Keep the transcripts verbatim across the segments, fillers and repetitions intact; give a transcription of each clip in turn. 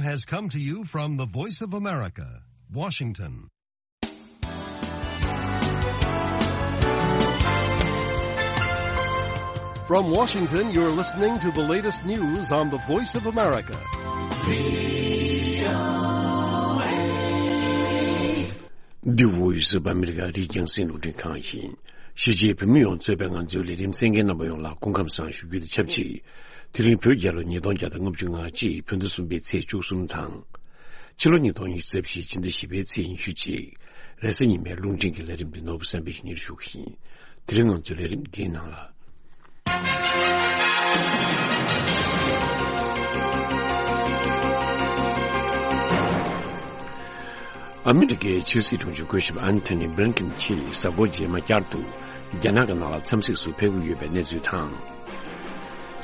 Has come to you from the Voice of America, Washington. From Washington, you're listening to the latest news on the Voice of America. The Voice of America. རིག་རྒྱང་སྲིང་རླུང་འཕྲིན་ཁང་ཡིན། གཞིས་བྱེས་བོད་མི་ཡོངས་གཙོས་པའི་ང་ཚོའི་ལས་རིམ་གསན་མཁན་རྣམ་པ་ཡོངས་ལ་སྐུ་ཁམས་བཟང་ཞུ་རྒྱུ་དང་ཆབས་ཅིག་དེ་རིང་བོད་རྒྱལ་ལོ་ཉིས་སྟོང་བརྒྱ་དང་ལྔ་བཅུ་ང་གཅིག་བོད་ཟླ་གསུམ་པའི་ཚེས་བཅུ་གསུམ་དང་། ཕྱི་ལོ་ཉིས་སྟོང་ཉི་ཤུ་རྩ་བཞི་ཕྱི་ཟླ་བཞི་པའི་ཚེས་ཉི་ཤུ་གཅིག་རེས་གཟའ་ཉི་མའི་རླུང་འཕྲིན་གྱི་ལས་རིམ་འདི་ནོར་བུ་བསམ་འཕེལ་གྱིས་སྙན་ཞུ་གི་ཡིན། དེ་རིང་ང་ཚོའི་ལས་རིམ་འདིའི་ནང་ལ། ཨ་མི་རི་ཀའི་ཕྱི་སྲིད་དྲུང་ཆེ་སྐུ་ཞབས་ཨན་ཐོ་ནི་བྷི་ལིན་ཀིན་གྱིས་གཟའ་འཁོར་རྗེས་མ་བསྐྱར་དུ་རྒྱ་ནག་གི་ནང་ལ་འཚམས་གཟིགས་སུ་ཕེབས་ཀྱི་ཡོད་པའི་གནས་ཚུལ་དང་།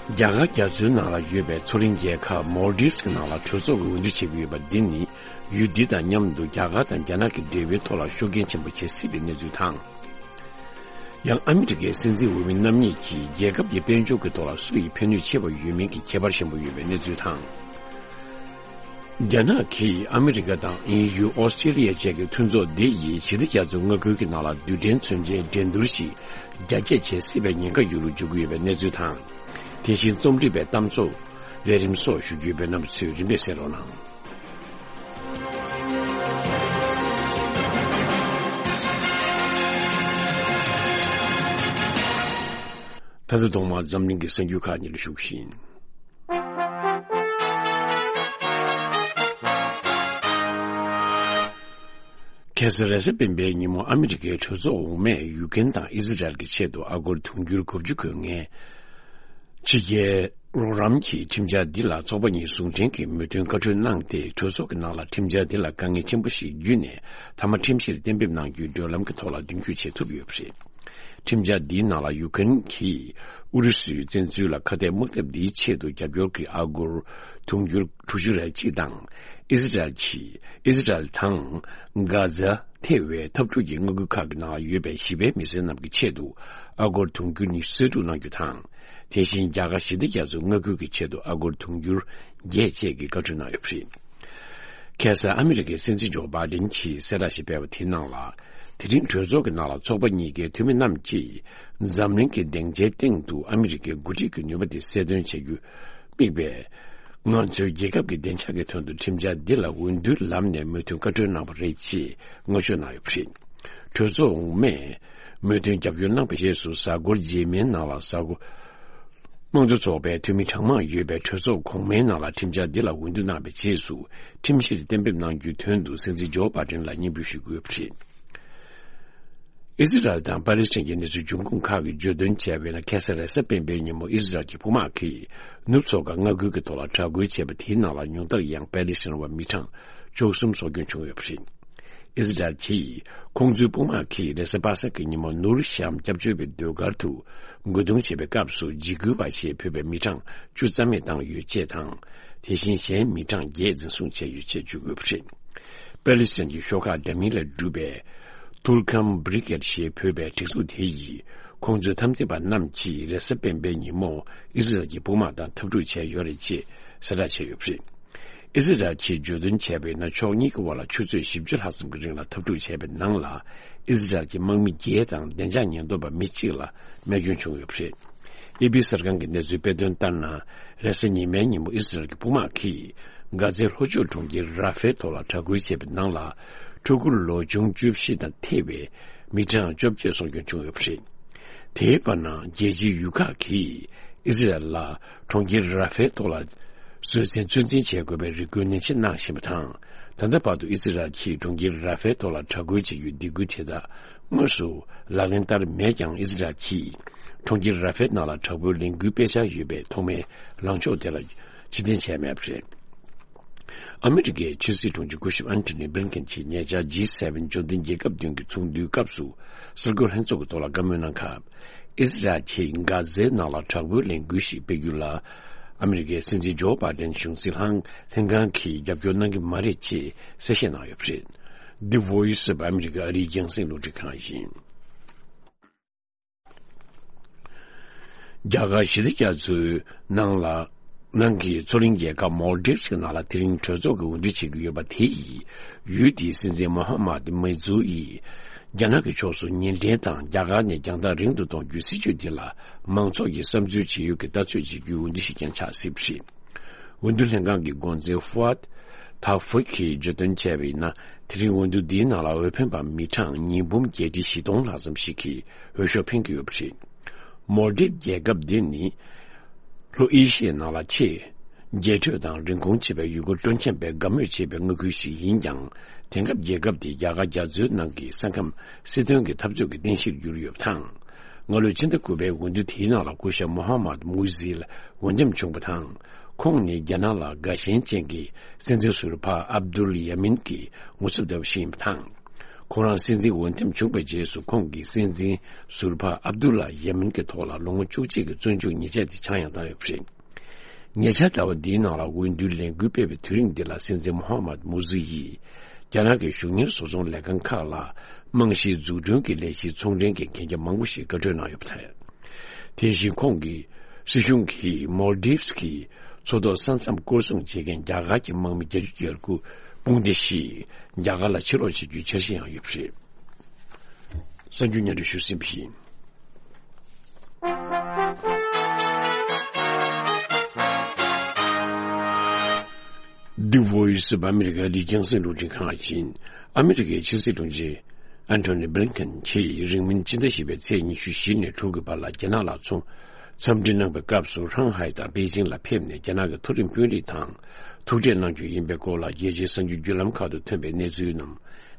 རྒྱ་གར་རྒྱ་མཚོའི་ནང་ལ་ཡོད་པའི་མཚོ་གླིང་རྒྱལ་ཁབ་མོལ་དིབ་ཀྱི་ནང་ལ་གྲོས་ཚོགས་ཀྱི་འོས་བསྡུ་བྱེད་ཀྱི་ཡོད་པ་འདི་ནི་ཡུལ་འདི་དང་མཉམ་དུ་རྒྱ་གར་དང་རྒྱ་ནག་གི་འབྲེལ་བའི་ཐོག་ལ་ཤུགས་རྐྱེན་ཆེན་པོ་བྱེད་སྲིད་པའི་གནས་ཚུལ་དང་། ཡང་ཨ་མི་རི་ཀའི་སྲིད་འཛིན་འོས་མི་རྣམ་གཉིས་ཀྱིས་རྒྱལ་ཁབ་ཀྱི་དཔལ་འབྱོར་གྱི་ཐོག་ལ་སུ་ཡི་ཕན་ནུས་ཆེ་བ་ཡོད་མིན་གྱི་ཁྱད་པར་ཆེན་པོ་ཡོད་པའི་གནས་ཚུལ་དང་། རྒྱ་ནག་གིས་ཨ་མི་རི་ཀ་དང་ཨིན་ཡུལ་ཨོ་སི་ཀྲི་ལི་ཡ་བཅས་ཀྱི་མཐུན་ཚོགས་འདི་ཡིས་ཞི་བདེ་རྒྱ་མཚོའི་མངའ་ཁུལ་གྱི་ནང་ལ་རྡུལ་ཕྲན་མཚོན་ཆའི་འགྲན་བསྡུར་ཞིག་རྒྱ་སྐྱེད་བྱེད་སྲིད་པའི་ཉེན་ཁ་ཡོད་ལུགས་བརྗོད་ཀྱི་ཡོད་པའི་གནས་ཚུལ་དང་། དེ་བཞིན་རྩོམ་སྒྲིག་པའི་གཏམ་ཚོགས་ལས་རིམ་སོགས་ཞུ་རྒྱུ་ཡོད་པས་རྣམ་པ་ཚོས་རིམ་པས་གསན་རོགས་གནང་། ད་ལྟ་ཐོག་མར་འཛམ་གླིང་གི་གསར་འགྱུར་ཁག་ཉིད་ལ་ཞུགས་ཤིང་། ཁ་སང་རེས་གཟའ་སྤེན་པའི་ཉིན་མོ་ཨ་མི་རི་ཀའི་གྲོས་ཚོགས་འོག་མས་ཡུ་ཀེན་དང་ཨི་ཟི་རལ་གྱི་ཆེད་དུ་ཨ་སྒོར་དུང་ཕྱུར་དགུ་བཅུ་དགོས་ངེས། ཕྱི་རྒྱལ་རོགས་རམ་གྱི་ཁྲིམས་འཆར་འདི་ལ་ཚོགས་པ་གཉིས་ཟུང་འབྲེལ་གྱིས་མོས་མཐུན་བཀའ་འཁྲོལ་གནང་སྟེ། གྲོས་ཚོགས་ཀྱི་ནང་ལ་ཁྲིམས་འཆར་འདི་ལ་དཀའ་ངལ་ཆེན་པོ་ཞིག་བརྒྱུད་ནས་མཐའ་མ་ཁྲིམས་གཞིར་གཏན་འབེབས་གནང་རྒྱུའི་བགྲོད་ལམ་གྱི་ཐོག་ལ་མདུན་སྐྱོད་བྱེད་ཐུབ་ཡོད་པ་རེད། ཁྲིམས་འཆར་འདིའི་ནང་ལ་ཡུ་ཀེན་གྱིས་ཨུ་རུ་སུའི་བཙན་འཛུལ་ལ་ཁ་གཏད་དམག་འཐབ་འདིའི་ཆེད་དུ་རྒྱབ་སྐྱོར་གྱི་ཨ་སྒོར་དུང་ཕྱུར་དྲུག་ཅུ་རེ་གཅིག་དང་། ཨི་ཟི་རལ་གྱིས་ཨི་ཟི་རལ་དང་གྷ་ཛ་ཐེ་བའི་འཐབ་འཁྲུག་གི་མངའ་ཁུལ་ཁག་གི་ནང་ཡོད་པའི་ཞི་བའི་མི་སེར་རྣམས་ཀྱི་ཆེད་དུ་ཨ་སྒོར་དུང་ཕྱུར་ཉི་ཤུ་རྩིས་སྤྲོད་གནང་རྒྱུ་དང་། དེ་བཞིན་རྒྱ་གར་ཞི་བདེ་རྒྱ་མཚོའི་མངའ་ཁུལ་གྱི་ཆེད་དུ་ཨ་སྒོར་དུང་ཕྱུར་བརྒྱད་བཅས་ཀྱི་བཀའ་འཁྲོལ་གནང་ཡོད་པ་རེད། ཁ་སང་ཨ་མི་རི་ཀའི་སྲིད་འཛིན་ཇོ་བྷའི་ཌེན་གྱིས་གསལ་བསྒྲགས་ཤིག་སྤེལ་བ་དེའི་ནང་ལ། དེ་རིང་གྲོས་ཚོགས་ཀྱི་ནང་ལ་ཚོགས་པ་གཉིས་ཀའི་འཐུས་མི་རྣམས་ཀྱིས་འཛམ་གླིང་གི་སྡིངས་ཆའི་སྟེང་དུ་ཨ་མི་རི་ཀའི་འགོ་ཁྲིད་ཀྱི་ནུས་པ་དེ་གསལ་སྟོན་བྱ་རྒྱུ་དམིགས་པའི། ང་ཚོའི་རྒྱལ་ཁབ་ཀྱི་བདེ་འཇགས་ཀྱི་དོན་དུ་ཁྲིམས་འཆར་འདི་ལ་འོས་བསྡུའི་ལམ་ནས་མོས་མཐུན་བཀའ་འཁྲོལ་གནང་བ་རེད་ཅེས་ངོ་སྤྲོད་གནང་ཡོད་པ་རེད། གྲོས་ཚོགས་འོག་མས་མོས་མཐུན་རྒྱབ་སྐྱོར་གནང་བའི་རྗེས་སུ། གཟའ་འཁོར་རྗེས་མའི་ནང་ལ་གཟའ་འཁོར་དམངས་གཙོ་ཚོགས་པའི་འཐུས་མི་གྲངས་མང་ཡོད་པའི་གྲོས་ཚོགས་གོང་མའི་ནང་ལ་ཁྲིམས་འཆར་འདི་ལ་འོས་བསྡུ་གནང་བའི་རྗེས་སུ། ཁྲིམས་གཞིར་གཏན་འབེབས་གནང་རྒྱུའི་དོན་དུ་སྲིད་འཛིན་ཇོ་བྷའི་ཌེན་ལ་སྙན་འབུལ་ཞུ་དགོས་པ་རེད། ཨི་ཟི་རལ་དང་པ་ལི་སི་ཐན་གྱི་གནས་ཚུལ་འབྱུང་ཁུངས་ཁག་གིས་བརྗོད་དོན་བྱས་པ་ཡིན་ན། ཁ་སང་རེས་གཟའ་སྤེན་པའི་ཉིན་མོ་ཨི་ཟི་རལ་གྱི་དཔུང་དམག་གིས་ནུབ་མཚོ་ཁ་མངའ་ཁུལ་གྱི་ཐོག་ལ་དྲག་རྒོལ་བྱས་པ་དེའི་ནང་ལ་ཉུང་མཐར་ཡང་པ་ལི་སི་ཐན་བ་མི་གྲངས་བཅུ་གསུམ་སྲོག་སྐྱོན་བྱུང་ཡོད་པ་རེད། ཨི་ཟི་རལ་གྱིས་ཁོང་ཚོའི་དཔུང་དམག་གིས་རེས་གཟའ་པ་སངས་ཀྱི་ཉིན་མོ་ནུར་ཤམ་སྐྱབས་བཅོལ་བའི་ཟློས་གར་དུ་རྒོལ་རྡུང་བྱེད་པའི་སྐབས་སུ་འཇིགས་སྐུལ་བ་ཞེས་འབོད་པའི་མི་གྲངས་བཅུ་རྩ་མེད་བཏང་ཡོད་ཅེས་དང་། དེ་བཞིན་གཞན་མི་གྲངས་བརྒྱད་འཛིན་བཟུང་བྱས་ཡོད་ཅེས་བརྗོད་དགོས་པ་རེད། པ་ལི་སི་ཐན་གྱི་ཤོག་ཁག་འདྲ་མིན་ལས་གྲུབ་པའི་ཐུར་ཁམ་བྷི་རི་གེད་ཞེས་འབོད་པའི་སྒྲིག་འཛུགས་དེ་ཡིས་ཁོང་ཚོའི་འཐབ་འཛིང་པ་རྣམས་ཀྱིས་རེས་གཟའ་སྤེན་པའི་ཉིན་མོ་ཨི་ཟི་རལ་གྱི་དཔུང་དམག་དང་འཐབ་འཁྲུག་བྱས་ཡོད་རེད་ཅེས་གསལ་བསྒྲགས་བྱས་ཡོད་པ་རེད། ཨི་ཟི་རལ་གྱིས་བརྗོད་དོན་བྱས་པ་ཡིན་ན། ཕྱོགས་གཉིས་ཀྱི་དབར་ལ་ཆུ་ཚོད་བཞི་བཅུ་ལྷག་ཙམ་གྱི་རིང་ལ་འཐབ་འཁྲུག་བྱས་པའི་ནང་ལ། ཨི་ཟི་རལ་གྱི་དམག་མི་བརྒྱད་དང་བདེ་འཇགས་ཉེན་རྟོག་པ་མི་གཅིག་ལ་རྨས་སྐྱོན་བྱུང་ཡོད་པ་རེད། ཨེ་པི་གསར་ཁང་གི་གནས་ཚུལ་སྤེལ་དོན་ལྟར་ན། རེས་གཟའ་ཉི་མའི་ཉིན་མོ་ཨི་ཟི་རལ་གྱི་དཔུང་དམག་གིས་གྷ་ཛའི་ལྷོ་ཕྱོགས་གྲོང་ཁྱེར་ར་ཧྥའི་ཐོག་ལ་དྲག་རྒོལ་བྱས་པའི་ནང་ལ། ཕྲུ་གུ་ལོ་ཆུང་བཅུ་བཞི་དང་ཐེ་བའི་མི་གྲངས་བཅོ་བརྒྱད་སྲོག་སྐྱོན་བྱུང་ཡོད་པ་རེད། དེའི་བར་ན་རྒྱལ་སྤྱིའི་ཡུལ་ཁག་གིས་ཨི་ཟི་རལ་ལ་གྲོང་ཁྱེར་ར་ཧྥའི་ཐོག་ལ་བཟོད་བསྲན་ཚོད་འཛིན་བྱེད་དགོས་པའི་རེ་སྐུལ་ནན་ཆེ་གནང་བཞིན་པ་དང་། ད་ལྟ་བར་དུ་ཨི་ཟི་རལ་གྱིས་གྲོང་ཁྱེར་ར་ཧྥའི་ཐོག་ལ་དྲག་རྒོལ་བྱེད་རྒྱུའི་སྡིགས་སྐུལ་དེ་དག་དངོས་སུ་ལག་ལེན་བསྟར་མེད་ཀྱང་། ཨི་ཟི་རལ་གྱིས་གྲོང་ཁྱེར་ར་ཧྥའི་ནང་ལ་དྲག་པོའི་ལས་འགུལ་སྤེལ་འཆར་ཡོད་པའི་ཐོག་མའི་ལངས་ཕྱོགས་དེ་ལ་ཕྱིར་འཐེན་བྱས་མེད་པ་རེད། ཨ་མི་རི་ཀའི་ཕྱི་སྲིད་དྲུང་ཆེ་སྐུ་ཞབས་ཨན་ཐོ་ནི་བྷི་ལིན་ཀེན་གྱིས་ཉེ་ཆར་ཇི་སེ་ཝེན་འབྱོར་ལྡན་རྒྱལ་ཁབ་བདུན་གྱི་ཚོགས་འདུའི་སྐབས་སུ་གསར་འགོད་ལྷན་ཚོགས་ཀྱི་ཐོག་ལ་བཀའ་མོལ་གནང་སྐབས། ཨི་ཟི་རལ་གྱིས་གྷ་ཛའི་ནང་ལ་དྲག་པོའི་ལས་འགུལ་ཞིག་སྤེལ་རྒྱུ་ལ། ཨ་མི་རི་ཀའི་སྲིད་འཛིན་ཇོ་བྷའི་ཌེན་གཞུང་སྲིད་ལྷན་ལྷན་ཁང་གིས་རྒྱབ་སྐྱོར་གནང་གི་མ་རེད་ཅེས་གསལ་བཤད་གནང་ཡོད་པ་རེད། The Voice of America ཨ་རིའི་རྒྱང་སྲིང་རླུང་འཕྲིན་ཁང་ཡིན། རྒྱ་གར་ཞི་བདེ་རྒྱ་མཚོའི་ནང་ལ་ ནང་གི་མཚོ་གླིང་རྒྱལ་ཁབ་མོལ་ཌིབ་གི་ནང་ལ་དེ་རིང་གྲོས་ཚོགས་ཀྱི་འོས་བསྡུ་བྱེད་ཀྱི་ཡོད་པ་དེ་ཡིས། ཡུལ་དེའི་སྲིད་འཛིན་མོ་ཧ་མད་མེ་ཛུ་ཡིས། རྒྱ་ནག་གི་ཕྱོགས་སུ་ཉེས་འབྲེལ་དང་རྒྱ་གར་ནས་རྒྱང་ཐག་རིང་དུ་གཏོང་རྒྱུའི་སྲིད་ཇུས་དེ་ལ་མང་ཚོགས་ཀྱིས་བསམ་ཚུལ་ཇི་ཡོད་ཀྱི་ལྟ་ཚོད་བྱེད་རྒྱུའི་འོས་བསྡུ་ཞིག་ཀྱང་ཆགས་སྲིད་པ་རེད། འོས་བསྡུ་ལྷན་ཁང་གི་འགོ་འཛིན་ཧྥུ་ཨད་ཐ་ཧྥུ་གིས་བརྗོད་དོན་བྱས་པ་ཡིན་ན། དེ་རིང་འོས་བསྡུ་འདིའི་ནང་ལ་འོས་འཕེན་པ་མི་གྲངས་ཉིས་འབུམ་བརྒྱད་ཁྲི་བཞི་སྟོང་ལྷག་ཙམ་ཞིག་གིས་འོས་ཤོག་འཕེན་གྱི་ཡོད་པ་རེད། མོལ་ཌིབ་རྒྱལ་ཁབ་འདི་ནི། ལྷོ་ཨེ་ཤི་ཡའི་ནང་ལ་ཆེས་རྒྱས་སྤྲོས་དང་རིན་གོང་ཆེ་བའི་ཡུལ་སྐོར་སྤྲོ་འཆམ་པས་དགའ་མོས་བྱེད་པའི་མངའ་ཁུལ་ཞིག་ཡིན་ཀྱང་། དེང་སྐབས་རྒྱལ་ཁབ་དེ་རྒྱ་གར་རྒྱ་མཚོའི་ནང་གི་ས་ཁམས་སྲིད་དོན་གྱི་འཐབ་རྩོད་ཀྱི་རྟེན་གཞིར་གྱུར་ཡོད་པ་དང་། སྔ་ལོའི་ཕྱི་ཟླ་དགུ་པའི་འོས་བསྡུ་དེའི་ནང་ལ་སྐུ་ཞབས་མོ་ཧ་མད་མུ་ཟིལ་འོས་འདེམས་བྱུང་བ་དང་། ཁོང་ནི་རྒྱ་ནག་ལ་དགའ་ཞེན་ཅན་གྱི་སྲིད་འཛིན་ཟུར་པ་ཨབ་དུལ་ཡ་མིན་གྱི་ངོ་ཚབ་ལྟ་བུ་ཞིག་ཡིན་པ་དང་། ཁོང་རང་སྲིད་འཛིན་འོས་འདེམས་བྱུང་བའི་རྗེས་སུ་ཁོང་གིས་སྲིད་འཛིན་ཟུར་པ་ཨབ་དུ་ལ་ཡ་མིན་གྱི་ཐོག་ལ་ལོ་ངོ་བཅུ་གཅིག་གི་བཙོན་འཇུག་ཉེས་ཆད་དེ་ཆག་ཡང་བཏང་ཡོད་པ་རེད། ཉེ་ཆར་ཟླ་བ་འདིའི་ནང་ལ་འོས་བསྡུའི་ལས་འགུལ་སྤེལ་བའི་དུས་རིང་འདི་ལ་སྲིད་འཛིན་མོ་ཧ་མད་མུ་ཟི་ཡིས་རྒྱ་ནག་གི་གཞུང་གཉེར་བཟོ་ཚོང་ལས་ཁང་ཁག་ལ་རྨང་གཞིའི་འཛུགས་སྐྲུན་གྱི་ལས་གཞིའི་ཚོང་འབྲེལ་གྱི་གན་རྒྱ་མང་པོ་ཞིག་བཀའ་འཁྲོལ་གནང་ཡོད་པ་རེད། དེ་བཞིན་ཁོང་གིས་སྲིད་གཞུང་གིས་མོལ་ཌིབ་ཀྱི་མཚོ་ཐོག་ས་མཚམས་སྐོར་སྲུང་བྱེད་མཁན་རྒྱ་གར་གྱི་དམག་མི་བརྒྱད་ཅུ་གྱ་དགུ་དཔུང་སྡེ་ཞིག་རྒྱ་གར་ལ་ཕྱིར་ལོག་བྱེད་རྒྱུའི་འཆར་གཞི་ཡང་ཡོད་པ་རེད། གསར་འགྱུར་སྙན་སྒྲོན་ཞུས་ཟིན་པ་ཡིན། འདི་Voice of America འདི་རྒྱང་སྲིང་རླུང་འཕྲིན་ཁང་ཡིན། ཨ་མི་རི་ཀའི་ཕྱི་སྲིད་དྲུང་ཆེ་ཨན་ཐོ་ནི་བྷི་ལིན་ཀེན་གྱིས་རིང་མིན་སྤྱི་ཟླ་བཞི་པའི་ཚེས་ཉི་ཤུ་བཞི་ནས་དྲུག་གི་བར་ལ་རྒྱ་ནག་ལ་ཚུར་འཚམས་འདྲི་གནང་བའི་སྐབས་སུ་ཧྲང་ཧའེ་དང་པེ་ཅིང་ལ་ཕེབས་ནས་རྒྱ་ནག་གི་མཐོ་རིམ་དཔོན་རིགས་དང་ཐུག་འཕྲད་གནང་རྒྱུ་ཡིན་པའི་སྐོར་ལ་རྒྱལ་སྤྱིའི་གསར་འགྱུར་བརྒྱུད་ལམ་ཁག་ཏུ་ཐོན་པའི་གནས་ཚུལ་རྣམས་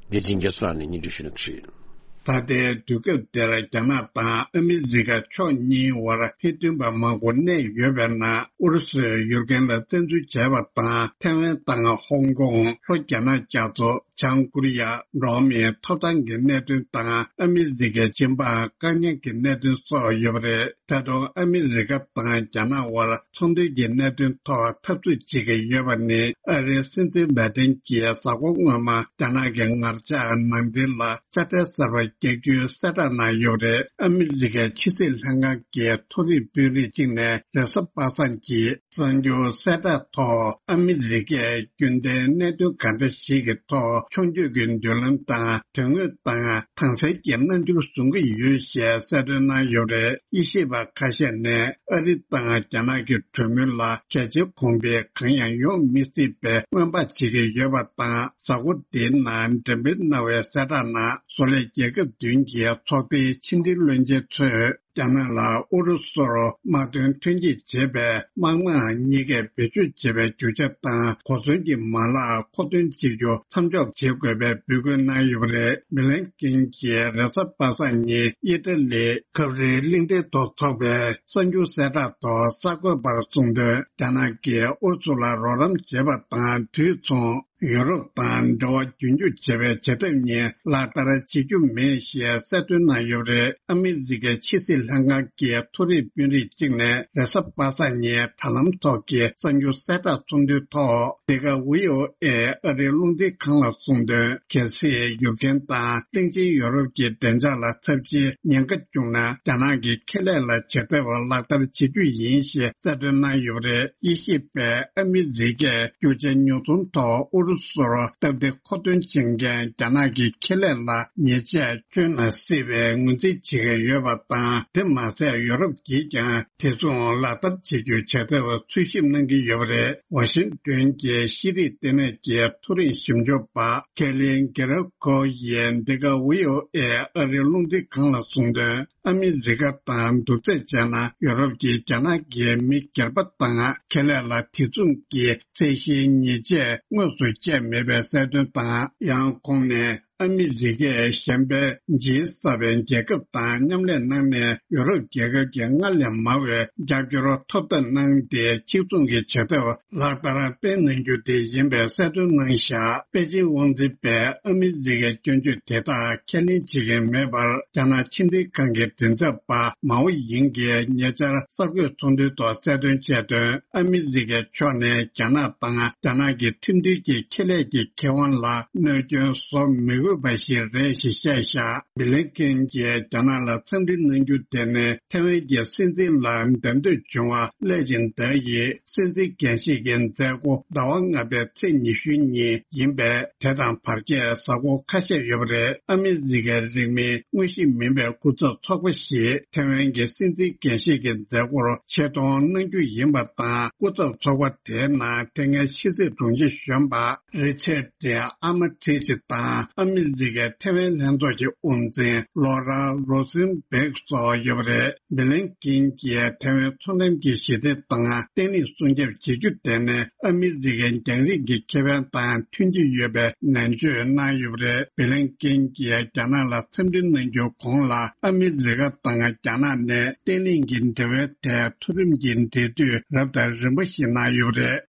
བདེ་ཆེན་རྒྱ་མཚོ་ལགས་ནས་སྙན་སྒྲོན་ཞུ་གནང་གི་རེད། ད་ལྟའི་དུས་སྐབས་འདིར་རྒྱ་ནག་དང་ཨ་མི་རི་ཀ་ཕྱོགས་གཉིས་བར་ཕན་ཚུན་པ་མང་པོ་གནས་ཡོད་པའི་ནང་ཨུ་རུ་སུས་ཡུར་ཀེན་ལ་བཙན་འཛུལ་བྱས་པ་དང་། ཐའེ་ཝན་དང་ཧོང་ཀོང་། ལྷོ་རྒྱ་ནག་རྒྱ་མཚོ། བྱང་ཀོ་རི་ཡ། འགྲོ་བ་མིའི་ཐོབ་ཐང་གི་གནད་དོན་དང་། ཨ་མི་རི་ཀའི་སྦྱིན་པ་དཀའ་ངལ་གྱི་གནད་དོན་སོགས་ཡོད་པ་རེད། ད་དུང་ཨ་མི་རི་ཀ་དང་རྒྱ་ནག་དབར་ཚོང་དོན་གྱི་གནད་དོན་ཐོག་འཐབ་རྩོད་བྱེད་ཀྱི་ཡོད་པ་ནི། ཨ་རིའི་སྲིད་འཛིན་བྷའི་ཏིན་གྱིས་གཟའ་འཁོར་སྔོན་མ་རྒྱ་ནག་གི་ངར་ལྕགས་ནང་འདྲེན་ལ་དཔྱ་ཁྲལ་གསར་པ་རྒྱག་རྒྱུའི་གསལ་བསྒྲགས་གནང་ཡོད་པ་རེད། ཨ་མི་རི་ཀའི་ཕྱི་སྲིད་ལྷན་ཁང་གི་མཐོ་རིམ་དཔོན་རིགས་གཅིག་ནས་རེས་གཟའ་པ་སངས་ཀྱི་གསར་འགྱུར་གསལ་བསྒྲགས་ཐོག་ཨ་མི་རི་ཀས་རྒྱུན་ལྡན་གནད་དོན་གང་འདྲ་ཞིག་གི་ཐོག་ཕྱོགས་བསྐྱོད་ཀྱི་མདུན་ལམ་དང་དོན་དངོས་དང་དྭངས་གསལ་གྱི་རྣམ་འགྱུར་བཟུང་གི་ཡོད་ཞེས་གསལ་སྟོན་གནང་ཡོད་པ་རེད། དབྱེ་ཞིབ་པ་ཁ་ཤས་ནས་ཨ་རི་དང་རྒྱ་ནག་གི་གྲོས་མོལ་ལ་གལ་ཆེ་གོང་འཕེལ་གང་ཡང་ཡོང་མི་སྲིད་པའི་སྔོན་དཔག་བྱེད་ཀྱི་ཡོད་པ་དང་། གཟའ་འཁོར་འདིའི་ནང་འགྲེམས་སྤེལ་གནང་བའི་གསལ་བསྒྲགས་ནང་བཟོ་ལས་རྒྱལ་ཁབ་བདུན་གྱི་ཚོགས་སྡེའི་ཕྱི་འབྲེལ་བློན་ཆེན་ཚོས། རྒྱ་ནག་ལ་ཨུ་རུ་སུར་དམག་དོན་ཐོན་སྐྱེད་བྱེད་པའི་དམག་དམངས་གཉིས་ཀས་བེད་སྤྱོད་བྱེད་པའི་རྒྱུ་ཆ་དང་གོ་མཚོན་གྱི་མ་ལག་མཁོ་འདོན་བྱེད་རྒྱུ་མཚམས་འཇོག་བྱེད་དགོས་པའི་འབོད་སྐུལ་གནང་ཡོད་པ་རེད། བྷི་ལིན་ཀེན་གྱིས་རེས་གཟའ་པ་སངས་ཉིན་ཨི་ཏྲ་ལི་ཁབ་རིལ་གླིང་ཕྲན་དུ་འཚོགས་པའི་གསར་འགྱུར་གསལ་བསྒྲགས་ཐོག་གསར་འགོད་པར་གསུངས་དོན། རྒྱ་ནག་གིས་ཨུ་རུ་སུ་ལ་རོགས་རམ་བྱེད་པ་དང་དུས་མཚུངས། ཡུ་རོབ་དང་འབྲེལ་བ་རྒྱུན་སྐྱོང་བྱེད་པའི་བྱེད་ཐབས་གཉིས་ལག་བསྟར་བྱེད་རྒྱུ་མེད་ཞེས་གསལ་སྟོན་གནང་ཡོད་པ་རེད། ཨ་མི་རི་ཀའི་ཕྱི་སྲིད་ལྷན་ཁང་གི་མཐོ་རིམ་དཔོན་རིགས་གཅིག་ནས་རེས་གཟའ་པ་སངས་ཉིན་དྲ་ལམ་ཐོག་གི་གསར་འགྱུར་གསལ་བསྒྲགས་གསུང་དོན་ཐོག་འདི་ག་ཝི་ཨོ་ཨེ་ཨ་རིའི་རླུང་འཕྲིན་ཁང་ལ་གསུངས་དོན། གལ་སྲིད་ཡུར་ཀེན་དང་གླིང་ཆེན་ཡོ་རོབ་ཀྱི་བདེ་འཇགས་ལ་ཚབས་ཆེའི་ཉེན་ཁ་བྱུང་ན། རྒྱ་ནག་གི་ཁེ་ལས་ལ་བྱེད་ཐབས་ལག་བསྟར་བྱེད་རྒྱུ་ཡིན་ཞེས་གསལ་སྟོན་གནང་ཡོད་པ་རེད། དབྱེ་ཞིབ་པས་ཨ་མི་རི་ཀས་རྒྱུ་ཆ་ཉོ་ཚོང་ཐོག་ཨུ་རུ་སུར་སྟབས་བདེ་མཁོ་འདོན་བྱེད་མཁན་རྒྱ་ནག་གི་ཁེ་ལས་ལ་ཉེས་ཆད་གཅོད་ན་སྲིད་པའི་ངོས་འཛིན་བྱེད་ཀྱི་ཡོད་པ་དང་། དེ་མ་ཟད་ཡོ་རོབ་ཀྱིས་ཀྱང་དེ་མཚུངས་ལག་བསྟར་བྱེད་རྒྱུའི་བྱ་ཐབས་འཚོལ་ཞིབ་གནང་གི་ཡོད་པ་རེད། ཝ་ཤིང་ཏོན་གྱི་ཤེས་རིག་ལྟེ་གནས་ཀྱི་མཐོ་རིམ་ཞིབ་འཇུག་པ་ཁེ་ལིན་གེ་ར་ཁོ་ཡིས་འདི་ག་ཝི་ཨོ་ཨེ་ཨ་རིའི་རླུང་འཕྲིན་ཁང་ལ་གསུངས་དོན། ཨ་མི་རི་ཀ་དང་མདུན་སྐྱོད་བྱས་ན། ཡོ་རོབ་ཀྱིས་རྒྱ་ནག་གི་མི་སྒེར་པ་དང་ཁེ་ལས་ལ་དེ་མཚུངས་ཀྱི་ཚད་གཞིའི་ཉེས་ཆད་དངོས་སུ་བཅད་མེད་པའི་གསལ་སྟོན་དང་། ཡང་ཁོང་ནས་ཨ་མི་རི་ཀས་གཞན་ཕན་ཇི་ཨེས་གསར་པའི་རྒྱལ་ཁབ་དང་མཉམ་ལས་གནང་ནས། ཡོ་རོབ་རྒྱལ་ཁབ་ཀྱིས་སྔར་ལས་མང་བའི་རྒྱབ་སྐྱོར་ཐོབ་ཐབས་གནང་སྟེ། གཅིག་མཚུངས་ཀྱི་བྱ་ཐབས་ལག་བསྟར་སྤེལ་གནང་རྒྱུ་དེ་ཡིན་པའི་གསལ་སྟོན་གནང་བཞག་པེ་ཅིང་དབང་འཛིན་པས་ཨ་མི་རི་ཀའི་སྐྱོན་བརྗོད་དེ་དག་ཁས་ལེན་བྱེད་ཀྱི་མེད་པར། རྒྱ་ནག་ཕྱི་འབྲེལ་ཁང་གི་མགྲིན་ཚབ་པ་མའོ་ཡིང་གིས་ཉེ་ཆར་གསར་འགོད་ཚོགས་འདུའི་ཐོག་གསལ་སྟོན་བྱས་དོན། ཨ་མི་རི་ཀའི་ཕྱོགས་ནས་རྒྱ་ནག་དང་རྒྱ་ནག་གི་ཁྲིམས་མཐུན་གྱི་ཁེ་ལས་ཀྱི་ཁེ་དབང་ལ་གནོད་སྐྱོན་བཟོ་མི་ དགོས་པ་ཞིག་རེད་ཞེས་བཤད་བཞག་བི་ལིན་ཀེན་གྱིས་རྒྱ་ནག་ལ་འཚམས་འདྲི་གནང་རྒྱུ་དེ་ནི་ཐེ་ཝན་གྱི་སྲིད་འཛིན་ལ་འདེམས་ཐོན་བྱུང་བ་སླད་ཕྱིན་བདག་ཡིས་སྲིད་འཛིན་འགན་བཞེས་ཀྱི་མཛད་སྒོ་ཟླ་བ་ལྔ་པའི་ཚེས་ཉི་ཤུ་ཉིན་ཡིན་པས། དེ་དང་བར་ཆད་གཟའ་འཁོར་ཁ་ཤས་ཡོད་པ་རེད། ཨ་མི་རི་ཀའི་རིང་མིན་དངོས་གཞི་མིན་པའི་སྐུ་ཚབ་ཚོགས་པ་ཞིག་ཐེ་ཝན་གྱི་སྲིད་འཛིན་འགན་བཞེས་ཀྱི་མཛད་སྒོར་ཆེད་གཏོང་གནང་རྒྱུ་ཡིན་པ་དང་། སྐུ་ཚབ་ཚོགས་པ་དེའི་ནང་དེ་སྔའི་ཕྱི་སྲིད་དྲུང་ཆེ་གཞོན་པ་རི་ཆར་ཌི་ཨ་མ་ཁྲི་ཆི་དང་ཨ་མི་རི་ཀའི་ཐེ་ཝན་ལྷན་ཚོགས་ཀྱི་དབུ་འཛིན་ལོ་ར་རོ་སིན་བེག་སོགས་ཡོད་པ་རེད། བི་ལིན་ཀིན་གྱིས་ཐེ་ཝན་མཚོ་འགྲམ་གྱི་ཞི་བདེ་དང་བརྟན་ལྷིང་སྲུང་སྐྱོབ་བྱེད་རྒྱུ་དེ་ནི་ཨ་མི་རི་ཀའི་རྒྱང་རིང་གི་ཁེ་ཕན་དང་མཐུན་གྱི་ཡོད་པའི་ནན་བརྗོད་གནང་ཡོད་པ་རེད། བི་ལིན་ཀིན་གྱིས་རྒྱ་ནག་ལ་འཚམས་འདྲི་གནང་རྒྱུའི་གོང་ལ་ཨ་མི་རི་ཀ་དང་རྒྱ་ནག་ནས་བརྟན་ལྷིང་གི་འབྲེལ་བའི་ཐད་མཐོ་རིམ་གྱི་འབྲེལ་མཐུད་རབ་དང་རིམ་པ་ཞིག་གནང་ཡོད་པ་རེད།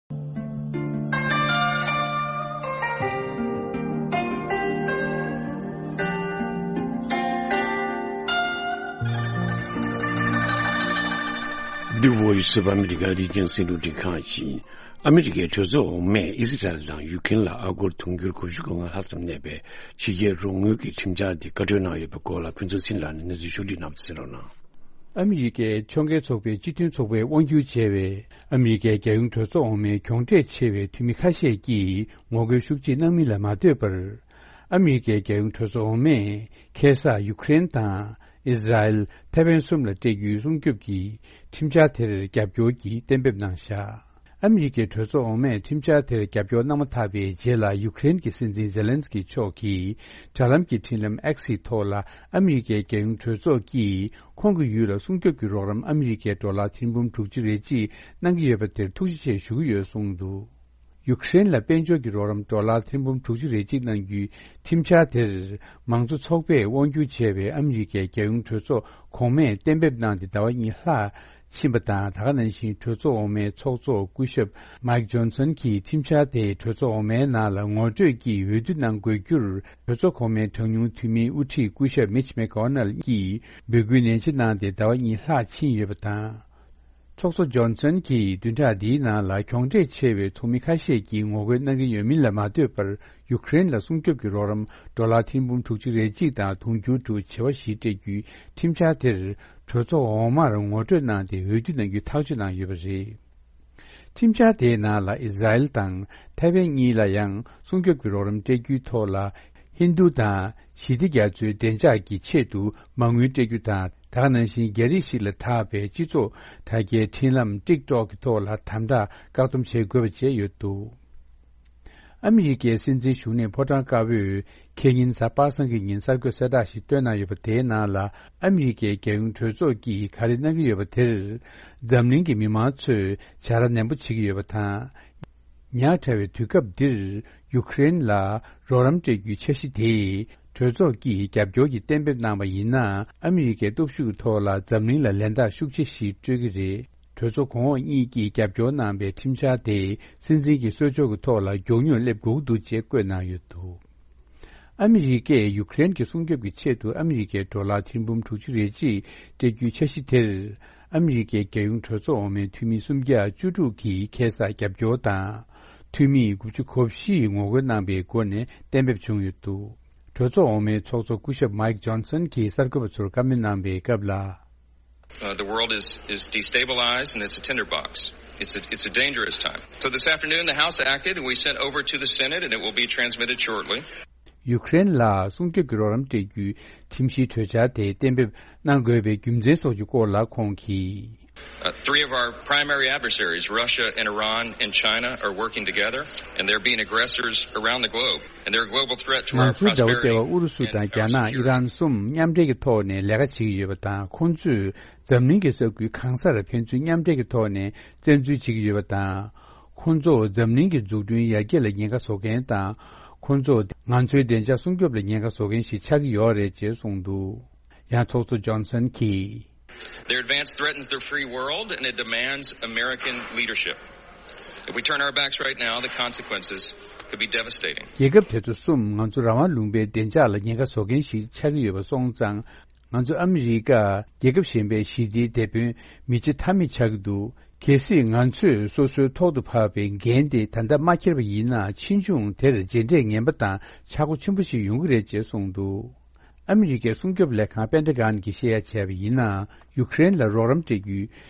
འདི་Voice of America་རིག་གཞུང་སྲིད་ལུགས་སྒྲིག་ཁང་ཡིན། ཨ་མི་རི་ཀའི་གྲོས་ཚོགས་འོག་མས་ཨི་སི་རལ་དང་ཡུ་ཀེན་ལ་ཨ་སྒོར་དུང་ཕྱུར་དགུ་བཅུ་གོ་ལྔ་ལྷག་ཙམ་གནས་པའི་ཕྱི་རྒྱལ་རོགས་དངུལ་གྱི་ཁྲིམས་འཆར་དེ་བཀའ་འཁྲོལ་གནང་ཡོད་པའི་སྐོར་ལ་ཕུན་ཚོགས་ཚེ་རིང་ལགས་ནས་གནས་ཚུལ་ཕྱོགས་སྒྲིག་གནང་བ་གསན་རོགས་གནང་། ཨ་མི་རི་ཀའི་ཕྱོགས་འགལ་ཚོགས་པའི་སྤྱི་མཐུན་ཚོགས་པས་དབང་སྒྱུར་བྱས་པའི་ཨ་མི་རི་ཀའི་རྒྱལ་ཡོངས་གྲོས་ཚོགས་འོག་མའི་གྱོང་འབྲས་ཆེ་བའི་འཐུས་མི་ཁ་ཤས་ཀྱིས་ངོ་རྒོལ་ཤུགས་ཆེ་གནང་མིན་ལ་མ་ལྟོས་པར། ཨ་མི་རི་ཀའི་རྒྱལ་ཡོངས་གྲོས་ཚོགས་འོག་མས་ཁ་སང་ཡུ་ཀེ་རེན་དང་ཨི་སི་རལ། ཐེ་ཝན་གསུམ་ལ་སྤྲད་རྒྱུའི་སྲུང་སྐྱོབ་ཀྱི་ཁྲིམས་འཆར་དེར་རྒྱབ་སྐྱོར་གྱིས་གཏན་འབེབས་གནང་བཞག་ཨ་མི་རི་ཀའི་གྲོས་ཚོགས་འོག་མས་ཁྲིམས་འཆར་དེར་རྒྱབ་སྐྱོར་གནང་མ་ཐག་པའི་རྗེས་ལ་ཡུ་ཀེ་རེན་གྱི་སྲིད་འཛིན་ཛེ་ལན་སི་ཀི་མཆོག་གིས་དྲ་ལམ་གྱི་འཕྲིན་ལམ་X་ཡི་ཐོག་ལ་ཨ་མི་རི་ཀའི་རྒྱལ་ཡོངས་གྲོས་ཚོགས་ཀྱིས་ཁོང་གི་ཡུལ་ལ་སྲུང་སྐྱོབ་ཀྱི་རོགས་རམ་ཨ་མི་རི་ཀའི་ཌོ་ལར་ཐེར་འབུམ་དྲུག་ཅུ་རེ་གཅིག་གནང་གི་ཡོད་པ་དེར་ཐུགས་རྗེ་ཆེ་ཞུ་གི་ཡོད་གསུངས་འདུག་ཡུ་ཀེ་རེན་ལ་དཔལ་འབྱོར་གྱི་རོགས་རམ་ཌོ་ལར་ཐེར་འབུམ་དྲུག་ཅུ་རེ་གཅིག་གནང་རྒྱུའི་ཁྲིམས་འཆར་དེར་མང་གཙོ་ཚོགས་པས་དབང་སྒྱུར་བྱས་པའི་ཨ་མི་རི་ཀའི་རྒྱལ་ཡོངས་གྲོས་ཚོགས་གོང་མས་གཏན་འབེབས་གནང་སྟེ་ཟླ་བ་གཉིས་ལྷག་ཕྱིན་པ་དང་། ད་ག་ནང་བཞིན་གྲོས་ཚོགས་འོག་མའི་ཚོགས་གཙོ་སྐུ་ཞབས་མཱིག་ཇོན་སན་གྱིས་ཁྲིམས་འཆར་དེ་གྲོས་ཚོགས་འོག་མའི་ནང་ལ་ངོ་སྤྲོད་ཀྱིས་འོས་བསྡུ་གནང་དགོས་རྒྱུར་གྲོས་ཚོགས་གོང་མའི་གྲངས་ཉུང་འཐུས་མིའི་དབུ་ཁྲིད་སྐུ་ཞབས་མིཆ་མེ་ཀོ་ནལ་གྱིས་འབོད་སྐུལ་ནན་ཆེ་གནང་སྟེ་ཟླ་བ་གཉིས་ལྷག་ཕྱིན་ཡོད་པ་དང་། ཚོགས་གཙོ་ཇོན་སན་གྱིས་བདུན་ཕྲག་འདིའི་ནང་ལ་གྱོང་འབྲས་ཆེ་བའི་ཚོགས་མི་ཁ་ཤས་ཀྱིས་ངོ་རྒོལ་གནང་གི་ཡོད་མིན་ལ་མ་ལྟོས་པར། ཡུ་ཀེ་རེན་ལ་སྲུང་སྐྱོབ་ཀྱི་རོགས་རམ་ཌོ་ལར་ཐེར་འབུམ་དྲུག་ཅུ་རེ་གཅིག་དང་དུང་ཕྱུར་དྲུག་བྱེ་བ་བཞི་སྤྲད་རྒྱུའི་ཁྲིམས་འཆར་དེར་གྲོས་ཚོགས་འོག་མར་ངོ་སྤྲོད་གནང་སྟེ་འོས་བསྡུ་གནང་རྒྱུའི་ཐག་གཅོད་གནང་ཡོད་པ་རེད། ཁྲིམས་འཆར་དེའི་ནང་ལ་ཨི་སི་རལ་དང་ཐའེ་ཝན་གཉིས་ལ་ཡང་སྲུང་སྐྱོབ་ཀྱི་རོགས་རམ་སྤྲད་རྒྱུའི་ཐོག་ལ། ཧིན་རྡུ་དང་ཞི་བདེ་རྒྱ་མཚོའི་བདེ་འཇགས་ཀྱི་ཆེད་དུ་མ་དངུལ་སྤྲད་རྒྱུ་དང་། ད་ག་ནང་བཞིན་རྒྱ་རིགས་ཤིག་ལ་བཏགས་པའི་སྤྱི་ཚོགས་དྲ་རྒྱའི་འཕྲིན་ལམ་ཊིག་ཊོག་གི་ཐོག་ལ་དམ་དྲག་བཀག་སྡོམ་བྱེད་དགོས་པ་བཅས་ཡོད་འདུག་ཨ་མི་རི་ཀའི་སྲིད་འཛིན་བཞུགས་གནས་ཕོ་བྲང་དཀར་པོས་ཁེ་ཉིན་གཟའ་པ་སངས་ཀྱི་ཉིན་གསར་འགོད་གསལ་བསྒྲགས་ཤིག་བཏོན་གནང་ཡོད་པ། དེའི་ནང་ལ་ཨ་མི་རི་ཀའི་རྒྱལ་ཡོངས་གྲོས་ཚོགས་ཀྱིས་ག་རེ་གནང་གི་ཡོད་པ་དེར་འཛམ་གླིང་གི་མི་མང་ཚོས་བྱ་ར་ནན་པོ་བྱེད་ཀྱི་ཡོད་པ་དང་། ཉག་ཕྲ་བའི་དུས་སྐབས་འདིར་ཡུ་ཀེ་རེན་ལ་རོགས་རམ་སྤྲད་རྒྱུའི་འཆར་གཞི་དེ་གྲོས་ཚོགས་ཀྱིས་རྒྱབ་སྐྱོར་གྱི་གཏན་འབེབས་གནང་བ་ཡིན་ན། ཨ་མི་རི་ཀའི་སྟོབས་ཤུགས་ཀྱི་ཐོག་ལ་འཛམ་གླིང་ལ་ལན་རྟགས་ཤུགས་ཆེ་ཞིག་སྤྲོད་ཀྱི་རེད། གྲོས་ཚོགས་གོང་འོག་གཉིས་ཀྱིས་རྒྱབ་སྐྱོར་གནང་པའི་ཁྲིམས་འཆར་དེ་སྲིད་འཛིན་གྱི་གསོལ་ལྕོག་གི་ཐོག་ལ་མགྱོགས་མྱུར་སླེབས་དགོས་ཀྱི་འདུག་ཅེས་བཀོད་གནང་ཡོད་འདུག་ཨ་མི་རི་ཀས་ཡུ་ཀེ་རེན་གྱི་སྲུང་སྐྱོབ་ཀྱི་ཆེད་དུ་ཨ་མི་རི་ཀའི་ཌོ་ལར་ཐེར་འབུམ་དྲུག་ཅུ་རེ་གཅིག་སྤྲད་རྒྱུའི་འཆར་གཞི་དེར། ཨ་མི་རི་ཀའི་རྒྱལ་ཡོངས་གྲོས་ཚོགས་འོག་མའི་འཐུས་མི་སུམ་བརྒྱ་བཅུ་དྲུག་གིས་ཁ་སང་རྒྱབ་སྐྱོར་དང་། འཐུས་མི་དགུ་བཅུ་གོ་བཞིས་ངོ་རྒོལ་གནང་པའི་སྒོ་ནས་གཏན་འབེབས་བྱུང་ཡོད་འདུག་གྲོས་ཚོགས་འོག་མའི་ཚོགས་གཙོ་སྐུ་ཞབས་མཱིག་ཇོན་སན་གྱིས་གསར་འགོད་པ་ཚོར་བཀའ་མོལ་གནང་པའི་སྐབས་ལ། Uh, the world is, is destabilized and it's a tinderbox. It's a, it's a dangerous time. So this afternoon, the House acted and we sent over to the Senate and it will be transmitted shortly. ཡུ་ཀེ་རེན་ལ་སྲུང་སྐྱོབ་ཀྱི་རོགས་རམ་སྤྲད་རྒྱུའི་ཁྲིམས་གཞིའི་གྲོས་འཆར་དེ་གཏན་འབེབས་གནང་དགོས་པའི་རྒྱུ་མཚན་སོགས་ཀྱི་སྐོར་ལ་ཁོང་གིས། Uh, three of our primary adversaries, Russia and Iran and China, are working together, and they're being aggressors around the globe. And they're a global threat to our prosperity and our security. ང་ཚོའི་ཟླ་བ་ལྟེ་བ་ཨུ་རུ་སུ་དང་རྒྱ་ནག་ཨི་རན་གསུམ་མཉམ་འབྲེལ་གྱི་ཐོག་ནས་ལས་ཀ་བྱེད་ཀྱི་ཡོད་པ་དང་། ཁོང་ཚོས་འཛམ་གླིང་གི་ས་ཁུལ་གང་སར་ཕན་ཚུན་མཉམ་འབྲེལ་གྱི་ཐོག་ནས་བཙན་འཛུལ་བྱེད་ཀྱི་ཡོད་པ་དང་། ཁོང་ཚོ་འཛམ་གླིང་གི་འཛུགས་སྐྲུན་ཡར་རྒྱས་ལ་ཉེན་ཁ་བཟོ་མཁན་དང་། ཁོང་ཚོ་ང་ཚོའི་བདེ་འཇགས་སྲུང་སྐྱོབ་ལ་ཉེན་ཁ་བཟོ་མཁན་ཞིག་ཆགས་ཀྱི་ཡོད་རེད་ཅེས་གསུངས་འདུག་ཡང་ཚོགས་གཙོ་ཇོན་སན་གྱིས། Their advance threatens the free world and it demands American leadership. If we turn our backs right now, the consequences could be devastating. རྒྱལ་ཁབ་དེ་ཚོ་གསུམ་ང་ཚོ་རང་དབང་ལུང་པའི་བདེ་འཇགས་ལ་ཉེན་ཁ་བཟོ་མཁན་ཞིག་ཆགས་ཀྱི་ཡོད་པ་སོང་ཙང་། ང་ཚོ་ཨ་མི་རི་ཀ་རྒྱལ་ཁབ་གཞན་པའི་ཞི་བདེའི་དེད་དཔོན་མི་བྱེད་ཐབས་མེད་ཆགས་ཀྱི་འདུག་གལ་སྲིད་ང་ཚོས་སོ་སོའི་ཐོག་ཏུ་བབས་པའི་འགན་དེ་ད་ལྟ་མ་འཁྱེར་བ་ཡིན་ན། ཕྱིས་འབྱུང་དེར་རྗེས་འབྲས་ངན་པ་དང་ཆག་སྒོ་ཆེན་པོ་ཞིག་ཡོང་གི་རེད་ཅེས་གསུངས་འདུག་ཨ་མི་རི་ཀའི་སྲུང་སྐྱོབ་ལས་ཁང་པེན་ཏ་གྷན་གྱིས་བཤད་ཡ་བྱས་པ་ཡིན་ན། ཡུ་ཀེ་རེན་ལ་རོགས་རམ་སྤྲད་རྒྱུའི་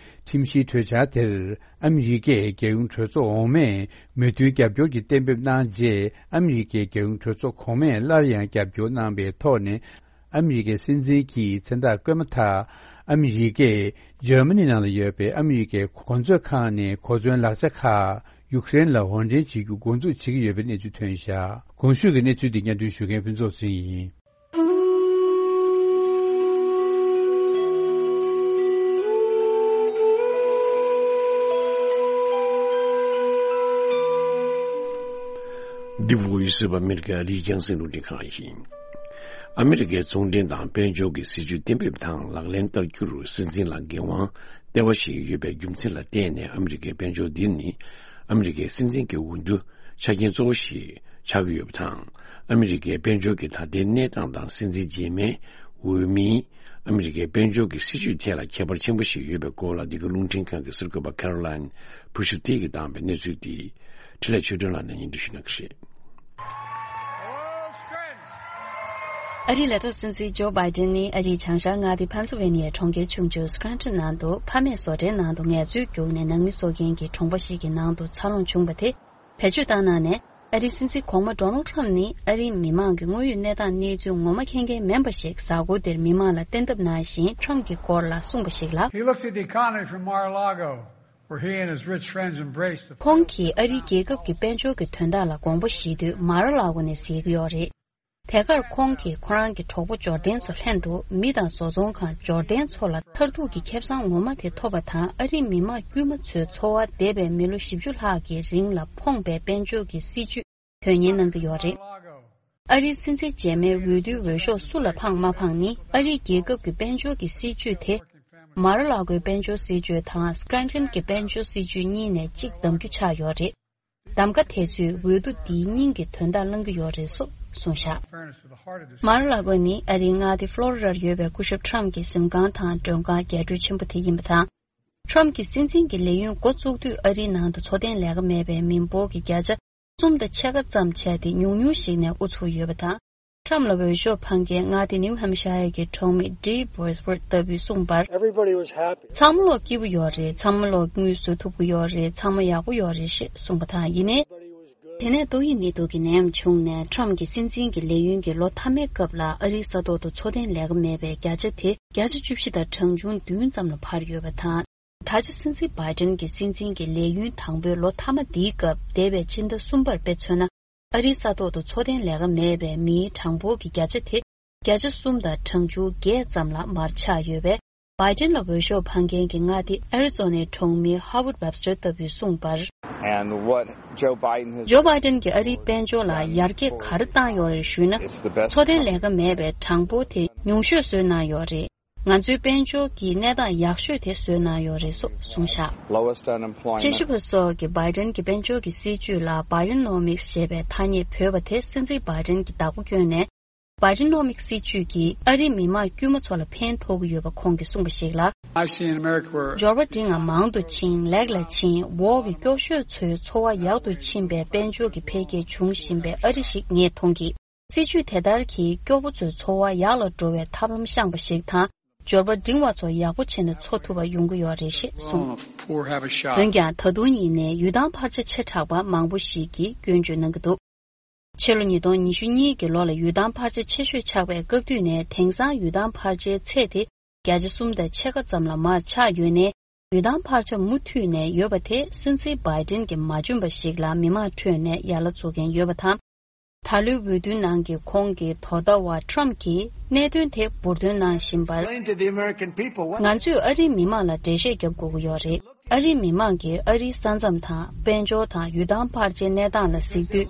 ཁྲིམས་གཞིའི་གྲོས་འཆར་དེར་ཨ་མི་རི་ཀས་རྒྱལ་ཡོངས་གྲོས་ཚོགས་འོག་མས་མོས་མཐུན་རྒྱབ་སྐྱོར་གྱི་གཏན་འབེབས་གནང་རྗེས། ཨ་མི་རི་ཀའི་རྒྱལ་ཡོངས་གྲོས་ཚོགས་གོང་མས་སླར་ཡང་རྒྱབ་སྐྱོར་གནང་པའི་ཐོག་ནས། ཨ་མི་རི་ཀའི་སྲིད་འཛིན་གྱིས་མཚན་རྟགས་བཀོད་མ་ཐག་ཨ་མི་རི་ཀས་འཇར་མ་ནི་ནང་ལ་ཡོད་པའི་ཨ་མི་རི་ཀའི་གོ་མཛོད་ཁང་ནས་གོ་མཚོན་ལག་ཆ་ཁག་ཡུ་ཀེ་རེན་ལ་འོར་འདྲེན་བྱེད་རྒྱུ་འགོ་འཛུགས་བྱེད་ཀྱི་ཡོད་པའི་གནས་ཚུལ་ཐོན་བཞག་གོང་ཞུས་ཀྱི་གནས་ཚུལ་འདི་སྙན་སྒྲོན་ཞུ་མཁན་ཕུན་ཚོགས་ཟིན་ཡིན། འདི་Voice of America ཨ་རིའི་རྒྱང་སྲིང་རླུང་འཕྲིན་ཁང་ཡིན། ཨ་མི་རི་ཀའི་ཚོང་འབྲེལ་དང་དཔལ་འབྱོར་གྱི་སྲིད་ཇུས་གཏན་འབེབས་དང་ལག་ལེན་བསྟར་རྒྱུར་སྲིད་འཛིན་ལ་འགན་དབང་ལྟེ་བ་ཞིག་ཡོད་པའི་རྒྱུ་མཚན་ལ་བརྟེན་ནས། ཨ་མི་རི་ཀའི་དཔལ་འབྱོར་འདི་ནི་ཨ་མི་རི་ཀའི་སྲིད་འཛིན་གྱི་འོས་བསྡུ་ཆ་རྐྱེན་གཙོ་བོ་ཞིག་ཆགས་ཀྱི་ཡོད་པ་དང་། ཨ་མི་རི་ཀའི་དཔལ་འབྱོར་གྱི་ད་ལྟའི་གནས་སྟངས་དང་སྲིད་འཛིན་རྗེས་མའི་འོས་མིའི་ཨ་མི་རི་ཀའི་དཔལ་འབྱོར་གྱི་སྲིད་ཇུས་ཐད་ལ་ཁྱད་པར་ཆེན་པོ་ཞིག་ཡོད་པའི་སྐོར་ལ། འདི་ག་རླུང་འཕྲིན་ཁང་གི་གསར་འགོད་པ་Caroline Pushuptiy གིས་བཏང་བའི་གནས་ཚུལ་འདི་འཕྲིན་ལས་ཆོས་སྒྲོན་ལགས་ནས་སྙན་སྒྲོན་ཞུ་གནང་གི་རེད། ཨ་རིའི་ལས་ཐོག་སྲིད་འཛིན་ཇོ་བྷའི་ཏིན་ནི་ཨ་རིའི་བྱང་ཤར་མངའ་སྡེ་ཕན་སི་ཝེ་ནི་ཡའི་གྲོང་ཁྱེར་ཆུང་ཆུང་སྐྲན་ཊོན་ནང་དུ་ཕ་མས་བཟོ་གྲྭའི་ནང་དུ་ངལ་རྩོལ་བརྒྱུགས་ནས་ནང་མི་གསོ་མཁན་གྱི་གྲོང་པ་ཞིག་གི་ནང་དུ་འཚར་ལོངས་བྱུང་བ་དེ་བེད་སྤྱོད་བཏང་གནང་ནས། ཨ་རིའི་སྲིད་འཛིན་གོང་མ་ཌོ་ནལ་ཊམ་ནི་ཨ་རིའི་མི་མང་གི་དངོས་ཡོད་གནས་སྟངས་གནས་ཚུལ་ངོ་མ་མཁྱེན་མཁན་མིན་པ་ཞིག་གཟའ་འཁོར་འདིར་མི་མང་ལ་བསྟན་ཐབས་གནང་བཞིན། ཊམ་གྱི་སྐོར་ལ་གསུངས་པ་ཞིག་ལ། He looks at the economy from Mar-a-Lago, where he and his rich friends embrace the Hkong གིས་ཨ་རིའི་རྒྱལ་ཁབ་ཀྱི་དཔལ་འབྱོར་གྱི་དོན་དག་ལ་དགོངས་པ་བཞེས་དུས་མ་ར་ལག་གོ་ནས་གཟིགས་ཀྱི་ཡོད་རེད། དེ་གར་ཁོང་གིས་ཁོ་རང་གི་གྲོགས་པོ་འབྱོར་ལྡན་ཚོ་ལྷན་དུ་མི་དང་བཟོ་ཚོང་ཁང་འབྱོར་ལྡན་ཚོ་ལ་མཐར་ཐུག་གི་ཁེ་བཟང་ངོ་མ་དེ་ཐོབ་པ་དང་། ཨ་རིའི་མི་དམངས་དཀྱུས་མ་ཚོའི་འཚོ་བ་འདས་པའི་མི་ལོ་བཞི་བཅུ་ལྷག་གི་རིང་ལ་ཕོངས་པའི་དཔལ་འབྱོར་གྱི་སྲིད་ཇུས་དོན་གཉེར་གནང་གི་ཡོད་རེད། ཨ་རིའི་སྲིད་འཛིན་རྗེས་མའི་འོས་བསྡུའི་འོས་ཤོག་སུ་ལ་འཕངས་མ་འཕངས་ནི། ཨ་རིའི་རྒྱལ་ཁབ་ཀྱི་དཔལ་འབྱོར་གྱི་སྲིད་ཇུས་དེ་མ་ར་ལག་གོའི་དཔལ་འབྱོར་སྲིད་ཇུས་དང་སྐྲན་ཊོན་གྱི་དཔལ་འབྱོར་སྲིད་ཇུས་གཉིས་ནས་གཅིག་གདམ་རྒྱུ་ཆགས་ཡོད་རེད། གདམ་ག་དེ་ཚོས་འོས་བསྡུ་འདིའི་སྙིང་གི་དོན་དག་བླང་གི་ཡོད་རེད་སོགས་གསུངས་བཞག་མ་ར་ལག་གོ་ནི་ཨ་རིའི་མངའ་སྡེ་ཕློ་རི་ཌར་ཡོད་པའི་སྐུ་ཞབས་ཊམ་གྱི་གཟིམ་ཁང་དང་མགྲོན་ཁང་རྒྱས་སྤྲོས་ཆེན་པོ་དེ་ཡིན་པ་དང་། ཊམ་གྱི་སྲིད་འཛིན་གྱི་ལས་ཡུན་འགོ་བཙུགས་དུས་ཨ་རིའི་ནང་དུ་འཚོ་རྟེན་ལས་ཀ་མེད་པའི་མི་འབོར་གྱི་བརྒྱ་ཆ་གསུམ་དང་ཕྱེད་ཀ་ཙམ་བྱས་ཏེ་ཉུང་ཉུང་ཞིག་ནས་དབུ་ཚུགས་ཡོད་པ་དང་། ཊམ་ལ་འོས་ཤོག་འཕང་མཁན་མངའ་སྡེ་ནིའུ་ཧམ་ཤ་ཡར་གྱི་གྲོང་མི་ཌེབ་བྷོར་ལྟ་བུས་གསུངས་པར། Everybody was happy. ཚང་མ་ལོག་སྐྱིད་པོ་ཡོད་རེད། ཚང་མ་ལོག་དངུལ་བཟོ་ཐུབ་ཀྱི་ཡོད་རེད། ཚང་མ་ཡག་པོ་ཡོད་རེད་ཞེས་གསུངས་པ་དང་། ཡིན་ནའི། དེ་ནས་ཏོག་དབྱིབས་ནད་དུག་གི་ནད་ཡམས་བྱུང་ནས་ཊམ་གྱི་སྲིད་འཛིན་གྱི་ལས་ཡུན་གྱི་ལོ་མཐའ་མའི་སྐབས་ལ་ཨ་རིའི་ས་ཐོག་ཏུ་འཚོ་རྟེན་ལས་ཀ་མེད་པའི་བརྒྱ་ཆ་དེ་བརྒྱ་ཆ་བཅུ་བཞི་དང་གྲངས་ཆུང་བདུན་ཙམ་ལ་འཕར་ཡོད་པ་དང་། ད་ཆ་སྲིད་འཛིན་བྷའི་ཏིན་གྱི་སྲིད་འཛིན་གྱི་ལས་ཡུན་དང་པོའི་ལོ་མཐའ་མ་འདིའི་སྐབས། འདས་པའི་ཕྱི་ཟླ་གསུམ་པར་དཔེ་མཚོན་ན། ཨ་རིའི་ས་ཐོག་ཏུ་འཚོ་རྟེན་ལས་ཀ་མེད་པའི་མིའི་གྲངས་འབོར་གྱི་བརྒྱ་ཆ་དེ་བརྒྱ་ཆ་གསུམ་དང་གྲངས་ཆུང་བརྒྱད་ཙམ་ལ་མར་ཆག་ཡོད་པས། བྷའི་ཏིན་ལ་འོས་ཤོག་འཕང་མཁན་གྱི་མངའ་སྡེ་ཨེ་རི་ཛོ་ནའི་གྲོང་མི་ཧ་ཝར་ཌི་ཝེབ་སི་ཊར་ལྟ་བུས་གསུངས་པར། And what Joe Biden has ཇོ་བྷའི་ཏིན་གྱིས་ཨ་རིའི་དཔལ་འབྱོར་ལ་ཡར་རྒྱས་ག་རེ་བཏང་ཡོད་རེད་ཞུས་ན། It's the best འཚོ་རྟེན་ལས་ཀ་མེད་པའི་གྲངས་འབོར་དེ་ཉུང་ཤོས་བཟོས་གནང་ཡོད་རེད། ང་ཚོའི་དཔལ་འབྱོར་གྱི་གནས་སྟངས་ཡག་ཤོས་དེ་བཟོས་གནང་ཡོད་རེད་སོགས་གསུངས་བཞག Lowest unemployment. དཔྱད་ཞིབ་པ་སོགས་ཀྱིས་བྷའི་ཏིན་གྱི་དཔལ་འབྱོར་གྱི་སྲིད་ཇུས་ལ་Bidenomics ཞེས་པའི་ཐ་སྙད་བོས་པ་དེ་སྲིད་འཛིན་བྷའི་ཏིན་གྱིས་བདག་པོ་བསྐྱོན་ནས། Bidenomics སྲིད་ཇུས་ཀྱིས་ཨ་རིའི་མི་དམངས་དཀྱུས་མ་ཚོ་ལ་ཕན་ཐོགས་ཀྱི་ཡོད་པ་ཁོང་གིས་གསུངས་པ་ཞིག་ལ། I've seen America where འབྱོར་པ་འབྲིང་བ་མང་དུ་ཕྱིན། ལེགས་ལ་ཕྱིན། འོག་གི་སྐྱོ་ཤོས་ཚོའི་འཚོ་བ་ཡག་ཏུ་ཕྱིན་པའི་དཔལ་འབྱོར་གྱི་འཕེལ་རྒྱས་བྱུང་བཞིན་པའི་ཨ་རི་ཞིག་ངས་མཐོང་གི། སྲིད་ཇུས་དེ་ལྟར་གྱིས་སྐྱོ་པོ་ཚོའི་འཚོ་བ་ཡག་ལ་འགྲོ་བའི་ཐབས་ལམ་བཤངས་པ་ཞིག་དང་། འབྱོར་པ་འབྲིང་བ་ཚོ་ཡག་པོ་བྱས་ནས་འཚོ་ཐུབ་པ་ཡོང་གི་ཡོད་རེད་ཞེས་གསུངས། Oh, the poor have a shot. འོན་ཀྱང་ད་དུང་ཡིན་ནའི་ཡུལ་ཐང་འཕར་ཆ་ཆེ་དྲགས་པ་མང་པོ་ཞིག་གིས་སྐྱོན་བརྗོད་གནང་གི་འདུག་ཕྱི་ལོ་ཉིས་སྟོང་ཉི་ཤུ་གཉིས་ཀྱི་ལོ་ལ་ཡུལ་ཐང་འཕར་ཆ་ཆེ་ཤོས་ཆགས་པའི་སྐབས་དུས་ནས་དེང་སང་ཡུལ་ཐང་འཕར་ཆའི་ཚད་དེ་བརྒྱ་ཆ་གསུམ་དང་ཕྱེད་ཀ་ཙམ་ལ་མར་ཆག་ཡོད་ནས། ཡུལ་ཐང་འཕར་ཆ་མུ་མཐུད་ནས་ཡོད་པ་དེ་སྲིད་འཛིན་བྷའི་ཏིན་གྱིས་མ་འཇོན་པ་ཞིག་ལ་མི་མང་ཁྲོད་ནས་ཡ་ལ་བཙོག་མཁན་ཡོད་པ་དང་། ད་ལོའི་འོས་བསྡུའི་ནང་གི་ཁོང་གི་དོ་ཟླ་བ་ཊམ་གྱིས་གནད་དོན་དེ་འབུར་འདོན་གནང་བཞིན་པར། Explain to the American people what ང་ཚོས་ཨ་རིའི་མི་མང་ལ་འགྲེལ་བཤད་རྒྱབ་དགོས་ཀྱི་ཡོད་རེད། ཨ་རིའི་མི་མང་གིས་ཨ་རིའི་ས་མཚམས་དང་དཔལ་འབྱོར་དང་ཡུལ་ཐང་འཕར་ཆའི་གནས་སྟངས་ལ་གཟིགས་དུས།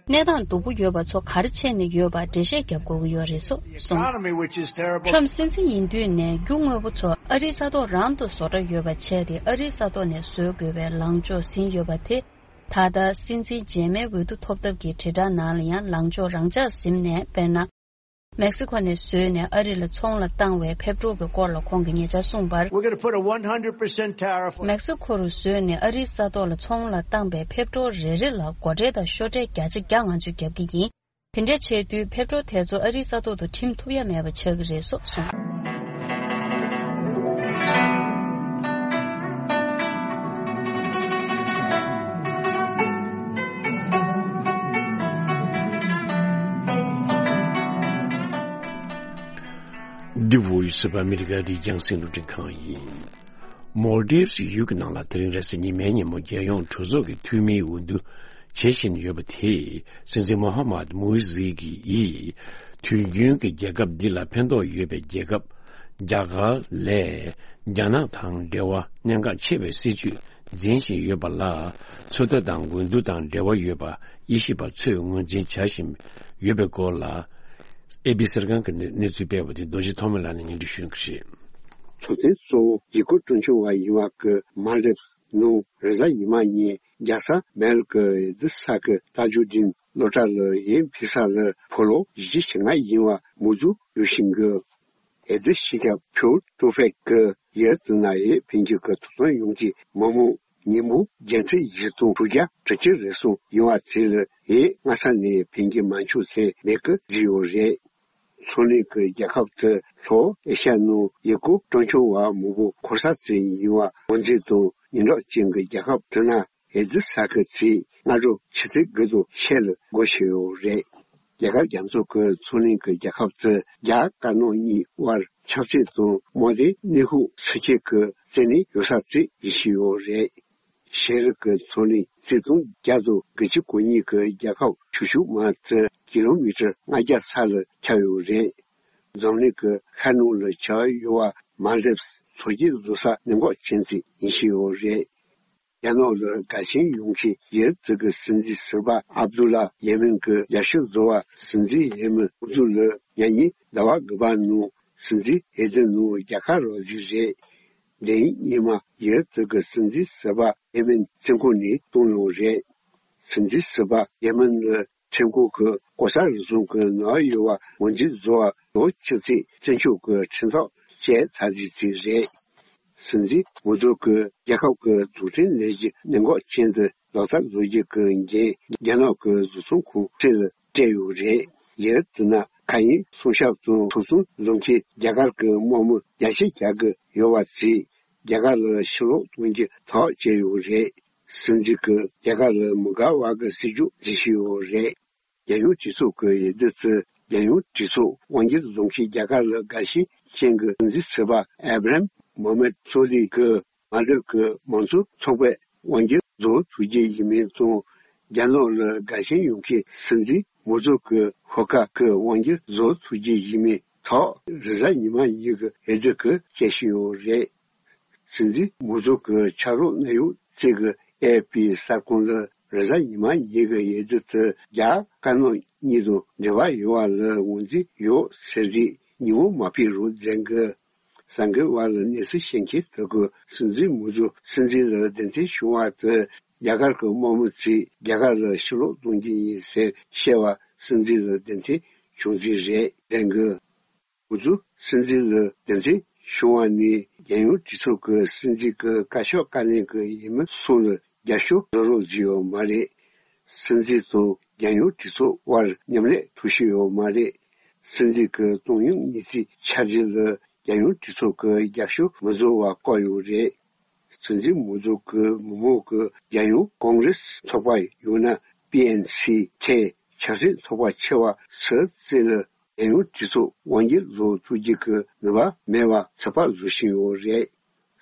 གནས་སྟངས་སྡུག་པོ་ཡོད་པ་ཚོ་ག་རེ་བྱས་ནས་ཡོད་པ་འགྲེལ་བཤད་རྒྱབ་དགོས་ཀྱི་ཡོད་རེད་སོགས་གསུངས། Economy, which is terrible. ཊམ་སྲིད་འཛིན་ཡིན་དུས་ནས་རྒྱུ་དངོས་པོ་ཚོ་ཨ་རིའི་ས་ཐོག་རང་དུ་བཟོ་གྲྭ་ཡོད་པ་བྱས་ཏེ། ཨ་རིའི་ས་ཐོག་ནས་བཟོ་དགོས་པའི་ལངས་ཕྱོགས་ཟིན་ཡོད་པ་དེ། ད་ལྟ་སྲིད་འཛིན་རྗེས་མའི་འོས་བསྡུ་ཐོབ་ཐབས་ཀྱི་དྲིལ་བསྒྲགས་ནང་ལ་ཡང་ལངས་ཕྱོགས་རང་འཇགས་ཟིན་ནས། དཔེར་ན། མེག་སི་ཁོ་ནས་བཟོས་ནས་ཨ་རི་ལ་ཚོང་ལ་བཏང་བའི་ཕེབས་འབྲས་ཀྱི་སྐོར་ལ་ཁོང་གིས་ཉེ་ཆར་གསུངས་པར། We're gonna put a one hundred percent tariff on མེག་སི་ཁོ་རུ་བཟོས་ནས་ཨ་རིའི་ས་ཐོག་ལ་ཚོང་ལ་བཏང་པའི་ཕེབས་འབྲས་རེ་རེ་ལ་སྒོ་ཁྲལ་དང་ཤོག་ཁྲལ་བརྒྱ་ཆ་བརྒྱ་ང་ཚོས་བརྒྱབ་ཀྱི་ཡིན། དེ་འདྲ་བྱས་དུས་ཕེབས་འབྲས་དེ་ཚོ་ཨ་རིའི་ས་ཐོག་ཏུ་འགྲིམ་ཐུབ་ཡ་མེད་པ་ཆགས་ཀྱི་རེད་སོགས་གསུངས། འདི་Voice of America རྒྱང་སྲིང་རླུང་འཕྲིན་ཁང་ཡིན། མོལ་དིབ་སི་ཡུལ་གྱི་ནང་ལ་དེ་རིང་རེས་གཟའ་ཉི་མའི་ཉིན་མོ་རྒྱལ་ཡོངས་གྲོས་ཚོགས་ཀྱི་འཐུས་མིའི་འོས་བསྡུ་བྱེད་བཞིན་ཡོད་པ་དེས། སྲིད་འཛིན་མོ་ཧ་མད་མུ་ཧི་ཟི་ཀི་ཡིས་དུས་རྒྱུན་གྱི་རྒྱལ་ཁབ་འདི་ལ་ཕན་ཐོགས་ཡོད་པའི་རྒྱལ་ཁབ་རྒྱ་གར་ལས་རྒྱ་ནག་དང་འབྲེལ་བ་གནད་འགག་ཆེ་བའི་སྲིད་ཇུས་འཛིན་བཞིན་ཡོད་པ་ལ་ཚོད་ལྟ་དང་འོས་བསྡུ་དང་འབྲེལ་བ་ཡོད་པ་དབྱེ་ཞིབ་པ་ཚོས་ངོས་འཛིན་བྱ་བཞིན་ཡོད་པའི་སྐོར་ལ། ཨེ་པི་གསར་ཁང་གི་གནས་གནས་ཚུལ་སྤེལ་བ་དེ་རྡོ་རྗེ་ཐོགས་མེད་ལགས་ནས་སྙན་སྒྲོན་ཞུ་གནང་གི་རེད། ཚོགས་ཐེངས་གཙོ་བོ་ཡུལ་སྐོར་སྤྲོ་འཆམ་བ་ཡིན་པ་གི་མཱལ་དིབ་ནང་རེས་གཟའ་ཉི་མ་ཉིན་རྒྱལ་ས་མལ་གི་ཨེ་ཛི་ས་གི་ཏཱ་ཇུ་ལྡིན་སློབ་གྲྭ་ལ་ཡིན་ཕེབས་ས་ལ་ཕོ་ལོ་བཞི་བཅུ་ཞེ་ལྔ་ཡིན་པ་མུ་ཛུ་ཡོད་བཞིན་གི། ཨེ་ཛི་སྤྱི་ཁྱབ་ཕུའུ་ཏོ་ཕེག་གི་ཡུལ་དེ་ན་ཡིན་ཕེབས་རྒྱུ་གི་ཐོབ་ཐང་ཡོང་གི་མི་མང་ཉིན་མོ་བརྒྱད་ཁྲི་བཞི་སྟོང་དྲུག་བརྒྱ་དྲུག་ཅུ་རེ་གསུམ་ཡིན་པ་དེ་ལ་ཡིན་སྔ་ས་ནས་ཕེབས་རྒྱུ་མ་འཆུག་ཟེར་མེད་གི་བཟོས་ཡོད་རེད། མཚོ་གླིང་གི་རྒྱལ་ཁབ་དེ་ལྷོ་ཨེ་ཤ་ཡ་ནང་ཡུལ་སྐོར་སྤྲོ་འཆམ་བ་མང་པོ་འཁོར་ས་དེ་ཡིན་པ་ངོས་འཛིན་དང་ཉེ་འགྲམ་ཅན་གྱི་རྒྱལ་ཁབ་དེ་ན་ཨེ་ཛི་ས་ཁུལ་ཚེས་སྔ་དྲོ་ཆུ་ཚོད་དགུ་དང་ཕྱེད་ལ་སྒོ་ཕྱེ་ཡོད་རེད། རྒྱ་གར་རྒྱ་མཚོ་གི་མཚོ་གླིང་གི་རྒྱལ་ཁབ་དེ་རྒྱ་དཀར་ནག་གཉིས་དབར་ཆབ་སྲིད་དང་དམག་དོན་གནས་སྤོ་སུ་ཁེལ་གི་རྩེ་ནས་ཡོད་ས་དེ་ཡིན་བཞིན་ཡོད་རེད། ཤེས་རིག་གི་མཚོ་གླིང་རྩིས་སྟོང་བརྒྱ་དང་དགུ་བཅུ་གོ་གཉིས་ཀྱི་རྒྱལ་ཁབ་ཆུང་ཆུང་མ་དེ་ཀི་ལོ་མི་ཊར་ལྔ་བརྒྱ་ས་ལ་ཁྱབ་ཡོད་རེད། འཛམ་གླིང་གི་ཤར་ནུབ་ལ་ཁྱབ་ཡོད་པ་མཱལ་དིབ་མཚོ་སྐྱེས་བཟོ་ས་གནད་འགག་ཅན་ཞིག་ཡིན་བཞིན་ཡོད་རེད། རྒྱ་ནག་ལ་དགའ་ཞེན་ཡོང་མཁན་ཡུལ་དེ་གི་སྲིད་འཛིན་ཟུར་པ་ཨབ་དུ་ལ་ཡེ་མེན་གྱི་རྒྱབ་སྐྱོར་བཟོ་བ་སྲིད་འཛིན་ཡེ་མེན་ཨུ་ཛུ་ལ་ཉེ་ཉིན་ཟླ་བ་དགུ་པ་ནང་སྲིད་འཛིན་འོས་བསྡུ་ནང་རྒྱལ་ཁ་རག་རྩིས་རེད། འདི་ཡིན་སྔོན་མ་ཡུལ་དེ་གི་སྲིད་འཛིན་ཟུར་པ་ཡེ་མེན་བཙོན་ཁང་ནས་བཏང་ཡོད་རེད། སྲིད་འཛིན་ཟུར་པ་ཡེ་མེན་ལ་ཁྲིམས་ཁང་གིས་ལྐོག་ཟ་རུལ་སུངས་ཀྱི་ནང་ཡོད་པ་ངོས་འཛིན་བཟོ་བར་ལོ་གཅིག་ཙམ་བཙོན་འཇུག་གི་ཁྲིམས་ཐག་བཅད་ཚར་རྩིས་ཅིག་རེད། སྲིད་འཛིན་མུ་ཛོ་གིས་རྒྱལ་ཁབ་ཀྱི་རྡུལ་ཕྲན་ལས་གཞི་གནད་འགག་ཅན་དུ་ལག་བསྟར་བཟོ་རྒྱུ་གི་འགན་རྒྱ་ནག་གི་བཟོ་ཚོང་ཁང་ཁྲིད་ལ་སྤྲད་ཡོད་རེད། ཡུལ་དེ་ན་མཁའ་དབྱིངས་སྲུང་སྐྱོབ་དང་ཐོ་གསུམ་བཟོ་མཁན་རྒྱ་གར་གྱི་དམག་མི་བརྒྱ་ཆ་བརྒྱ་གི་ཡོད་པ་བརྩིས། རྒྱ་གར་ལ་ཕྱིར་ལོག་གཏོང་རྒྱུ་ཐག་བཅད་ཡོད་རེད། སྲིད་འཛིན་གྱིས་རྒྱ་གར་ལ་མི་དགའ་བ་གི་སྲིད་ཇུས་འཛིན་བཞིན་ཡོད་རེད། རྒྱལ་ཡོངས་གྲོས་ཚོགས་ཀྱི་འོས་བསྡུ་དེ་རྒྱལ་ཡོངས་གྲོས་ཚོགས་དབང་སྒྱུར་བཟོ་མཁན་རྒྱ་གར་ལ་དགའ་ཞེན་ཅན་གྱི་སྲིད་འཛིན་ཟུར་པ་ཨེབ་རམ་མོ་མེད་སོ་ལི་གིས་མཱལ་དིབ་ཀྱི་མང་གཙོ་ཚོགས་པས་དབང་སྒྱུར་བཟོ་ཐུབ་རྒྱུ་ཡིན་མིན་དང་། རྒྱ་ནག་ལ་དགའ་ཞེན་ཡོད་མཁན་སྲིད་འཛིན་མུ་ཛོ་གིས་ཤོག་ཁག་གི་དབང་སྒྱུར་བཟོ་ཐུབ་རྒྱུ་ཡིན་མིན་ཐོག་རེས་གཟའ་ཉི་མ་ཉིན་གྱི་འོས་བསྡུ་གིས་བཤད་བཞིན་ཡོད་རེད། སྲིད་འཛིན་མུ་ཛོ་གི་ཕྱག་རོགས་གནད་ཡོད་ཅིག་གིས་ཨེ་ཨེཕ་པི་གསར་ཁང་ལ་རེས་གཟའ་ཉི་མ་ཉིན་གྱི་འོས་བསྡུ་དེ་རྒྱ་དཀར་ནག་གཉིས་དང་འབྲེལ་བ་ཡོད་པ་ལ་ངོས་འཛིན་ཡོད་ཟེར་རེད། ཉིན་མོ་མ་ཕེབས་རོགས་མཛད་གི། གསར་འགོད་པ་ལ་གནས་ཚུལ་ཤེས་མཁན་དེ་གིས་སྲིད་འཛིན་མུ་ཛོ་སྲིད་འཛིན་ལ་གདན་འདྲེན་བྱུང་བ་དེ་རྒྱ་གར་གྱི་དམག་མི་ཚོས་རྒྱ་གར་ལ་ཕྱིར་ལོག་གཏོང་རྒྱུ་ཡིན་ཟེར་བཤད་པ་སྲིད་འཛིན་ལ་གདན་འདྲེན་བྱུང་རྩིས་རེད་ཟེར་གི། འུ་ཚོ་སྲིད་འཛིན་ལ་གདན་འདྲེན་བྱུང་བ་ནི་རྒྱལ་ཡོངས་གྲོས་ཚོགས་ཀྱི་སྲིད་འཛིན་གྱི་བཀའ་ཤག་བཀའ་བློན་གྱི་འོས་མི་གསུམ་ལ་རྒྱབ་སྐྱོར་བཟོ་རོགས་བཟོས་ཡོད་མ་རེད། སྲིད་འཛིན་དང་རྒྱལ་ཡོངས་གྲོས་ཚོགས་དབར་མཉམ་ལས་ཐུབ་བཞིན་ཡོད་མ་རེད། སྲིད་འཛིན་གྱི་གཏོང་ཡོང་གནས་ཚུལ་ཆ་འགྲིག་ལ་རྒྱལ་ཡོངས་གྲོས་ཚོགས་ཀྱི་རྒྱབ་སྐྱོར་མི་བཟོ་བ་བཀག་ཡོད་རེད། སྲིད་འཛིན་མུ་ཛོ་གི་མི་མང་གི་རྒྱལ་ཡོངས་ཀོང་རེས་ཚོགས་པ་ཡང་ན་པི་ཨེན་སི་ཐེ་ཆབ་སྲིད་ཚོགས་པ་ཆེ་བ་སུ་བརྩིས་ལ་རྒྱལ་ཡོངས་གྲོས་ཚོགས་དབང་སྒྱུར་བཟོ་ཐུབ་རྒྱུ་གི་ནུས་པ་མེད་པ་ཚོད་དཔག་བཟོ་བཞིན་ཡོད་རེད།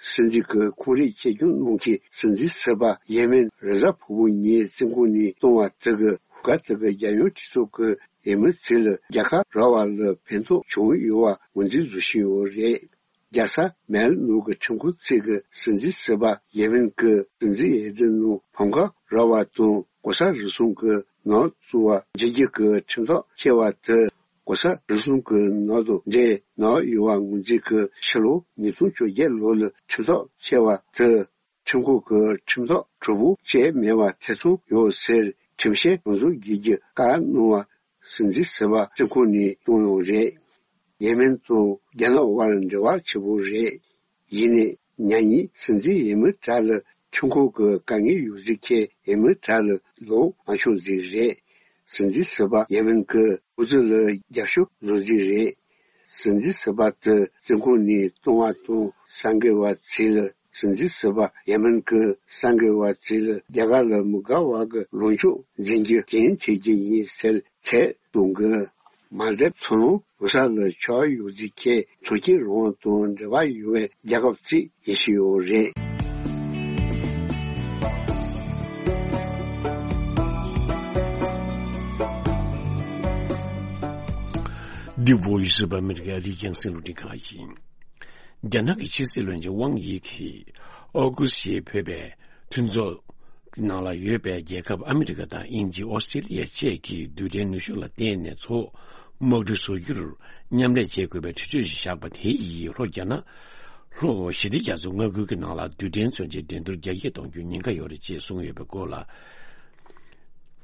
སྲིད་འཛིན་གྱི་ཁོངས་རིགས་གཅེས་སྐྱོང་གནང་མཁན་སྲིད་འཛིན་ཟུར་པ་ཡེ་མེན་རེས་གཟའ་ཕུར་བུ་ཉིན་བཙོན་ཁང་ནས་བཏང་བ་དེ་གི་ཤོག་ཁག་དེ་གི་རྒྱལ་ཡོངས་གྲོས་ཚོགས་ཀྱི་འོས་མི་ཚོ་ལ་རྒྱལ་ཁ་རག་པ་ལ་ཕན་ཐོགས་བྱུང་ཡོད་པ་ངོས་འཛིན་བཟོ་བཞིན་ཡོད་རེད། རྒྱལ་ས་མལ་ནང་གི་ཁྲིམས་ཁང་ཚོ་གིས་སྲིད་འཛིན་ཟུར་པ་ཡེ་མེན་གྱི་སྲིད་འཛིན་འོས་བསྡུ་ནང་ཕམ་ཁ་རག་པ་དང་ལྐོག་ཟ་རུལ་སུངས་ཀྱི་ནག་བཙུགས་པ་བརྗེ་རྒྱུ་གི་ཁྲིམས་ཐག་བཅད་པ་དེ་ལྐོག་ཟ་རུལ་སུངས་ཀྱི་ནག་དང་འབྲེལ་ནག་ཡོད་པ་ངོས་འཛིན་གྱིས་ཕྱི་ལོ་ཉིས་སྟོང་བཅོ་བརྒྱད་ལོ་ལ་ཁྲིམས་ཐག་བཅད་པ་དེ་ཁྲིམས་ཁང་གིས་ཁྲིམས་ཐག་གྲོགས་པོ་བཅད་མེད་པ་ཐེ་ཚོམ་ཡོད་ཟེར་ཁྲིམས་བཤེར་ཡོངས་རྫོགས་བགྱིད་རྒྱུ་བཀག་གནང་བ། སྲིད་འཛིན་ཟུར་པ་བཙོན་ཁང་ནས་བཏང་ཡོད་རེད། ཡེ་མེན་དང་རྒྱ་ནག་དབར་འབྲེལ་བ་ཆེ་པོ་རེད། ཡིན་ནའི་མྱ་ངན་སྲིད་འཛིན་ཡེ་མེན་དྲག་ལ་ཁྲིམས་ཁང་གི་དཀའ་ངལ་ཡོད་རྫིག་ཁྱེད་ཡེ་མེན་དྲག་ལ་ལོག་མ་ཤོང་རྫིག་རེད། སྲིད་འཛིན་ཟུར་པ་ཡེ་མེན་གི་འོས་བསྡུ་ལ་རྒྱབ་སྐྱོར་བཟོ་རྫིག་རེད། སྲིད་འཛིན་ཟུར་པ་དེ་བཙོན་ཁང་ནས་བཏང་བ་དང་གསར་འགོད་པ་ཚོས་ལ་སྲིད་འཛིན་ཟུར་པ་ཡེ་མེན་གི་གསར་འགོད་པ་ཚོས་ལ་རྒྱ་གར་ལ་མི་དགའ་བ་གི་ལངས་ཕྱོགས་འཛིན་རྒྱུ་གཏན་འཁེལ་རྒྱུ་ཡིན་ཟེར་ཚད་གཏོང་གི། མ་དེབ་ཚོ་ནང་བོད་ས་ལ་ཆགས་ཡོད་རྫིག་ཁྱེད་ཚོགས་ཆེན་རང་དབང་དང་འབྲེལ་བ་ཡོད་པའི་རྒྱལ་ཁབ་ཅིག་ཡིན་ཤེས་ཡོད་རེད། འདི་Voice of America ཨ་རིའི་རྒྱང་སྲིང་རླུང་འཕྲིན་ཁང་ཡིན། རྒྱ་ནག་གི་ཕྱི་སྲིད་བློན་ཆེན་ཝང་དབྱི་གིས་ཨོ་ཀུ་སི་ཞེས་འབོད་པའི་མཐུན་ཚོགས་ནང་ལ་ཡོད་པའི་རྒྱལ་ཁབ་ཨ་མི་རི་ཀ་དང་དབྱིན་ཇི། ཨོ་སི་ཀྲི་ལི་ཡ་བཅས་ཀྱི་རྡུལ་ཕྲན་ནུས་ཤུགས་ལ་བརྟེན་ནས་མཚོ་དམག་གྲུ་བཟོ་རྒྱུར་མཉམ་ལས་བྱེད་དགོས་པའི་གྲོས་ཆོད་ཞིག་བཞག་པ་དེ་ཡིས་ལྷོ་རྒྱ་ནག་ལྷོ་ཞི་བདེ་རྒྱ་མཚོ་མངའ་ཁུལ་གྱི་ནང་ལ་རྡུལ་ཕྲན་མཚོན་ཆའི་འགྲན་བསྡུར་རྒྱ་སྐྱེད་གཏོང་རྒྱུའི་ཉེན་ཁ་ཡོད་རེད་ཅེས་གསུངས་ཡོད་པའི་སྐོར་ལ།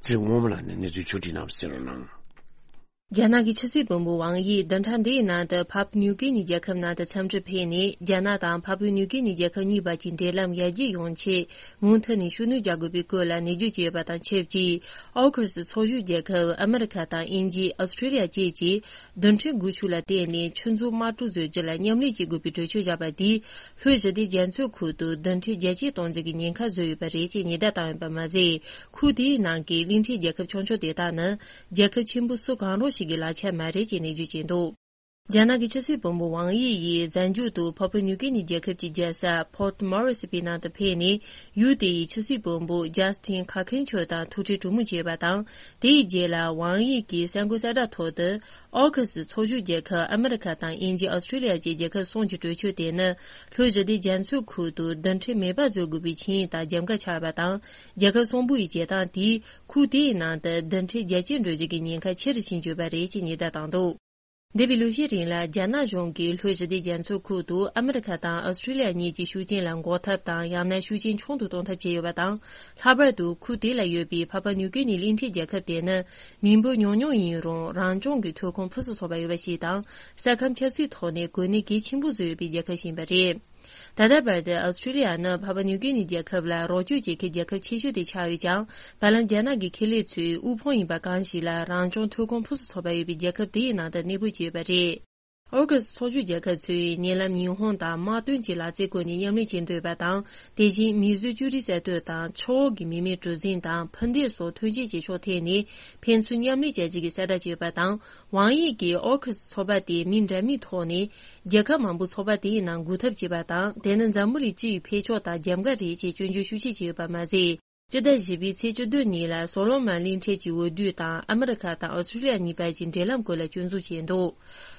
ཚེ་རིང་དབང་མོ་ལགས་ནས་གནས་ཚུལ་ཕྱོགས་བསྒྲིགས་གནང་བ་གསན་རོགས་གནང་། རྒྱ་ནག་གི་ཕྱི་སྲིད་བློན་པོ་ཝང་དབྱི་བདུན་ཕྲག་འདིའི་ནང་དུ་ཕབ་ནིའུ་ཀི་ནི་རྒྱལ་ཁབ་ནང་དུ་འཚམས་འདྲིར་ཕེབས་ནས། རྒྱ་ནག་དང་ཕ་ཕུའུ་ནིའུ་ཀི་ནི་རྒྱལ་ཁབ་གཉིས་བར་གྱི་འབྲེལ་ལམ་ཡར་རྒྱས་ཡོང་ཆེད་མུ་མཐུད་ནས་ཤུགས་སྣོན་རྒྱག་དགོས་པའི་སྐོར་ལ་ནན་བརྗོད་བྱས་ཡོད་པ་དང་ཆབས་ཅིག་ཨོ་ཁུ་སི་ཚོགས་ཞུགས་རྒྱལ་ཁབ་ཨ་མི་རི་ཁ་དང་དབྱིན་ཇི། ཨོ་སི་ཀྲི་ལི་ཡ་བཅས་ཀྱིས་རྡུལ་ཕྲན་སྒོ་ཕྱུགས་ལ་བརྟེན་ནས་ཆུ་མཛོད་དམག་གྲུ་བཟོ་རྒྱུ་ལ་མཉམ་ལས་བྱེད་དགོས་པའི་གྲོས་ཆོད་བཞག་པ་དེས། ལྷོའི་ཞི་བདེ་རྒྱ་མཚོའི་ཁུལ་དུ་རྡུལ་ཕྲན་རྒྱ་སྐྱེད་གཏོང་རྒྱུ་གི་ཉེན་ཁ་བཟོས་ཡོད་པ་རེད་ཅེས་ཉེན་བརྡ་བཏང་ཡོད་པ་མ་ཟད། ཁུལ་དེའི་ནང་གི་གླིང་ཕྲན་རྒྱལ་ཁབ་ཆུང་ཆུང་དེ་དག་ནི་རྒྱལ་ཁབ་ཆེན་པོ་སུ་གང་རུང་ཞིག་གི་ལག་ཆ་མ་རེད་ཅེས་ནན་བརྗོད་བྱས་འདུག་རྒྱ་ནག་གི་ཕྱི་སྲིད་བློན་པོ་ཝང་དབྱི་ཡིས་གཟའ་མཇུག་ཏུ་ཕ་ཕུའུ་ནིའུ་ཀི་ནི་རྒྱལ་ཁབ་ཀྱི་རྒྱལ་ས་Port Moresby ནང་དུ་ཕེབས་ནས། ཡུལ་དེའི་ཕྱི་སྲིད་བློན་པོ་ཇཱ་སི་ཐིན་ཁ་ཁེན་ཆོ་དང་ཐུག་འཕྲད་གྲོས་མོལ་བྱས་པ་དང་། དེའི་རྗེས་ལ་ཝང་དབྱི་གིས་གསར་འགོད་གསལ་བསྒྲགས་ཐོག་ཏུ། ཨོ་ཁུ་སི་ཚོགས་ཞུགས་རྒྱལ་ཁབ་ཨ་མི་རི་ཁ་དང་དབྱིན་ཇི། ཨོ་སི་ཀྲི་ལི་ཡ་བཅས་རྒྱལ་ཁབ་གསུམ་གྱི་གྲོས་ཆོད་དེ་ནི། ལྷོའི་ཞི་བདེ་རྒྱ་མཚོའི་ཁུལ་དུ་རྡུལ་ཕྲན་མེད་པ་བཟོ་དགོས་པའི་ཆིངས་ཡིག་དང་རྒྱབ་འགལ་ཆགས་པ་དང་། རྒྱལ་ཁབ་གསུམ་པོ་ཡི་བྱེད་སྟངས་དེས་ཁུལ་དེའི་ནང་དུ་རྡུལ་ཕྲན་རྒྱ་སྐྱེད་འགྲོ་རྒྱུ་གི་ཉེན་ཁ་ཆེ་རུ་ཕྱིན་ཡོད་པ་རེད་ཅེས་ཉེན་བརྡ་བཏང་འདུག་འདས་པའི་ལོ་ཤས་རིང་ལ་རྒྱ་ནག་གཞུང་གིས་ལྷོའི་ཞི་བདེ་རྒྱ་མཚོའི་ཁུལ་དུ་ཨ་མི་རི་ཁ་དང་ཨོ་སི་ཀྲི་ལི་ཡ་གཉིས་ཀྱི་ཤུགས་རྐྱེན་ལ་འགོག་ཐབས་དང་། ཡང་ན་ཤུགས་རྐྱེན་ཆུང་དུ་གཏོང་ཐབས་བྱས་ཡོད་པ་དང་། ལྷག་པར་དུ་ཁུལ་དེ་ལ་ཡོད་པའི་ཕ་ཕ་ནིའུ་ཀི་ནི་གླིང་ཕྲན་རྒྱལ་ཁབ་དེ་ནི་མི་འབོར་ཉུང་ཉུང་ཡིན་རུང་། རང་སྐྱོང་གི་ཐོན་ཁུངས་ཕུན་སུམ་ཚོགས་པ་ཡོད་པ་ཞིག་དང་། ས་ཁམས་ཆབ་སྲིད་ཐོག་ནས་གོ་གནས་གལ་ཆེན་པོ་བཟོས་ཡོད་པའི་རྒྱལ་ཁབ་ཞིག་ཡིན་པ་རེད། ད་ལྟ་བར་དུ་ཨོ་སི་ཀྲི་ལི་ཡ་ནི་ཕ་ཕ་ནིའུ་ཀི་ནི་རྒྱལ་ཁབ་ལ་རོགས་སྐྱོར་བྱེད་མཁན་རྒྱལ་ཁབ་ཆེ་ཤོས་དེ་ཆགས་ཡོད་ཀྱང་། བར་ལམ་རྒྱ་ནག་གི་ཁེ་ལས་ཚོའི་དབུལ་ཕོངས་ཡིན་པ་གང་ཞིག་ལ་རང་སྐྱོང་ཐོན་ཁུངས་ཕུན་སུམ་ཚོགས་པ་ཡོད་པའི་རྒྱལ་ཁབ་དེའི་ནང་དུ་གནས་སྤོས་བྱས་ཡོད་པ་རེད། ཨོ་ཁུ་སི་ཚོགས་ཞུགས་རྒྱལ་ཁབ་ཚོས་ཉེ་ལམ་ཉི་ཧོང་དང་དམག་དོན་གྱི་ལག་རྩལ་སྐོར་ནས་མཉམ་ལས་བྱེད་འདོད་པ་དང་། དེ་བཞིན་མིས་བཟོས་ཅོ་རིའི་གསར་གཏོད་དང་། ཆུ་འོག་གི་མི་མེད་གྲུ་གཟིངས་དང་འཕུར་མདེལ་སོགས་ཐོན་སྐྱེད་བྱེད་ཕྱོགས་ཐད་ནས་ཕན་ཚུན་མཉམ་ལས་བྱ་རྒྱུ་གི་གསལ་བསྒྲགས་བྱས་ཡོད་པ་དང་། ཝང་དབྱི་གིས་ཨོ་ཁུ་སི་ཚོགས་པ་དེ་མིང་འདྲ་མིན་ཐོག་ནས་རྒྱལ་ཁབ་མང་པོའི་ཚོགས་པ་དེའི་ནང་འགུག་ཐབས་བྱས་པ་དང་། དེ་ནི་འཛམ་བུ་གླིང་སྤྱི་ཡི་འཕེལ་ཕྱོགས་དང་རྒྱབ་འགལ་རེད་ཅེས་སྐྱོན་བརྗོད་ཤུགས་ཆེ་བྱས་ཡོད་པ་མ་ཟད། སྤྱི་ཟླ་བཞི་པའི་ཚེས་བཅུ་བདུན་ཉིན་ལ་སོ་ལོ་མོན་གླིང་ཕྲན་གྱི་འོས་བསྡུ་དང་ཨ་མི་རི་ཁ་དང་ཨོ་སི་ཀྲི་ལི་ཡ་གཉིས་བར་གྱི་འབྲེལ་ལམ་སྐོར་ལ་སྐྱོན་འཛུགས་བྱས་འདུག་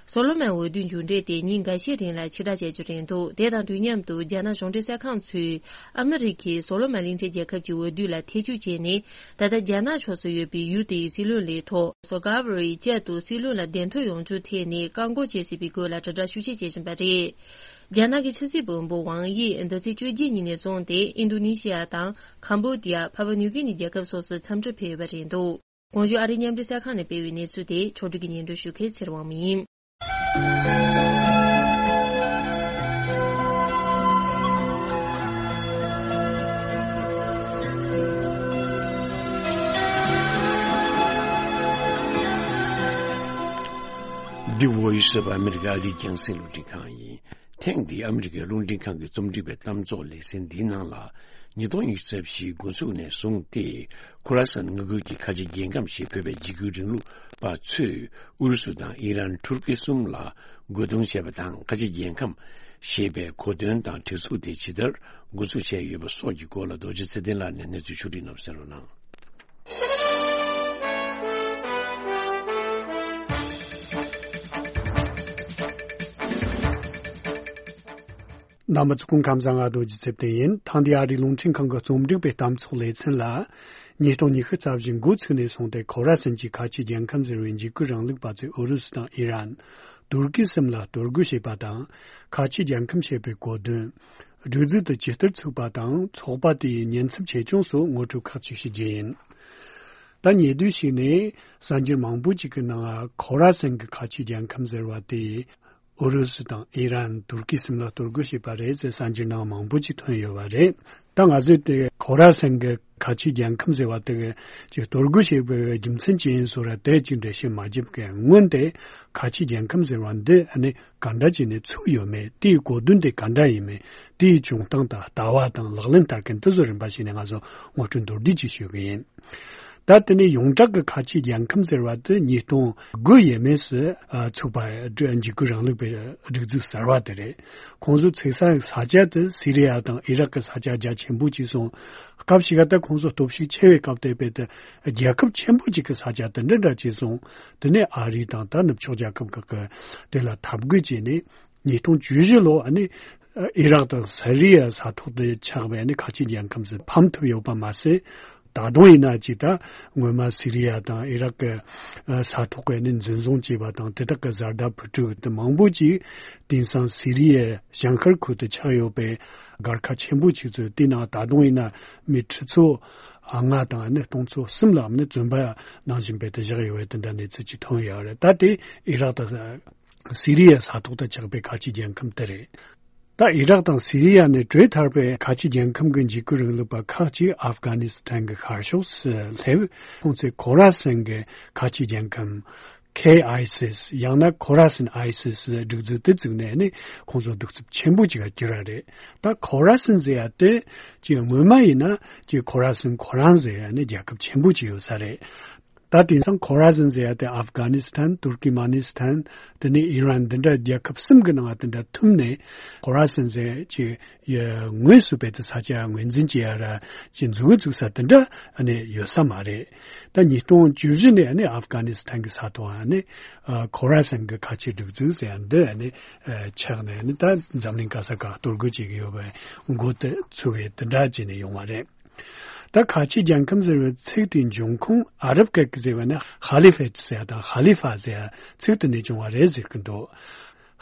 སོ་ལོ་མོན་འོས་བསྡུའི་མཇུག་འབྲས་དེ་ཉིན་འགའ་ཤས་རིང་ལ་ཕྱིར་བསྒྲགས་བྱ་རྒྱུ་རེད་འདུག་དེ་དང་དུས་མཉམ་དུ་རྒྱ་ནག་གཞུང་འབྲེལ་གསར་ཁང་ཚོས་ཨ་མི་རི་ཁས་སོ་ལོ་མོན་གླིང་ཕྲན་རྒྱལ་ཁབ་ཀྱི་འོས་བསྡུ་ལ་ཐེ་བྱུས་བྱས་ནས། ད་ལྟ་རྒྱ་ནག་ཕྱོགས་སུ་ཡོད་པའི་ཡུལ་དེའི་སྲིད་བློན་ལས་ཐོག་སོ་གྷ་ཝ་རི་བསྐྱར་དུ་སྲིད་བློན་ལ་གདན་ཐོབ་ཡོང་རྒྱུའི་ཐད་ནས་བཀག་འགོག་བྱེད་སྲིད་པའི་སྐོར་ལ་དྲིལ་བསྒྲགས་ཤུགས་ཆེ་བྱེད་བཞིན་པ་རེད། རྒྱ་ནག་གི་ཕྱི་སྲིད་བློན་པོ་ཝང་དབྱི་འདི་ཚེས་བཅོ་བརྒྱད་ཉིན་ནས་བཟུང་སྟེ་ཨིན་རྡོ་ནེ་ཤི་ཡ་དང་ཁམ་བྷོ་ཌི་ཡ། ཕ་བ་ནིའུ་ཀི་ནི་རྒྱལ་ཁབ་སོགས་སུ་འཚམས་འདྲིར་ཕེབས་ཡོད་པ་རེད་འདུག་གོང་ཞུས་ཨ་རིའི་མཉམ་འབྲེལ་གསར་ཁང་ནས་སྤེལ་བའི་གནས་ཚུལ་དེ་ཕྱོགས་བསྒྲིགས་ཀྱིས་སྙན་སྒྲོན་ཞུ་མཁན་ཚེ་རིང་དབང་མོ་ཡིན། འདི་Voice of America ཨ་རིའི་རྒྱང་སྲིང་རླུང་འཕྲིན་ཁང་ཡིན། ཐེངས་འདིའི་ཨ་མི་རི་ཀའི་རླུང་འཕྲིན་ཁང་གི་རྩོམ་སྒྲིག་པའི་གཏམ་ཚོགས་ལེ་ཚན་འདིའི་ནང་ལ། ཉིས་སྟོང་ཉི་ཤུ་རྩ་བཞིའི་འགོ་འཛུགས་ནས་བཟུང་སྟེ། ཁོ་ར་སན་མངའ་ཁུལ་གྱི་ཁ་ཆེ་རྒྱལ་ཁམས་ཞེས་འབོད་པའི་འཇིགས་སྐུལ་རིང་ལུགས་པ་ཚོས་ཨུ་རུ་སུ་དང་ཨི་རན། ཐུར་ཀི་གསུམ་ལ་རྒོལ་རྡུང་བྱས་པ་དང་། ཁ་ཆེ་རྒྱལ་ཁམས་ཞེས་པའི་གོ་དོན་དང་སྒྲིག་འཛུགས་དེ་ཇི་ལྟར་འགོ་འཛུགས་བྱས་ཡོད་པ་སོགས་ཀྱི་སྐོར་ལ་རྡོ་རྗེ་ཚེ་བརྟན་ལགས་ནས་གནས་ཚུལ་ཕྱོགས་སྒྲིག་གནང་བ་གསན་རོགས་གནང་། རྣམ་པ་ཚོ་སྐུ་ཁམས་བཟང་། ང་རྡོ་རྗེ་ཚེ་བརྟན་ཡིན། ཐེངས་འདིའི་ཨ་རིའི་རླུང་འཕྲིན་ཁང་གི་རྩོམ་སྒྲིག་པའི་གཏམ་ཚོགས་ལེ་ཚན་ལ། ཉིས་སྟོང་ཉི་ཤུ་རྩ་བཞི་འགོ་ཚུགས་ནས་བཟུང་སྟེ། ཁོ་ར་སན་གྱི་ཁ་ཆེ་རྒྱལ་ཁམས་ཟེར་བའི་འཇིགས་སྐུལ་རིང་ལུགས་པ་ཚོས་ཨུ་རུ་སུ་དང་ཨི་རན། ཏུར་ཀི་གསུམ་ལ་གཏོར་རྒོལ་བྱས་པ་དང་། ཁ་ཆེ་རྒྱལ་ཁམས་ཞེས་པའི་གོ་དོན། སྒྲིག་འཛུགས་དེ་ཇི་ལྟར་ཚུགས་པ་དང་། ཚོགས་པ་དེའི་ཉེན་ཚབས་ཆེ་ཆུང་སོགས་ངོ་སྤྲོད་ཁག་ཅིག་ཞུ་རྒྱུ་ཡིན། ད་ཉེ་དུས་ཤིག་ནས་གསར་འགྱུར་མང་པོ་ཅིག་གི་ནང་ཁོ་ར་སན་གྱི་ཁ་ཆེ་རྒྱལ་ཁམས་ཟེར་བ་དེ་ཨུ་རུ་སུ་དང་ཨི་རན། ཏུར་ཀི་གསུམ་ལ་གཏོར་རྒོལ་བྱས་པ་རེད་ཟེར་གསར་འགྱུར་ནང་མང་པོ་ཅིག་ཐོན་ཡོད་པ་རེད། ད་ང་ཚོས་དེ་ཁོ་ར་སན་གྱི་ཁ་ཆེ་རྒྱལ་ཁམས་ཟེར་བ་དེ་གི་གཏོར་རྒོལ་བྱས་པའི་རྒྱུ་མཚན་ཅི་ཡིན་སོགས་ར་དེ་ཅིག་འགྲེལ་བཤད་མ་བརྒྱབ་གི། སྔོན་དེ་ཁ་ཆེ་རྒྱལ་ཁམས་ཟེར་བ་འདི་ཨ་ནི་ག་འདྲ་བྱས་ནས་ཚུགས་ཡོད་མེད། དེའི་གོ་དོན་དེ་ག་འདྲ་ཡིན་མིན། དེའི་བྱུང་སྟངས་དང་ལྟ་བ་དང་ལག་ལེན་བསྟར་མཁན་དེ་ཚོ་རིམ་པ་བྱས་ནས་ང་ཚོ་ངོ་སྤྲོད་མདོར་བསྡུས་ཅིག་ཞུ་གི་ཡིན། ད་དེ་ནས་ཡོངས་གྲགས་ཀྱི་ཁ་ཆེ་རྒྱལ་ཁམས་ཟེར་བ་དེ་ཉིས་སྟོང་དགུ་ཡས་མས་སུ་ཨ་ཚུགས་པ། འཇིགས་སྐུལ་རིང་ལུགས་པའི་སྒྲིག་འཛུགས་གསར་བ་དེ་རེད། ཁོང་ཚོ་ཚུགས་ས་ས་ཆ་དེ་སི་རི་ཡ་དང་ཨི་རག་གི་ས་ཆ་རྒྱ་ཆེན་པོ་ཅིག་སོང་། སྐབས་ཤིག་ག་ད་ཁོང་ཚོ་སྟོབས་ཤུགས་ཆེ་བའི་སྐབས་དེ་བས་ཏེ་རྒྱལ་ཁབ་ཆེན་པོ་ཅིག་གི་ས་ཆ་དེ་འདྲ་འདྲ་ཅིག་སོང་། དེ་ནས་ཨ་རི་དང་ད་ནུབ་ཕྱོགས་རྒྱལ་ཁབ་ཁག་གི་དེ་ལ་འཐབ་རྒོལ་བྱས་ནས། ཉིས་སྟོང་བཅུ་བཞི་ལོ་ཨ་ནི་ཨི་རག་དང་སི་རི་ཡ་ས་ཐོག་ཏུ་ཆགས་པའི་ཨ་ནི་ཁ་ཆེ་རྒྱལ་ཁམས་སུ་ཕམ་ཐུབ་ཡོད་པ་མ་ཟད། ད་དུང་ཡིན་ན་ཅིག་ད་སྔོན་མ་སི་རི་ཡ་དང་ཨི་རག་གི་ས་ཐོག་གི་ཨ་ནི་འཛིན་བཟུང་བྱས་པ་དང་དེ་དག་གི་བཟའ་ཟླ་བུ་ཕྲུག་དེ་མང་པོ་ཅིག་དེང་སང་སི་རི་ཡའི་བྱང་ཤར་ཁུལ་དུ་ཆགས་ཡོད་པའི་སྒར་ཁག་ཆེན་པོ་ཅིག་ཚོ་དེ་ནང་ད་དུང་ཡིན་ན་མི་ཁྲི་ཚོ་ལྔ་དང་ཨ་ནི་སྟོང་ཚོ་གསུམ་ལ་ཨ་ནི་བཙོན་པ་ནང་བཞིན་པའི་དེ་བཞག་ཡོད་པའི་དེ་འདྲ་གནས་ཚུལ་ཅིག་ཐོན་ཡོད་རེད། ད་དེ་ཨི་རག་དང་སི་རི་ཡའི་ས་ཐོག་ཏུ་ཆགས་པའི་ཁ་ཆེ་རྒྱལ་ཁམས་དེ་རེད། ད་ཨི་རག་དང་སི་རི་ཡ་ནས་བྲོས་ཐར་པའི་ཁ་ཆེ་རྒྱལ་ཁམས་ཀྱི་འཇིགས་སྐུལ་རིང་ལུགས་པ་ཁག་ཅིག་ཨབ་གྷ་ནི་སི་ཐན་གྱི་ཤར་ཕྱོགས་སུ་སླེབས། ཁོང་ཚོས་ཁོ་ར་སན་གྱི་ཁ་ཆེ་རྒྱལ་ཁམས་ཁེ་ཨའི་སི་ཨེས་ཡང་ན་ཁོ་ར་སན་ཨའི་སི་ཨེས་སྒྲིག་འཛུགས་དེ་བཙུགས་ནས་ནི་ཁོང་ཚོ་གདུག་རྩུབ་ཆེན་པོ་ཅིག་ག་གྱུར་བ་རེད། ད་ཁོ་ར་སན་ཟེར་ཡ་དེ་ཅིག་སྔོན་མ་ཡིན་ན་ཅིག་ཁོ་ར་སན་ཁོ་རང་ཟེར་ཡ་ནི་རྒྱལ་ཁབ་ཆེན་པོ་ཅིག་ཡོད་ས་རེད། ད་དེང་སང་ཁོ་ར་སན་ཟེར་ཡ་དེ་ཨབ་གྷ་ནི་སི་ཐན། ཏུར་ཀི་མ་ནི་སི་ཐན། དེ་ནས་ཨི་རན། འདི་འདྲ་རྒྱལ་ཁབ་གསུམ་གྱི་ནང་དེ་འདྲ་ཐུམ་ནས་ཁོ་ར་སན་ཟེར་ཅིག་ཡ་ངོས་སུ་བེད་དེ་ས་ཆ་ངོས་འཛིན་བྱེད་ཡ་ར་ཅིག་འཛུགས་འཛུགས་ས་དེ་འདྲ་ཨ་ནི་ཡོད་ས་མ་རེད། ད་ཉིས་སྟོང་བཅུ་བཞི་ནས་ཨ་ནི་ཨབ་གྷ་ནི་སི་ཐན་གྱི་ས་ཐོག་ཨ་ནི་ཁོ་ར་སན་གྱི་ཁ་ཆེ་སྒྲིག་འཛུགས་ཟེར་ཡ་འདི་ཨ་ནི་ཆགས་ནས་ཨ་ནི་ད་འཛམ་གླིང་ག་ས་ག་གཏོར་རྒོལ་བྱེད་ཀྱི་ཡོད་པའི་འགོ་དེ་ཚུགས་པའི་དེ་འདྲ་བྱས་ནས་ཡོང་བ་རེད། ད་ཁ་ཆེ་རྒྱལ་ཁམས་ཟེར་བའི་ཚིག་དེའི་འབྱུང་ཁུངས་ཨ་རབ་སྐད་ཀྱི་ཟེར་བ་ནི་ཧ་ལི་ཕེད་ཟེར་ཡ་དང་ཧ་ལི་ཕ་ཟེར་ཡ་ཚིག་དེ་ནས་བྱུང་བ་རེད་ཟེར་གྱི་འདུག་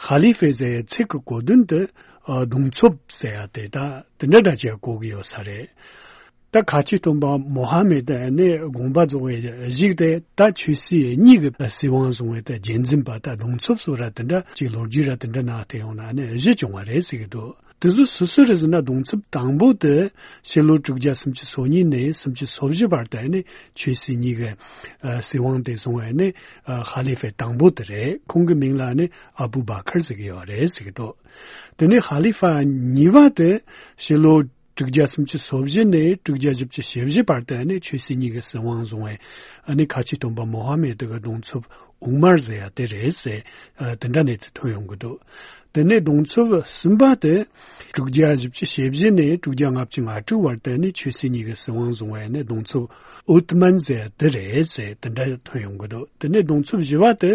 ཧ་ལི་ཕེད་ཟེར་ཡའི་ཚིག་གི་གོ་དོན་དེ་ཨ་གདུང་འཚོབ་ཟེར་ཡ་དེ་ད་དེ་འདྲ་འདྲ་ཅིག་གོ་གི་ཡོད་ས་རེད། ད་ཁ་ཆེ་སྟོན་པ་མོ་ཧ་མེད་ནི་དགོངས་པ་རྫོགས་པའི་གཞུག་དེ་ད་ཆོས་སྲིད་གཉིས་ཀྱི་སྲིད་དབང་བཟུང་བའི་ད་རྒྱལ་འཛིན་པ། ད་གདུང་འཚོབ་སོགས་ར་དེ་འདྲ་ཅིག་ལོ་རྒྱུས་ར་དེ་འདྲ་ནང་དེ་ཡོང་ན་ནི་གཞི་བྱུང་བ་རེད་ཟེར་གྱི་འདུག་དེ་ཚོ་སུ་སུ་རེད་ཟེར་ན། གདུང་འཚོབ་དང་པོ་དེ་ཕྱི་ལོ་དྲུག་བརྒྱ་སུམ་ཅུ་སོ་གཉིས་ནས་སུམ་ཅུ་སོ་བཞི་བར་དུ་ནི་ཆོས་སྲིད་གཉིས་ཀྱི་ཨ་སྲིད་དབང་དེ་བཟུང་བའི་ནི་ཨ་ཧ་ལི་ཕེ་དང་པོ་དེ་རེད། ཁོང་གི་མིང་ལ་ནི་ཨ་བུ་བ་ཁར་ཟེར་གྱི་ཡོད་རེད་ཟེར་གྱི་འདུག་དེ་ནས་ཧ་ལི་ཕ་གཉིས་པ་དེ་ཕྱི་ལོ་དྲུག་བརྒྱ་སུམ་ཅུ་སོ་བཞི་ནས་དྲུག་བརྒྱ་བཞི་བཅུ་ཞེ་བཞི་བར་དུ་ནི་ཆོས་སྲིད་གཉིས་ཀྱི་སྲིད་དབང་བཟུང་བའི་ཨ་ནི་ཁ་ཆེ་སྟོན་པ་མོ་ཧ་མེད་དེ་གི་གདུང་འཚོབ་ཨུ་མར་ཟེར་ཡ་དེ་རེད་ཟེར། ཨ་དེ་འདྲ་གནས་ཚུལ་ཐོན་ཡོང་གི་འདུག་དེ་ནས་གདུང་འཚོབ་གསུམ་པ་དེ་དྲུག་བརྒྱ་བཞི་བཅུ་ཞེ་བཞི་ནས་དྲུག་བརྒྱ་ལྔ་བཅུ་ང་དྲུག་བར་དུ་ནི་ཆོས་སྲིད་གཉིས་ཀྱི་སྲིད་དབང་བཟུང་བའི་ནི་གདུང་འཚོབ་ཨུ་ཏི་མན་ཟེར་ཡ་དེ་རེད་ཟེར། དེ་འདྲ་ཐོན་ཡོང་གི་འདུག་དེ་ནས་གདུང་འཚོབ་བཞི་པ་དེ་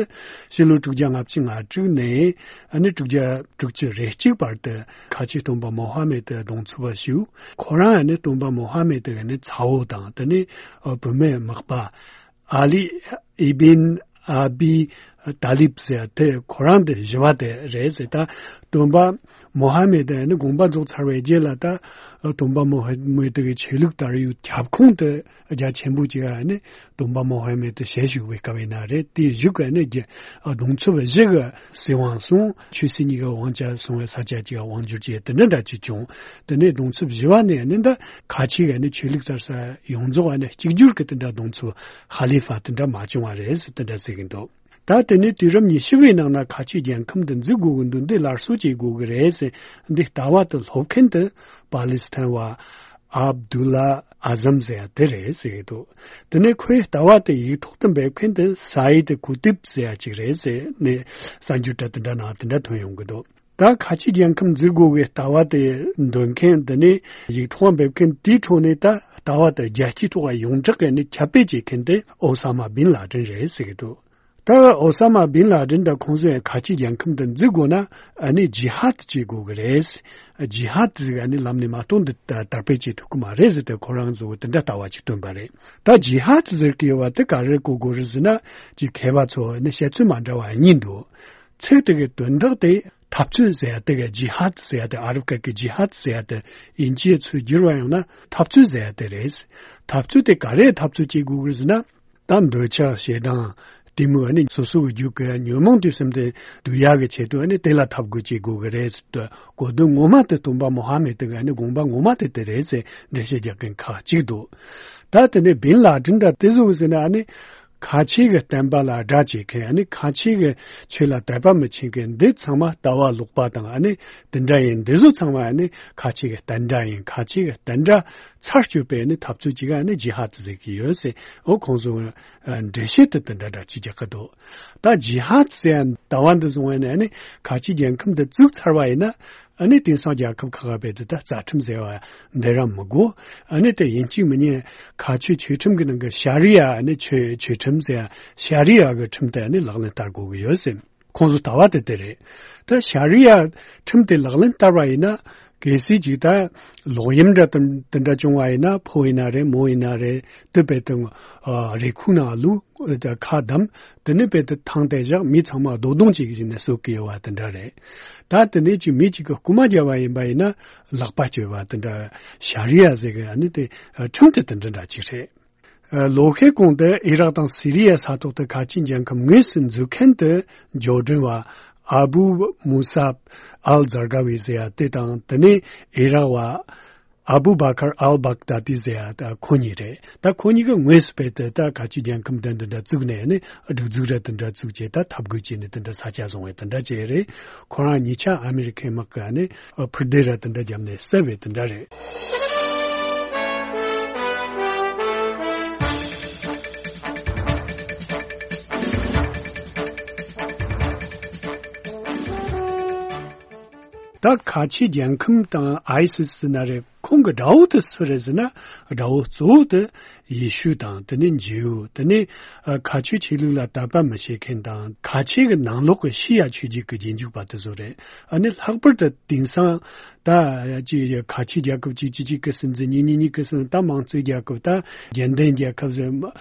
ཕྱི་ལོ་དྲུག་བརྒྱ་ལྔ་བཅུ་ང་དྲུག་ནས་ཨ་ནི་དྲུག་བརྒྱ་དྲུག་ཅུ་རེ་གཅིག་བར་དུ་ཁ་ཆེ་སྟོན་པ་མོ་ཧ་མེད་དེ་གདུང་འཚོབ་བཞུགས། ཁོ་རང་ཨ་ནི་སྟོན་པ་མོ་ཧ་མེད་དེ་གི་ནི་ཚ་བོ་དང་དེ་ནས་ཨ་བུད་མེད་མག་པ་ཨ་ལི་ཨི་བིན་ཨ་བི་ཏཱ་ལིབ་ཟེར་ཡ་དེ་ཁོ་རང་དེ་བཞི་པ་དེ་རེད་ཟེར། ད་སྟོན་པ་མོ་ཧ་མེད་དེ་ནི་དགོངས་པ་རྫོགས་ཚར་བའི་རྗེས་ལ་ད་སྟོན་པ་མོ་ཧ་མེད་དེ་གི་ཆོས་ལུགས་དར་ཡུལ་ཁྱབ་ཁོངས་དེ་རྒྱ་ཆེན་པོ་ཅིག་ཨ་ནི་སྟོན་པ་མོ་ཧ་མེད་དེ་ཞལ་བཞུགས་པའི་སྐབས་ཡིན་ན་རེད། དེའི་གཞུག་གི་ནི་རྒྱ་ཨ་གདུང་འཚོབ་བཞི་གི་སྲིད་དབང་སོང་། ཆོས་སྲིད་གཉིས་ཀ་དབང་ཆ་སོང་བའི་ས་ཆ་གཅིག་དབང་བསྒྱུར་བྱས་དེ་འདྲ་འདྲ་ཅིག་བྱུང་། དེ་ནས་གདུང་འཚོབ་བཞི་པ་ནས་ནི་ད་ཁ་ཆེ་གི་ནི་ཆོས་ལུགས་དར་ས་ཡོངས་རྫོགས་ནི་གཅིག་གྱུར་གྱི་དེ་འདྲ་གདུང་འཚོབ་ཧ་ལི་ཕ་དེ་འདྲ་མ་བྱུང་བ་རེད་ཟེར་དེ་འདྲ་ཟེར་གྱི་འདུག་ད་དེ་ནས་དུས་རབས་ཉི་ཤུ་བའི་ནང་ན་ཁ་ཆེ་རྒྱལ་ཁམས་འདི་འཛུགས་དགོས་ཀྱི་འདུག་འདི་སླར་གསོ་བྱེད་དགོས་ཀྱི་རེད་ཟེར་འདི་ལྟ་བ་དེ་སློབ་མཁན་དེ་པ་ལི་སི་ཐན་བ་ཨབ་དུ་ལ་ཨ་ཟམ་ཟེར་ཡ་དེ་རེད་ཟེར་གྱི་འདུག་དེ་ནས་ཁོའི་ལྟ་བ་དེ་ཡིག་ཐོག་ཏུ་འབེབས་མཁན་དེ་སཱ་ཡིད་ཀུ་ཏིབ་ཟེར་ཡ་ཅིག་རེད་ཟེར་ནས་གསར་འགྱུར་འདྲ་དེ་འདྲ་ནང་དེ་འདྲ་ཐོན་ཡོང་གི་འདུག་ད་ཁ་ཆེ་རྒྱལ་ཁམས་འཛུགས་དགོས་པའི་ལྟ་བ་དེ་འདོན་མཁན་དེ་ནས་ཡིག་ཐོག་འབེབས་མཁན་དེའི་ཁྲོད་ནས་ད་ལྟ་བ་དེ་རྒྱལ་སྤྱིའི་ཐོག་ཡོངས་གྲགས་ཀྱི་ནས་ཁྱབ་སྤེལ་བྱེད་མཁན་དེ་ཨོ་ས་མ་བིན་ལ་ཏིན་རེད་ཟེར་གྱི་འདུག་ད་ཨོ་ས་མ་བིན་ལ་ཏིན་དང་ཁོང་ཚོས་ཁ་ཆེ་རྒྱལ་ཁམས་དེ་འཛུགས་དགོས་ན་ཨ་ནི་ཇི་ཧཱད་བྱེད་དགོས་ཀྱི་རེད། ཇི་ཧཱད་ཟེར་ཨ་ནི་ལམ་ནས་མ་གཏོགས་འདི་ད་དར་སྤེལ་བྱེད་ཐུབ་ཀྱི་མ་རེད་ཟེར་ཏེ་ཁོ་རང་ཚོ་དེ་འདྲ་ལྟ་བ་ཅིག་བཏོན་པ་རེད། ད་ཇི་ཧཱད་ཟེར་གྱི་ཡོད་པ་དེ་ག་རེ་གོ་དགོས་རེད་ཟེར་ན་ཅིག་མཁས་པ་ཚོ་ནི་བཤད་ཚུལ་མ་འདྲ་བ་གཉིས་འདུག་ཚིག་དེ་གི་དོན་དག་དེ་འཐབ་རྩོད་ཟེར་ཡ་དེ་ག་ཇི་ཧཱད་ཟེར་ཡ་དེ་ཨ་རབ་སྐད་ཀྱི་ཇི་ཧཱད་ཟེར་ཡ་དེ་དབྱིན་ཇིའི་ཚུལ་བསྒྱུར་བ་ཡོང་ན་འཐབ་རྩོད་ཟེར་ཡ་དེ་རེད། འཐབ་རྩོད་དེ་ག་རེ་འཐབ་རྩོད་བྱེད་དགོས་ཀྱི་རེད་ཟེར་ན། ད་འདོད་ཆགས་ཞེ་སྡང་གཏི་མུག་ཨ་ནི་སོ་སོ་གི་རྒྱུད་ཀྱི་ཉོན་མོངས་དུས་གསུམ་དེ་བསྡུ་ཡག་གི་ཆེད་དུ་ཨ་ནི་དེ་ལ་ཐབས་དགོས་ཀྱི་དགོས་གི་རེད་ཟེར་དུས། གོ་དོན་ངོ་མ་དེ་སྟོན་པ་མོ་ཧ་མེད་དེ་གི་ཨ་ནི་དགོངས་པ་ངོ་མ་དེ་དེ་རེད་ཟེར་འགྲེལ་བཤད་རྒྱག་མཁན་ཁག་ཅིག་འདུག་ད་དེ་ནས་བིན་ལ་ཏྲིན་འདྲ་དེ་ཚོ་ཟེར་ན་ཨ་ནི་ཁ་ཆེ་གི་བསྟན་པ་ལ་དགྲ་བྱེད་མཁན། ཨ་ནི་ཁ་ཆེ་གི་ཆོས་ལ་དད་པ་མི་བྱེད་མཁན་འདི་ཚང་མ་ལྟ་བ་ལོག་པ་དང་། ཨ་ནི་དེ་འདྲ་ཡིན། འདི་ཚོ་ཚང་མ་ཨ་ནི་ཁ་ཆེ་གི་བསྟན་དགྲ་ཡིན། ཁ་ཆེ་གི་བསྟན་དགྲ་ཚར་གཅོད་པའི་ཨ་ནི་འཐབ་རྩོད་ཅིག་ཨ་ནི་ཇི་ཧ་ཏི་ཟེར་གི་ཡོད་ཟེར། འོ་ཁོང་ཚོ་འགྲེལ་བཤད་དེ་དེ་འདྲ་འདྲ་ཅིག་རྒྱག་གི་འདུག་ད་ཇི་ཧ་ཏི་ཟེར་ཡ་ལྟ་བ་འདི་བཟུང་བས་ནས་ཨ་ནི་ཁ་ཆེ་རྒྱལ་ཁམས་འདི་བཙུགས་ཚར་བ་ཡིན་ན། ཨ་ནི་དེང་སང་རྒྱལ་ཁབ་ཁག་ཁ་བེད་དུ་ད་རྩ་ཁྲིམས་ཟེར་བ་འདི་རང་མི་དགོས། ཨ་ནི་དེ་ཡིན་གཅིག་མིན་གཉིས་ཁ་ཆོས་ཆོས་ཁྲིམས་ཀྱི་ནང་གི་ཤ་རི་ཡ། ཨ་ནི་ཆོས་ཆོས་ཁྲིམས་ཟེར་ཡ་ཤ་རི་ཡ་གི་ཁྲིམས་དེ་ཨ་ནི་ལག་ལེན་བསྟར་དགོས་ཀྱི་ཡོད་ཟེར། ཁོང་ཚོ་ལྟ་བ་དེ་དེ་རེད། ད་ཤ་རི་ཡ་ཁྲིམས་དེ་ལག་ལེན་བསྟར་བ་ཡིན་ན། གལ་སྲིད་ཅིག་ད་ལོག་གཡེམ་འདྲ་དེ་འདྲ་བྱུང་བ་ཡིན་ན། ཕོ་ཡིན་ན་རེད། མོ་ཡིན་ན་རེད། དེ་བེད་དུ་རེ་ཁུག་ནང་ལུས། ཁ་བསྡམས། དེ་ནས་བེད་དུ་ཐང་དེ་བཞག་མི་ཚང་མ་རྡོ་རྡུང་བྱེད་ཀྱི་ཟིན་ནས་གསོད་ཀྱི་ཡོད་པ་དེ་འདྲ་རེད། ད་དེ་ནས་ཅིག་མི་གཅིག་གི་རྐུ་མ་བརྒྱབ་པ་ཡིན་པ་ཡིན་ན་ལག་པ་གཅོད་པ་དེ་འདྲ་ཤ་རི་ཡ་ཟེར་གི་ཨ་ནི་དེ་ཁྲིམས་དེ་དེ་འདྲ་འདྲ་ཅིག་རེད། ལོ་ཤས་གོང་དུ་ཨི་རག་དང་སི་རི་ཡའི་ས་ཐོག་ཏུ་ཁ་ཆེ་རྒྱལ་ཁམས་དངོས་སུ་འཛུགས་མཁན་དུ་འབྱོར་འབྲིང་བ་ཨ་བུ་མུ་སཱབ་ཨལ་ཛར་ག་ཝི་ཟེར་ཡ་དེ་དང་། དེ་ནས་ཨི་རག་བ་ཨ་བུ་བ་ཁར་ཨལ་བག་དཱ་ཏི་ཟེར་ཡ་ད་ཁོ་གཉིས་རེད། ད་ཁོ་གཉིས་ཀྱིས་དངོས་སུ་བེད་དུ་ད་ཁ་ཆེ་རྒྱལ་ཁམས་དེ་འདི་འདྲ་བཙུགས་ནས་ནི་སྒྲིག་འཛུགས་ར་དེ་འདྲ་བཙུགས་བྱས། ད་འཐབ་རྒོལ་བྱས་ནས་དེ་འདྲ་ས་ཆ་བཟུང་བའི་དེ་འདྲ་བྱས་རེད། ཁོ་རང་གཉིས་ཆ་ཨ་མི་རི་ཁའི་དམག་གིས་ནི་ཕུ་དེ་ར་དེ་འདྲ་བརྒྱབ་ནས་བསད་པའི་དེ་འདྲ་རེད། ད་ཁ་ཆེ་རྒྱལ་ཁམས་དང་ཨའི་སི་སི་ཟེར་ན་རེད། ཁོང་གི་དགྲ་བོ་དེ་སུ་རེད་ཟེར་ན། དགྲ་བོ་གཙོ་བོ་དེ་ཡེ་ཤུ་དང་། དེ་ནས་ཇིའུ། དེ་ནས་ཨ་ཁ་ཆོས་ཆོས་ལུགས་ལ་དད་པ་མི་བྱེད་མཁན་དང་། ཁ་ཆེ་གི་ནང་ལོགས་ཀྱི་ཤི་ཡ་ཆོས་བརྒྱུད་ཀྱི་རྗེས་འཇུག་པ་དེ་ཚོ་རེད། ཨ་ནི་ལྷག་པར་དུ་དེང་སང་ད་ཅི་ཁ་ཆེ་རྒྱལ་ཁབ་གཅིག་གཅིག་གཅིག་གི་སྲིད་འཛིན། གཉིས་གཉིས་གཉིས་ཀྱི་སྲིད་འཛིན། ད་དམངས་གཙོའི་རྒྱལ་ཁབ། ད་རྒྱལ་ལྡན་རྒྱལ་ཁབ་ཟེར།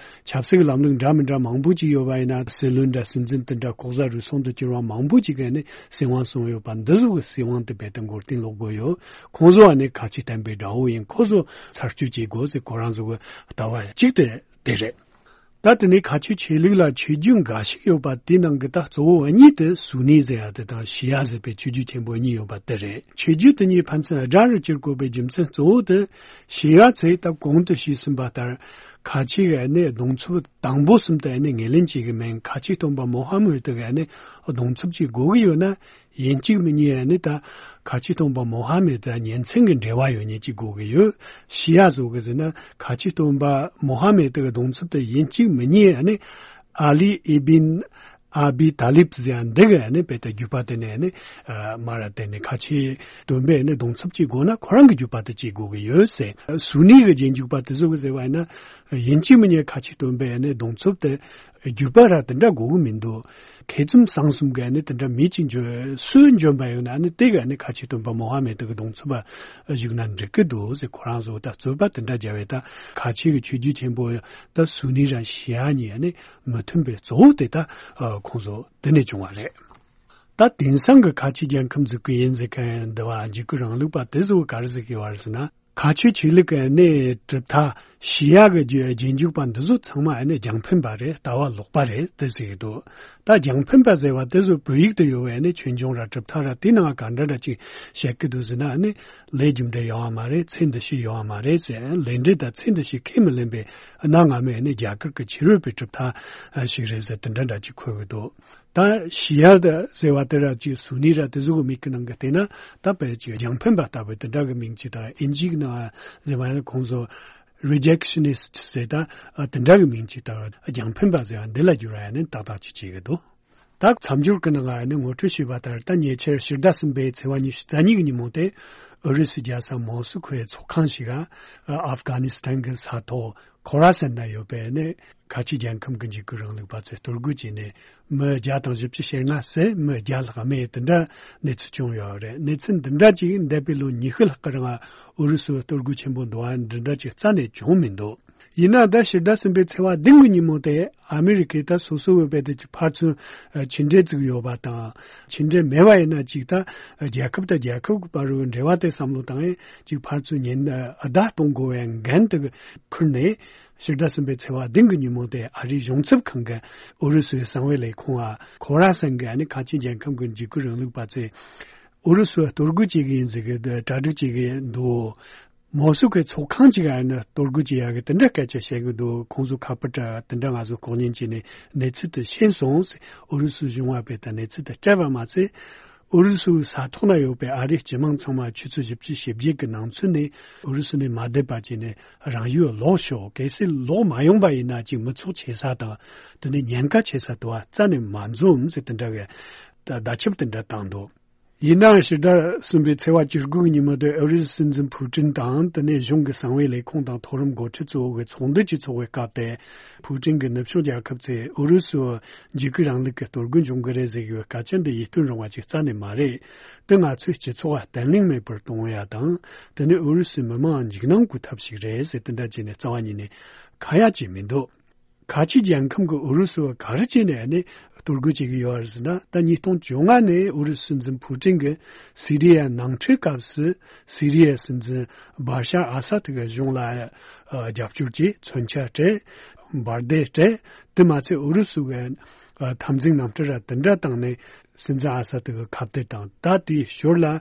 ཆབ་སྲིད་ཀྱི་ལམ་ལུགས་འདྲ་མི་འདྲ་མང་པོ་ཅིག་ཡོད་པ་ཡིན་ན། སྲིད་བློན་འདྲ་སྲིད་འཛིན་དེ་འདྲ་ལྐོག་ཟ་རུལ་སུངས་དུ་གྱུར་བ་མང་པོ་ཅིག་གིས་ནི་སྲིད་དབང་བཟུང་ཡོད་པ། འདི་ཚོ་གི་སྲིད་དབང་དེ་རྦད་དེ་མགོ་རྟིང་སློག་དགོས་ཡོད། ཁོང་ཚོ་ཨ་ནི་ཁ་ཆེ་བསྟན་པའི་དགྲ་བོ་ཡིན། ཁོ་ཚོ་ཚར་གཅོད་བྱེད་དགོས་ཟེར་ཁོ་རང་ཚོ་གི་ལྟ་བ་གཅིག་དེ་དེ་རེད། ད་དེ་ནས་ཁ་ཆོས་ཆོས་ལུགས་ལ་ཆོས་བརྒྱུད་འགའ་ཞིག་ཡོད་པ་དེའི་ནང་གི་ད་གཙོ་བོ་གཉིས་དེ་སུ་ནི་ཟེར་ཡ་དེ་དང་ཤི་ཡ་ཟེར་བའི་ཆོས་བརྒྱུད་ཆེན་པོ་གཉིས་ཡོད་པ་དེ་རེད། ཆོས་བརྒྱུད་དེ་གཉིས་ཕན་ཚུན་དགྲ་རུ་གྱུར་དགོས་པའི་རྒྱུ་མཚན་གཙོ་བོ་དེ། ཤི་ཡ་ཚོས་ད་གོང་དུ་ཞུས་ཟིན་པ་ལྟར་ཁ་ཆེ་གི་ནི་གདུང་འཚོབ་དང་པོ་གསུམ་དེ་ནི་ངོས་ལེན་བྱེད་གི་མེད། ཁ་ཆེ་སྟོན་པ་མོ་ཧ་མུ་ཏི་གི་ནི་གདུང་འཚོབ་ཅིག་དགོས་གི་ཡོད་ན། ཡིན་གཅིག་མིན་གཉིས་ནི་ད་ཁ་ཆེ་སྟོན་པ་མོ་ཧ་མེད་དང་ཉིན་མཚན་གྱི་འབྲེལ་བ་ཡོད་མཁན་ཅིག་དགོས་ཀྱི་ཡོད། ཤི་ཡ་བཟོ་གི་ཟེར་ན་ཁ་ཆེ་སྟོན་པ་མོ་ཧ་མེད་དེ་གི་གདུང་འཚོབ་དེ་ཡིན་གཅིག་མིན་གཉིས་ནི་ཨ་ལི་ཨི་བིན་ཨ་བི་ཏཱ་ལིབ་ཟེར་ཡ་འདི་གི་ནི་བེད་དུ་རྒྱུད་པ་དེ་ནས་ནི་མར་དེ་ནི་ཁ་ཆེ་སྟོན་པའི་ནི་གདུང་འཚོབ་ཅིག་དགོས་ན་ཁོ་རང་གི་རྒྱུད་པ་དེ་ཅིག་དགོས་ཀྱི་ཡོད་ཟེར། སུ་ནི་གི་རྗེས་འཇུག་པ་དེ་ཚོ་གི་ཟེར་བ་ཡིན་ན། ཡིན་གཅིག་མིན་གཉིས་ཁ་ཆེ་སྟོན་པའི་ནི་གདུང་འཚོབ་དེ་རྒྱུད་པ་ར་དེ་འདྲ་དགོས་གི་མི་འདུག་མཁས་བཙུན་གསང་གསུམ་གྱི་ནི་དེ་འདྲ་མི་གཅིག་འཇོན་སུ་འཇོན་པ་ཡོད་ན་ནི་དེ་ག་ནི་ཁ་ཆེ་སྟོན་པ་མོ་ཧ་མེད་དེ་གི་གདུང་འཚོབ་པ་བཞུགས་ན་འགྲིག་གི་འདུག་ཟེར། ཁོ་རང་ཚོ་ད་རྩོད་པ་དེ་འདྲ་བརྒྱབ་པས། ད་ཁ་ཆེ་གི་ཆོས་བརྒྱུད་ཆེན་པོ་ད་སུ་ནི་ར་ཤི་ཡ་གཉིས་ནི་མི་མཐུན་པའི་གཙོ་བོ་དེ་ད་ཁོང་ཚོ་དེ་ནས་བྱུང་བ་རེད། ད་དེང་སང་གི་ཁ་ཆེ་རྒྱལ་ཁམས་འཛུགས་ཀྱི་ཡིན་ཟེར་མཁན་འདི་བ་འཇིགས་སྐུལ་རིང་ལུགས་པ་དེ་ཚོ་ག་རེ་ཟེར་གི་ཡོད་རེད་ཟེར་ན། ཁ་ཆོས་ཆོས་ལུགས་ཀྱི་གནས་གྲུབ་མཐའ་ཤི་ཡ་གི་རྗེས་འཇུག་པ་འདི་ཚོ་ཚང་མ་ནི་རྒྱང་འཕེན་པ་རེད། ལྟ་བ་ལོག་པ་རེད་དེ་ཟེར་གི་འདུག་ད་རྒྱང་འཕེན་པ་ཟེར་བ་དེ་ཚོ་བོད་ཡིག་ཏུ་ཡོད་པའི་ནི་ཆོས་འབྱུང་ར་གྲུབ་མཐའ་ར་དེའི་ནང་ག་འདྲ་འདྲ་ཅིག་བཤད་གི་འདུག་ཟེར་ན་ནི། ལས་རྒྱུ་འབྲས་ཡོང་བ་མ་རེད། ཚེ་འདི་ཕྱི་ཡོང་བ་མ་རེད་ཟེར། ལས་འབྲས་དང་ཚེ་འདི་ཕྱི་ཁས་མི་ལེན་པའི་གནའ་སྔ་མོའི་ནི་རྒྱ་གར་གྱི་ཕྱི་རོལ་པའི་གྲུབ་མཐའ་ཞིག་རེད་ཟེར་དེ་འདྲ་འདྲ་ཅིག་འཁོད་གི་འདུག་ད་ཤི་ཡ་ཟེར་བ་དེ་ར་ཅིག་སུ་ནི་ར་དེ་ཚོ་གི་མིང་གི་ནང་གི་བལྟས་ན། ད་དཔེ་ཅིག་རྒྱང་འཕེན་པ་ལྟ་བུའི་དེ་འདྲ་གི་མིང་ཅིག་དང་། ཨིན་ཇིའི་ནང་ཟེར་བ་ནི་ཁོང་ཚོ་རི་ཇེག་ཤ་ནི་སི་ཊི་ཟེར། ད་དེ་འདྲ་གི་མིང་ཅིག་དང་རྒྱང་འཕེན་པ་ཟེར་བ་འདི་ལ་བསྒྱུར་བ་ནི་ཏག་ཏག་ཅིག་བྱེད་གི་འདུག་ད་མཚམས་སྦྱོར་གི་ནང་ནི་ངོ་སྤྲོད་ཞུས་པ་ལྟར། ད་ཉེ་ཆར་ཕྱི་ཟླ་གསུམ་པའི་ཚེས་པ་ཉི་ཤུ་རྩ་གཉིས་ཀྱི་ཉིན་མོ་དེ་ཨུ་རུ་སུའི་རྒྱལ་ས་མོ་སི་ཁོའི་ཚོགས་ཁང་ཞིག་ག་ཨ་ཨབ་གྷ་ནི་སི་ཐན་གྱི་ས་ཐོག་ཁོ་ར་སན་ན་ཡོད་པའི་ནི་ཁ་ཆེ་རྒྱལ་ཁམས་ཀྱི་འཇིགས་སྐུལ་རིང་ལུགས་པ་ཚོས་གཏོར་རྒོལ་བྱས་ནས་མི་བརྒྱ་དང་བཞི་བཅུ་ཞེ་ལྔ་བསད། མི་བརྒྱ་ལྷག་རྨས། དེ་འདྲ་གནས་ཚུལ་བྱུང་ཡོད་རེད། གནས་ཚུལ་འདི་འདྲ་ཅིག་འདས་པའི་ལོ་ཉི་ཤུ་ལྷག་གི་རིང་ཨུ་རུ་སུའི་གཏོར་རྒོལ་ཆེན་པོ་འདུག་པ་འདི་འདྲ་ཅིག་རྩ་ནས་བྱུང་མི་འདུག་ཡིན་ན་ད་ཕྱི་ཟླ་གསུམ་པའི་ཚེས་པ་བདུན་གྱི་ཉིན་མོ་དེ་ཨ་མི་རི་ཀས་ད་སོ་སོ་བོད་པའི་དེ་ཕར་ཚུར་ཕྱི་འབྲེལ་བཙུགས་ཡོད་པ་དང་། ཕྱི་འབྲེལ་མེད་པ་ཡིན་ན་ཅིག་ད་རྒྱལ་ཁབ་དང་རྒྱལ་ཁབ་ཀྱི་བར་དུ་འབྲེལ་བ་དེ་བསམ་བློ་བཏང་ཡས་ཅིག་ཕར་ཚུར་ཉེན་བརྡ་གཏོང་དགོས་པའི་འགན་དེ་ཁུར་ནས། ཕྱི་ཟླ་གསུམ་པའི་ཚེས་པ་བདུན་གྱི་ཉིན་མོ་དེ་ཨ་རིའི་གཞུང་ཚབ་ཁང་གི་ཨུ་རུ་སུའི་གསང་བའི་ལས་ཁུངས་ཨ་ཁོ་ར་སན་གྱིས་ཨ་ནི་ཁ་ཆེ་རྒྱལ་ཁབ་ཀྱི་འཇིགས་སྐུལ་རིང་ལུགས་པ་ཚོས་ཨུ་རུ་སུ་གཏོར་རྒོལ་བྱེད་ཀྱི་ཡིན་ཟེར་གྱི་འདུག་གྲ་སྒྲིག་བྱེད་ཀྱི་འདུག་མོ་སུ་ཁོའི་ཚོགས་ཁང་གཅིག་ཨ་ནི་གཏོར་རྒོལ་བྱེད་ཡག་གི་དེ་འདྲ་སྐད་ཆ་བཤད་ཀྱི་འདུག་ཁོང་ཚོ་ཁ་པར་དེ་འདྲ་ང་ཚོ་ལྐོག་ཉན་བྱས་ནས་གནས་ཚུལ་དེ་ཤེས་སོང་ཟེར། ཨུ་རུ་སུའི་གཞུང་བ་པས་ད་གནས་ཚུལ་དེ་སྤྲད་པ་མ་ཟད། ཨུ་རུ་སུའི་ས་ཐོག་ན་ཡོད་པའི་ཨ་རིའི་སྤྱི་དམངས་ཚང་མ་ཆུ་ཚོད་བཞི་བཅུ་ཞེ་བརྒྱད་ཀྱི་ནང་ཚུད་ནས་ཨུ་རུ་སུ་ནས་མ་བསྡད་པ་བྱས་ནས་རང་ཡུལ་ལོག་ཤོག་གལ་སྲིད་ལོག་མ་ཡོང་པ་ཡིན་ན་ཅིག་མི་ཚོགས་ཆེ་ས་དང་དེ་ནས་ཉེན་ཁ་ཆེ་ས་དུ་བ་རྩ་ནས་མ་འཛོམས་ཟེར་དེ་འདྲ་གི་བརྡ་ཁྱབ་དེ་འདྲ་བཏང་འདུག་ཡིན་ནའང་ཕྱི་ཟླ་གསུམ་པའི་ཚེས་པ་བཅུ་དགུ་ཉིན་མོ་དེ་ཨུ་རུ་སུའི་སྲིད་འཛིན་ཕུ་ཀྲིན་དང་དེ་ནས་གཞུང་གི་གསང་བའི་ལས་ཁུངས་དང་མཐོ་རིམ་འགོ་ཁྲིད་གཙོ་བོ་གི་ཚོགས་འདུ་གཅིག་ཚོགས་པའི་སྐབས་དེ། ཕུ་ཀྲིན་གྱི་ནུབ་ཕྱོགས་རྒྱལ་ཁབ་ཚོས་ཨུ་རུ་སུ་འཇིགས་སྐུལ་རིང་ལུགས་ཀྱི་གཏོར་རྒོལ་འབྱུང་གི་རེད་ཟེར་གྱི་ཡོད་སྐད་ཆ་འདི་ཡིད་རྟོན་རུང་བ་ཅིག་རྩ་ནས་མ་རེད། འདི་ང་ཚོའི་སྤྱི་ཚོགས་ལ་བརྟན་ལྷིང་མེད་པར་གཏོང་ཡ་དང་དེ་ནས་ཨུ་རུ་སུའི་མི་མང་འཇིགས་སྣང་སྐུལ་ཐབས་ཤིག་རེད་ཟེར་དེ་འདྲ་བྱས་ནས་རྩ་བ་ཉིད་ནས་ཁ་ཡ་བྱས་མི་འདུག་ཁ་ཆེ་རྒྱལ་ཁམས་ཀྱི་ཨུ་རུ་སུ་བ་ག་རེ་བྱས་ནས་ནི་གཏོར་རྒོལ་བྱེད་ཀྱི་ཡོད་རེད་ཟེར་ན། ད་ཉིས་སྟོང་བཅོ་ལྔ་ནས་ཨུ་རུ་སུ་སྲིད་འཛིན་ཕུ་ཀྲིན་གྱིས་སི་རི་ཡའི་ནང་འཁྲུག་སྐབས་སུ་སི་རི་ཡའི་སྲིད་འཛིན་བྷ་ཤར་ཨ་སཱད་ཀྱི་གཞུང་ལ་ཨ་རྒྱབ་སྐྱོར་གྱིས་མཚོན་ཆ་སྤྲད། འབར་མདེལ་སྤྲད། དེ་མ་ཚད་ཨུ་རུ་སུ་གི་ཨ་འཐབ་འཛིང་རྣམ་གྲངས་ར་དེ་འདྲ་བཏང་ནས་སྲིད་འཛིན་ཨ་སཱད་ཀྱི་ཁ་གཏད་དང་ད་དེའི་ཞོར་ལ་ཨ་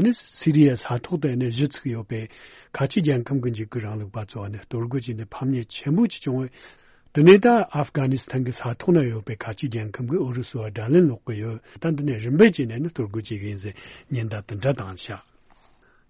ནི་སི་རི་ཡའི་ས་ཐོག་ཏུ་ཨ་ནི་གཞི་ཚུགས་ཡོད་པའི་ཁ་ཆེ་རྒྱལ་ཁམས་ཀྱི་འཇིགས་སྐུལ་རིང་ལུགས་པ་ཚོ་ཨ་ནི་གཏོར་རྒོལ་བྱས་ནས་ཕམ་ཉེས་ཆེན་པོ་ཅིག་བྱུང་བས། དེ་ནས་ད་ཨབ་གྷ་ནི་སི་ཐན་གྱི་ས་ཐོག་ན་ཡོད་པའི་ཁ་ཆེ་རྒྱལ་ཁམས་ཀྱིས་ཨུ་རུ་སུ་བ་དགྲ་ལན་སློག་གི་ཡོད། ད་འདི་ནས་རིམ་པས་བྱས་ནས་ནི་གཏོར་རྒོལ་བྱེད་ཀྱི་ཡིན་ཟེར་ཉེན་བརྡ་དེ་འདྲ་བཏང་ཤག་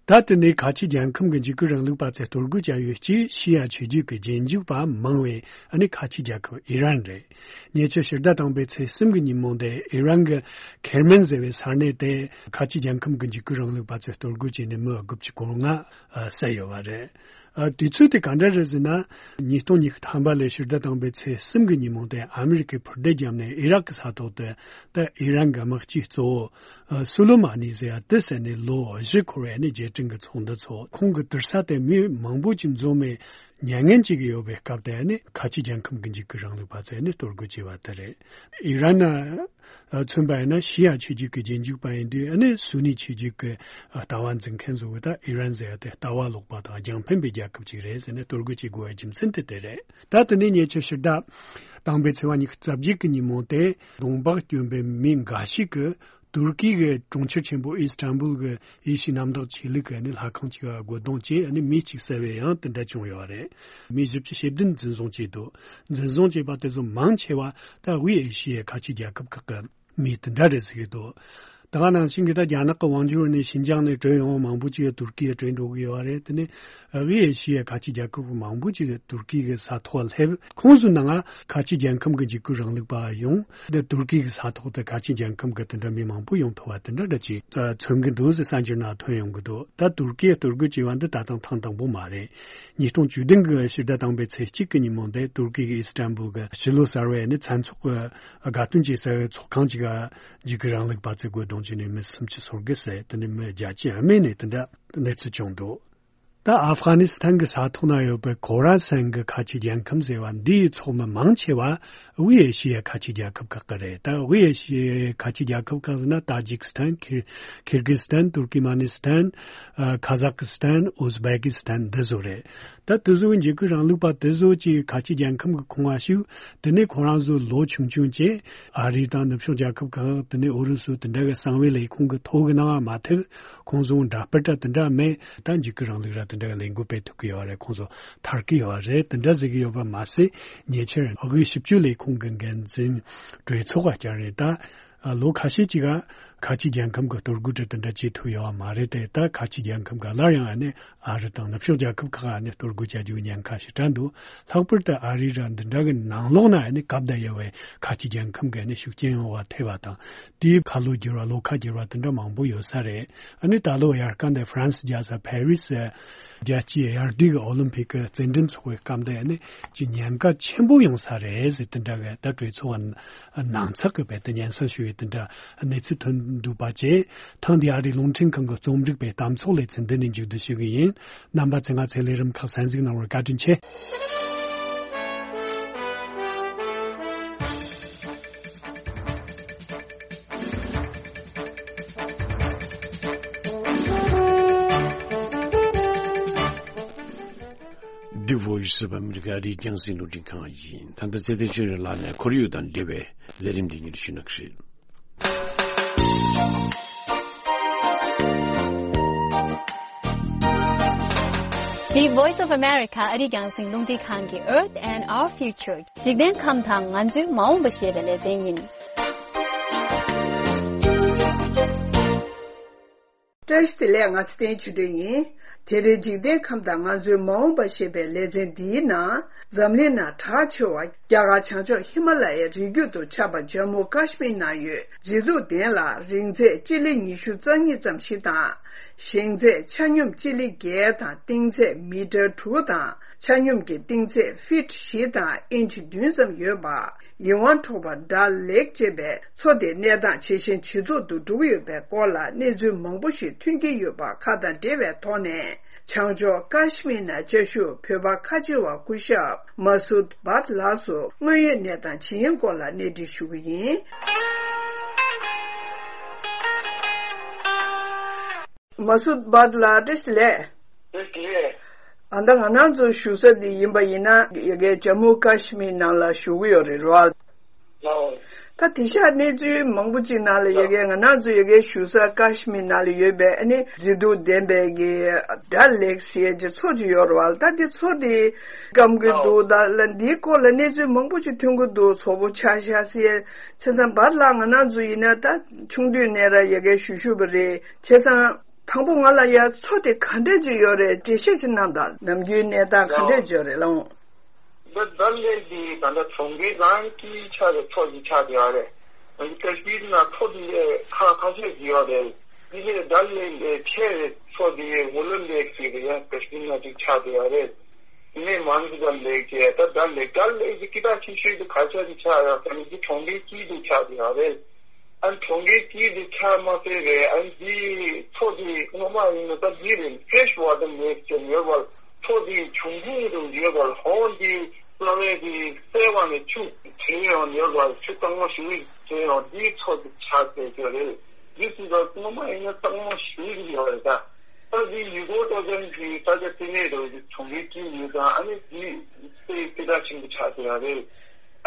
ད་དེ་ནས་ཁ་ཆེ་རྒྱལ་ཁམས་ཀྱི་འཇིགས་སྐུལ་རིང་ལུགས་པ་ཚོས་གཏོར་རྒོལ་བྱ་ཡུལ་གཅིག་ཤི་ཡ་ཆོས་བརྒྱུད་ཀྱི་རྗེས་འཇུག་པ་མང་བའི་ཨ་ནི་ཁ་ཆེ་རྒྱལ་ཁབ་ཨི་རན་རེད། ཉེ་ཆར་ཕྱི་ཟླ་དང་པོའི་ཚེས་གསུམ་གྱི་ཉིན་མོ་དེ་ཨི་རན་གྱི་ཁེར་མན་ཟེར་བའི་ས་གནས་དེ་ཁ་ཆེ་རྒྱལ་ཁམས་ཀྱི་འཇིགས་སྐུལ་རིང་ལུགས་པ་ཚོས་གཏོར་རྒོལ་བྱས་ནས་མི་དགུ་བཅུ་གོ་ལྔ་བསད་ཡོད་པ་རེད། ཨ། དུས་ཚོད་དེ་ག་འདྲ་རེད་ཟེར་ན། ཉིས་སྟོང་ཉི་ཤུ་ཐམ་པ་ལོའི་ཕྱི་ཟླ་དང་པོའི་ཚེས་གསུམ་གྱི་ཉིན་མོ་དེ་ཨ་མི་རི་ཀས་འཕུར་མདེལ་བརྒྱབ་ནས་ཨི་རག་གི་ས་ཐོག་ཏུ་ད་ཨི་རན་གྱི་དམག་སྤྱི་གཙོ་བོ་ཨ་སུ་ལེ་མ་ནི་ཟེར་ཡ་དེ་བསད་ནས་ལོ་བཞི་འཁོར་བའི་ནི་རྗེས་དྲན་གྱི་ཚོགས་འདུ་ཚོགས། ཁོང་གི་དུར་ས་དེ་མི་མང་པོ་ཅིག་འཛོམས་ནས་མྱ་ངན་བྱེད་ཀྱི་ཡོད་པའི་སྐབས་དེ་ནི་ཁ་ཆེ་རྒྱལ་ཁམས་ཀྱི་འཇིགས་སྐུལ་རིང་ལུགས་པ་ཚོས་ནི་གཏོར་རྒོལ་བྱས་པ་དེ་རེད། ཨི་རན་ན། མཚོན་པ་ཡིན་ན་ཤི་ཡ་ཆོས་བརྒྱུད་ཀྱི་རྗེས་འཇུག་པ་ཡིན་དུས་ཨ་ནི་སུ་ནི་ཆོས་བརྒྱུད་ཀྱི་ལྟ་བ་འཛིན་མཁན་ཚོ་གི་ད་ཨི་རན་ཟེར་ཡ་དེ་ལྟ་བ་ལོག་པ་དང་རྒྱང་འཕེན་པའི་རྒྱལ་ཁབ་ཅིག་རེད་ཟེར་ནས་གཏོར་རྒོལ་བྱེད་དགོས་པའི་རྒྱུ་མཚན་དེ་དེ་རེད། ད་དེ་ནས་ཉེ་ཆར་ཕྱི་ཟླ་དང་པོའི་ཚེས་པ་ཉི་ཤུ་རྩ་བརྒྱད་ཀྱི་ཉིན་མོ་དེ་གདོང་འབག་གྱོན་པའི་མི་འགའ་ཞིག་གིས་ཏུར་ཀི་གི་གྲོང་ཁྱེར་ཆེན་པོ་ཨི་སི་ཐན་བུལ་གྱི་ཡེ་ཤུའི་གནམ་བདག་ཆོས་ལུགས་ཀྱི་ནི་ལྷ་ཁང་ཅིག་ལ་རྒོལ་རྡུང་བྱས་ནི་མི་གཅིག་བསད་པའི་ཡང་དེ་འདྲ་བྱུང་ཡོད་རེད། མི་བཞི་བཅུ་ཞེ་བདུན་འཛིན་བཟུང་བྱས་འདུག་འཛིན་བཟུང་བྱས་པ་དེ་ཚོ་མང་ཆེ་བ་ད་དབུས་ཨེ་ཤི་ཡའི་ཁ་ཆེ་རྒྱལ་ཁབ་ཁག་གི་མི་དེ་འདྲ་རེད་ཟེར་གྱི་འདུག་ད་ག་ནང་བཞིན་གྱི་ད་རྒྱ་ནག་གི་དབང་སྒྱུར་ནས་ཤིན་ཅང་ནས་བྲོས་ཡོང་བ་མང་པོ་ཅིག་ཏུར་ཀི་ཡར་བྲོས་འགྲོ་གི་ཡོད་རེད། དེ་ནས་དབུས་ཨེ་ཤི་ཡའི་ཁ་ཆེ་རྒྱལ་ཁབ་མང་པོ་ཅིག་ཏུར་ཀི་གི་ས་ཐོག་སླེབས། ཁོང་ཚོའི་ནང་ཁ་ཆེ་རྒྱལ་ཁམས་ཀྱི་འཇིགས་སྐུལ་རིང་ལུགས་པ་ཡོང་། འདི་ཏུར་ཀི་གི་ས་ཐོག་ཏུ་ཁ་ཆེ་རྒྱལ་ཁམས་ཀྱི་དེ་འདྲ་མི་མང་པོ་ཡོང་ཐུབ་པ་དེ་འདྲ་འདྲ་ཅིག་མཚོན་གྱི་འདུག་ཟེར་གསར་འགྱུར་ནང་ཐོན་ཡོང་གི་འདུག་ད་ཏུར་ཀིའི་གཏོར་རྒོལ་བྱས་པ་འདི་ད་ཐེངས་ཐེངས་དང་པོ་མ་རེད། ཉིས་སྟོང་བཅུ་བདུན་གྱི་ཕྱི་ཟླ་དང་པོའི་ཚེས་གཅིག་གི་ཉིན་མོ་འདི་ཏུར་ཀི་གི་ཨི་སི་ཐན་བུལ་གྱི་ཕྱི་ལོ་གསར་བའི་ནི་མཚན་ཚོགས་ཀྱི་དགའ་སྟོན་བྱེད་སའི་ཚོགས་ཁང་ཅིག་ག་འཇིགས་སྐུལ་རིང་ལུགས་པ་ཚོས་རྒོལ་རྡུང་བྱས་ནས་མི་སུམ་ཅུ་སོ་དགུ་བསད། དེ་ནས་མི་བརྒྱད་ཅུ་རྨས་ནས་དེ་འདྲ་གནས་ཚུལ་བྱུང་འདུག་ད་ཨབ་གྷ་ནི་སི་ཐན་གྱི་ས་ཐོག་ན་ཡོད་པའི་ཁོ་ར་སན་གྱི་ཁ་ཆེ་རྒྱལ་ཁམས་ཟེར་བ་འདིའི་ཚོགས་མི་མང་ཆེ་བ་དབུས་ཨེ་ཤི་ཡའི་ཁ་ཆེ་རྒྱལ་ཁབ་ཁག་གི་རེད། ད་དབུས་ཨེ་ཤི་ཡའི་ཁ་ཆེ་རྒྱལ་ཁབ་ཁག་ཟེར་ན་ཏཱ་ཇིག་སི་ཐན། ཁིར་ཁིར་གི་སི་ཐན། ཏུར་ཀི་མ་ནི་སི་ཐན། ཨ་ཁ་ཟག་སི་ཐན། ཨུ་ཛི་བེ་ཀི་སི་ཐན་འདི་ཚོ་རེད། ད་དེ་ཚོའི་འཇིགས་སྐུལ་རིང་ལུགས་པ་དེ་ཚོ་ཅིག་ཁ་ཆེ་རྒྱལ་ཁམས་ཀྱི་ཁོངས་ང་ཞུགས། དེ་ནས་ཁོ་རང་ཚོ་ལོ་ཆུང་ཆུང་བྱས། ཨ་རི་དང་ནུབ་ཕྱོགས་རྒྱལ་ཁབ་ཁག་དེ་ནས་ཨུ་རུ་སུ་དེ་འདྲ་གི་གསང་བའི་ལས་ཁུངས་ཀྱི་ཐོག་གི་ནང་མ་ཐེབས། ཁོང་ཚོ་འདྲ་དཔེ་འདྲ་དེ་འདྲ་མེད། ད་འཇིགས་སྐུལ་རིང་ལུགས་ར་དེ་འདྲ་གི་ལས་འགུལ་སྤེལ་ཐུབ་ཀྱི་ཡོད་རེད། ཁོང་ཚོ་ཐར་གྱི་ཡོད་རེད། དེ་འདྲ་ཟེར་གྱི་ཡོད་པ་མ་ཟད། ཉེ་ཆར་དབུས་ཞིབ་དཔྱོད་ལས་ཁུངས་ཀྱི་འགན་འཛིན་གྲོས་ཚོགས་ཀ་བསྐྱངས་རེད། ད་ལོ་ཁ་ཤས་ཅིག་ག་ཁ་ཆེ་རྒྱལ་ཁམས་ཀྱི་གཏོར་རྒོལ་དེ་འདྲ་བྱེད་ཐུབ་ཡོད་པ་མ་རེད་དེ། ད་ཁ་ཆེ་རྒྱལ་ཁམས་ཀྱི་སླར་ཡང་ཨ་ནི་ཨ་རི་དང་ནུབ་ཕྱོགས་རྒྱལ་ཁབ་ཁག་ཨ་ནི་གཏོར་རྒོལ་བྱ་རྒྱུའི་ཉེན་ཁ་ཞེ་དྲག་འདུག་ལྷག་པར་དུ་ཨ་རི་ར་འདི་འདྲ་གི་ནང་ལོགས་ན་ཨ་ནི་སྐབས་དང་ཡོལ་བའི་ཁ་ཆེ་རྒྱལ་ཁམས་ཀྱི་ཨ་ནི་ཤུགས་རྐྱེན་ཡོང་བ་ཐེབས་པ་དང་། དེའི་ཁ་ལོ་བསྒྱུར་བ་ལོ་ཁ་བསྒྱུར་བ་དེ་འདྲ་མང་པོ་ཡོད་ས་རེད། ཨ་ནི་ད་ལོ་དབྱར་ཁ་འདི་ཧྥ་རན་སི་རྒྱལ་ས་ཕ་རི་སི་རྒྱལ་སྤྱིའི་དབྱར་དུས་ཀྱི་ཨོ་ལིམ་ཕིག་གི་རྩེད་འགྲན་ཚོགས་པའི་སྐབས་དེ་ཨ་ནི་ཅི་ཉེན་ཁ་ཆེན་པོ་ཡོང་ས་རེད་ཟེར་དེ་འདྲ་གི་ད་གྲོས་ཚོགས་ནང་ཚགས་ཀྱི་བས་དེ་སྙན་སེང་ཞུ་བའི་དེ་འདྲ་གནས་ཚུལ་ཐོན་འདུག་པ་བཅས། ཐེངས་འདིའི་ཨ་རིའི་རླུང་འཕྲིན་ཁང་གི་རྩོམ་སྒྲིག་པའི་གཏམ་ཚོགས་ལེ་ཚན་འདི་ནས་མཇུག་བསྡུ་ཞུ་གི་ཡིན། རྣམ་པ་ཚོས་ང་ཚོའི་ལས་རིམ་ཁག་གསན་གཟིགས་གནང་བར་བཀའ་དྲིན་ཆེ། The Voice of America ཨ་རིའི་རྒྱང་སྲིང་རླུང་འཕྲིན་ཁང་ཡིན། ད་ལྟ་ཚེ་བརྟན་ཆོས་སྒྲོན་ལགས་ནས་ཁོར་ཡུག་དང་འབྲེལ་བའི་ལས་རིམ་འདི་ཉིད་ཞུ་གནང་གི་རེད། The Voice of America ཨ་རིའི་རྒྱང་སྲིང་རླུང་འཕྲིན་ཁང་གི Earth and Our Future འཇིག་རྟེན་ཁམས་དང་ང་ཚོའི་མ་འོངས་པ་ཞེས་པའི་ལེ་ཚན་ཡིན། བཀྲ་ཤིས་བདེ་ལེགས། ང་ཚེ་བརྟན་ཆོས་སྒྲོན་ཡིན། དེ་རིང་འཇིག་རྟེན་ཁམས་དང་ང་ཚོའི་མ་འོངས་པ་ཞེས་པའི་ལེ་ཚན་འདིའི་ནང་། འཛམ་གླིང་ནང་གྲགས་ཆེ་བ་རྒྱ་གར་བྱང་ཕྱོགས་ཧི་མ་ལ་ཡའི་རི་རྒྱུད་དུ་ཁྱབ་པ་ཇམ་མུ་ཀ་ཤི་མིར་ནང་ཡོད་མཛེས་སྡུག་ལྡན་ལ་རིང་ཚད་སྤྱི་ལེ་ཉི་ཤུ་རྩ་གཉིས་ཙམ་ཞིག་དང་། ཞེང་ཚད་ཆ་སྙོམས་སྤྱི་ལེ་བརྒྱད་དང་གཏིང་ཚད་མི་ཊར་དྲུག་དང་། ཆ་སྙོམས་ཀྱི་གཏིང་ཚད་ཕིཊ་བཞི་དང་ཨིན་ཆི་བདུན་ཙམ་ཡོད་པ། ཡིད་དབང་འཕྲོག་པ་ཌལ་ལེག་ཅེས་པའི་མཚོ་དེ་གནས་སྟངས་ཇེ་ཞན་ཇེ་སྡུག་ཏུ་འགྲོ་གི་ཡོད་པའི་སྐོར་ལ་གནས་ཚུལ་མང་པོ་ཞིག་ཐོན་གྱི་ཡོད་པ་ཁག་དང་འབྲེལ་བའི་ཐོག་ནས། བྱང་ཕྱོགས་ཀ་ཤི་མིར་ནང་བཅའ་བཞུགས་བོད་པ་ཁ་ཆེ་བ་སྐུ་ཞབས་མ་སུད་བྷཊ་ལགས་སུ་དངོས་ཡོད་གནས་སྟངས་ཇི་ཡིན་སྐོར་ལ་གནས་འདྲི་ཞུ་གི་ཡིན། མ་སུད་བྷཊ་ལགས་བཀྲ་ཤིས་བདེ་ལེགས། བཀྲ་ཤིས་བདེ་ལེགས། ཨ་ད་ང་རང་ཚོ་བཞུགས་ས་འདི་ཡིན་པ་ཡིན་ན་ཡ་གའི་ཇམ་མུ་ཀ་ཤི་མིར་ནང་ལ་བཞུགས་ཀྱི་ཡོད་རེད་རོ། ལའོ། ད་དེང་སང་གནས་ཚུལ་མང་པོ་ཅིག་ནང་ལ་ཡ་གའི་ང་རང་ཚོ་ཡ་གའི་བཞུགས་ས་ཀ་ཤི་མིར་ནང་ལ་ཡོད་པའི་ཨ་ནི་མཛེས་སྡུག་ལྡན་པའི་གི་ཌལ་ལེག་ཟེར་གྱི་མཚོ་ཅིག་ཡོད་རེད་བ། ད་འདི་མཚོ་འདི་སྐམ་གྱི་འདུག་ད་ལ་འདིའི་སྐོར་ལ་གནས་ཚུལ་མང་པོ་ཅིག་ཐོན་གྱི་འདུག་བཙོག་པོ་ཆགས་ཤག་ཟེར། བྱས་ཙང་བྷཊ་ལགས་ང་རང་ཚོ་ཡིན་ན་ད་ཆུང་དུས་ནས་ར་ཡ་གའི་བཞུགས་བཞུགས་པ་རེད། བྱས་ཙང་། དང་པོ་ང་ལ་ཡ་མཚོ་དེ་ག་འདྲས་ཅིག་ཡོད་རེད་འགྲེལ་བཤད་ཅིག་གནང་དང་། ནམ་རྒྱུན་གནས་སྟངས་ག་འདྲས་ཅིག་ཡོད་རེད་ལགས། འདི་ཌལ་ལེག་འདི་ད་ལྟ་གྲོང་ཁྱེར་རང་གི་ཆགས་པའི་མཚོ་ཞིག་ཆགས་བསྡད་ཡོད་རེད། ང་ཚོ་ཀ་ཤི་མིར་ནང་མཚོ་འདི་ལས་ཁག་ཁ་ཤས་ཅིག་ཡོད་རེད། འདི་ལས་ཌལ་ལེག་ལས་ཆེ་བའི་མཚོ་འདི་ཝུ་ལར་ལེག་ཟེར་གི་ཡང་ཀ་ཤི་མིར་ནང་ཅིག་ཆགས་བསྡད་ཡོད་རེད། ནས་མང་གི་ཌལ་ལེག་ཅེས་ད་ཌལ་ལེག་ཌལ་ལེག་གི་སྐད་གྲགས་ཆེ་ཤོས་དེ་ག་ཆ་དེ་ཆགས་ཡོད་ཟེར་ན་འདི་གྲོང་ཁྱེར་དཀྱིལ་དུ་ཆགས་བསྡད་ཡོད་རེད། ཨ་ནི་གྲོང་ཁྱེར་དཀྱིལ་དུ་ཆགས་མ་ཟད་རེད། ཨ་ནི་འདི་མཚོ་དེ་སྔོན་མ་ཡིན་ན་ད་འདི་རེད། ཕེ་ཤི་ཝ་ཊར་ལེག་ཅེས་ཡོད་པར་མཚོ་དེ་བྱུང་ཁུངས་དུ་ཡོད་པར་ཧོང་དེ་རྩ་བའི་དེ་སེ་བ་ནས་ཆུ་བྲོས་ཡོང་ཡོད་པར་ཆུ་གཙང་མ་ཞིག་བྲོས་ཡོང་འདིའི་མཚོ་དེ་ཆགས་བསྡད་ཡོད་རེད། འདི་སྲིད་དུ་སྔོན་མ་ཡིན་ན་གཙང་མ་ཞིག་ཡོད་རེད་ད། ད་འདི་ཡུལ་སྐོར་སྤྲོ་འཆམ་གྱི་ས་ཆ་དེ་ནས་རེད། གྲོང་ཁྱེར་དཀྱིལ་ཡོད་ཙང་ཨ་ནི་འདི་དཔེ་སྐད་གྲགས་ཆེན་པོ་ཆགས་བསྡད་ཡོད་རེད།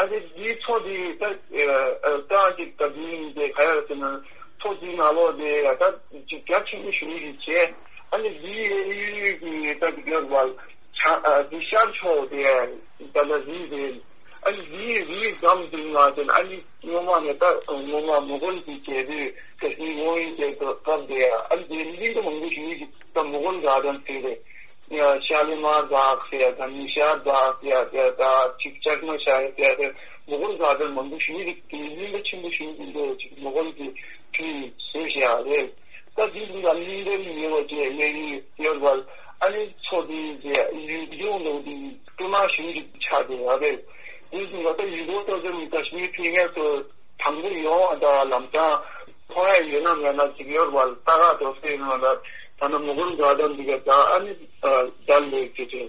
ཨ་ནི་འདིའི་མཚོ་འདི་ད་ཨ་ཨ་ཀ་ཅིག་ད་འདི་ཡིན་ཏེ་ག་ཡོད་ཟེར་ན་མཚོ་འདིའི་ནང་ལོགས་དེ་ད་ཅིག་རྒྱ་ཆེན་པོ་ཞིག་ཡིན་བྱས། ཨ་ནི་འདིའི་གཡས་གཡོན་གྱི་ད་འདི་ག་ཡོད་པ་བྱང་ཨ་འདི་ཤར་ཕྱོགས་དེ་ད་ལྟ་འདི་རེད། ཨ་ནི་འདིའི་རི་འགྲམ་དེ་ང་དེ་ཨ་ནི་སྔོན་མ་ནས་ད་སྔོན་མ་མོ་གོལ་གྱི་རྒྱལ་པོས་ཀ་ཤི་མིར་དབང་ཡོད་ཀྱི་སྐབས་དེ་ཨ་ནི་དེ་གླིང་ག་མང་པོ་ཞིག་ཡོད་ཀྱི་ད་མོ་གོལ་ག་ཌན་ཟེར་རེད། ཡང་ཤ་ལི་མར་བཱག་ཟེར་ཡ་དང་ནི་ཤར་བཱག་ཟེར་ཡ་དེ་ད་ཅིག་ཅག་མ་ཤ་ཡ་ཟེར་ཡ་དེ་མོ་གོལ་ག་ཌན་མང་པོ་ཞིག་ཡོད་ཀྱི་དེ་གླིང་ག་ཆེན་པོ་ཞིག་ཡོད་ཀྱི་འདུག་ཅིག་མོ་གོལ་གྱི་དུས་བཟོས་བཞག་རེད། ད་དེ་ལ་གླིང་ག་ཡོད་པ་བཅས་གཡས་གཡོན་ཡོད་པར་ཨ་ནི་མཚོ་དེ་ཡུལ་ལྗོངས་ལ་དེ་སྐྱོ་མ་ཞིག་ཆགས་བསྡད་ཡོད་རེད། དེ་བཞིན་ད་ལྟ་ཡུལ་སྐོར་སྤྲོ་འཆམ་ཀ་ཤི་མིར་ཕེབས་མཁན་ཚོ་དང་པོ་ཡོང་བ་དང་ལམ་སང་མཐོང་ཡ་ཡོད་ན་མེད་ན་ཅིག་ཡོད་པར་ལྟ་ག་འགྲོ་སྲིད་ཡོད་ན་ད་ད་ནི་མོ་གོལ་ག་ཌན་འདི་ག་ད་ཨ་ནི་ཌལ་ལེག་ཅེས་བྱས།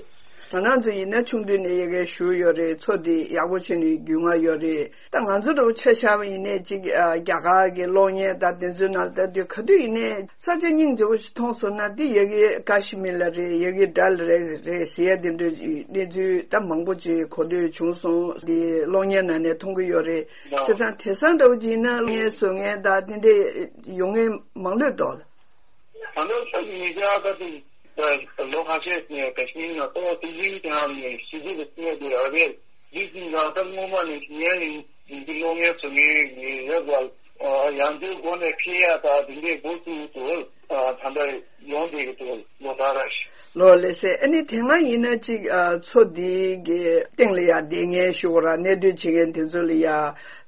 ང་རང་ཚོ་ཡིན་ན་ཆུང་དུས་ནས་ཡ་གའི་བཞུགས་ཡོད་རེད། མཚོ་འདི་ཡག་པོ་བྱས་ནས་རྒྱུས་མངའ་ཡོད་རེད། ད་ང་ཚོ་འདྲ་བོ་ཆ་བཞག་པ་ཡིན་ནའི་ཅིག་ཨ་རྒྱ་གར་གྱི་གློག་བརྙན་དང་དེ་ཚོའི་ནང་ལ་ལྟ་དུས་ག་དུས་ཡིན་ནའི་ས་ཆ་སྙིང་རྗེ་པོ་ཞིག་མཐོང་སོང་ན་འདི་ཡ་གི་ཀ་ཤི་མིར་ལ་རེད། ཡ་གི་ཌལ་རེད་རེད་ཟེར་ཡ་དེ་འདྲའི་གནས་ཚུལ་ད་མང་པོ་ཅིག་གོ་ཐོས་བྱུང་སོང་། འདི་གློག་བརྙན་ནང་ནས་མཐོང་གི་ཡོད་རེད། བྱས་ཙང་དེང་སང་འདྲ་བོ་ཅིག་ཡིན་ན་གློག་བརྙན་བཟོ་མཁན་དང་དེ་འདྲའི་ཡོང་མཁན་མང་ལོས་འདུག་ད་ལོ་ཁ་ཤས་ཀྱི་ཀ་ཤི་མིར་ནང་ཏོག་ཙམ་ཡིན་ཀྱང་ནས་ཞི་བདེ་དང་བརྟན་པ་དེ་རེད། འདི་ཟིན་ཙང་ད་སྔོན་མ་ནས་ཡན་ཡིན་འདི་གློག་བརྙན་བཟོ་མཁན་ཡིན་ཡོད་པ། ཡང་འདིའི་སྒོ་ནས་འཕེལ་ཡག་དང་འདི་འདྲའི་འགོ་བཙུགས་འདུག་ད་ལྟ་ཡོང་བསྡད་ཀྱི་འདུག་ལོ་ལྟར་ར། ལོ་ལེ་སེ། ཨ་ནི་དེ་སྔ་ཡིན་ན་ཅིག་ཨ་མཚོ་འདི་གི་སྟེང་ལ་ཡ་བསྡད་མཁན་ཞུ་བ་ར་གནས་སྡོད་བྱེད་མཁན་དེ་ཚོ་ལ་ཡ་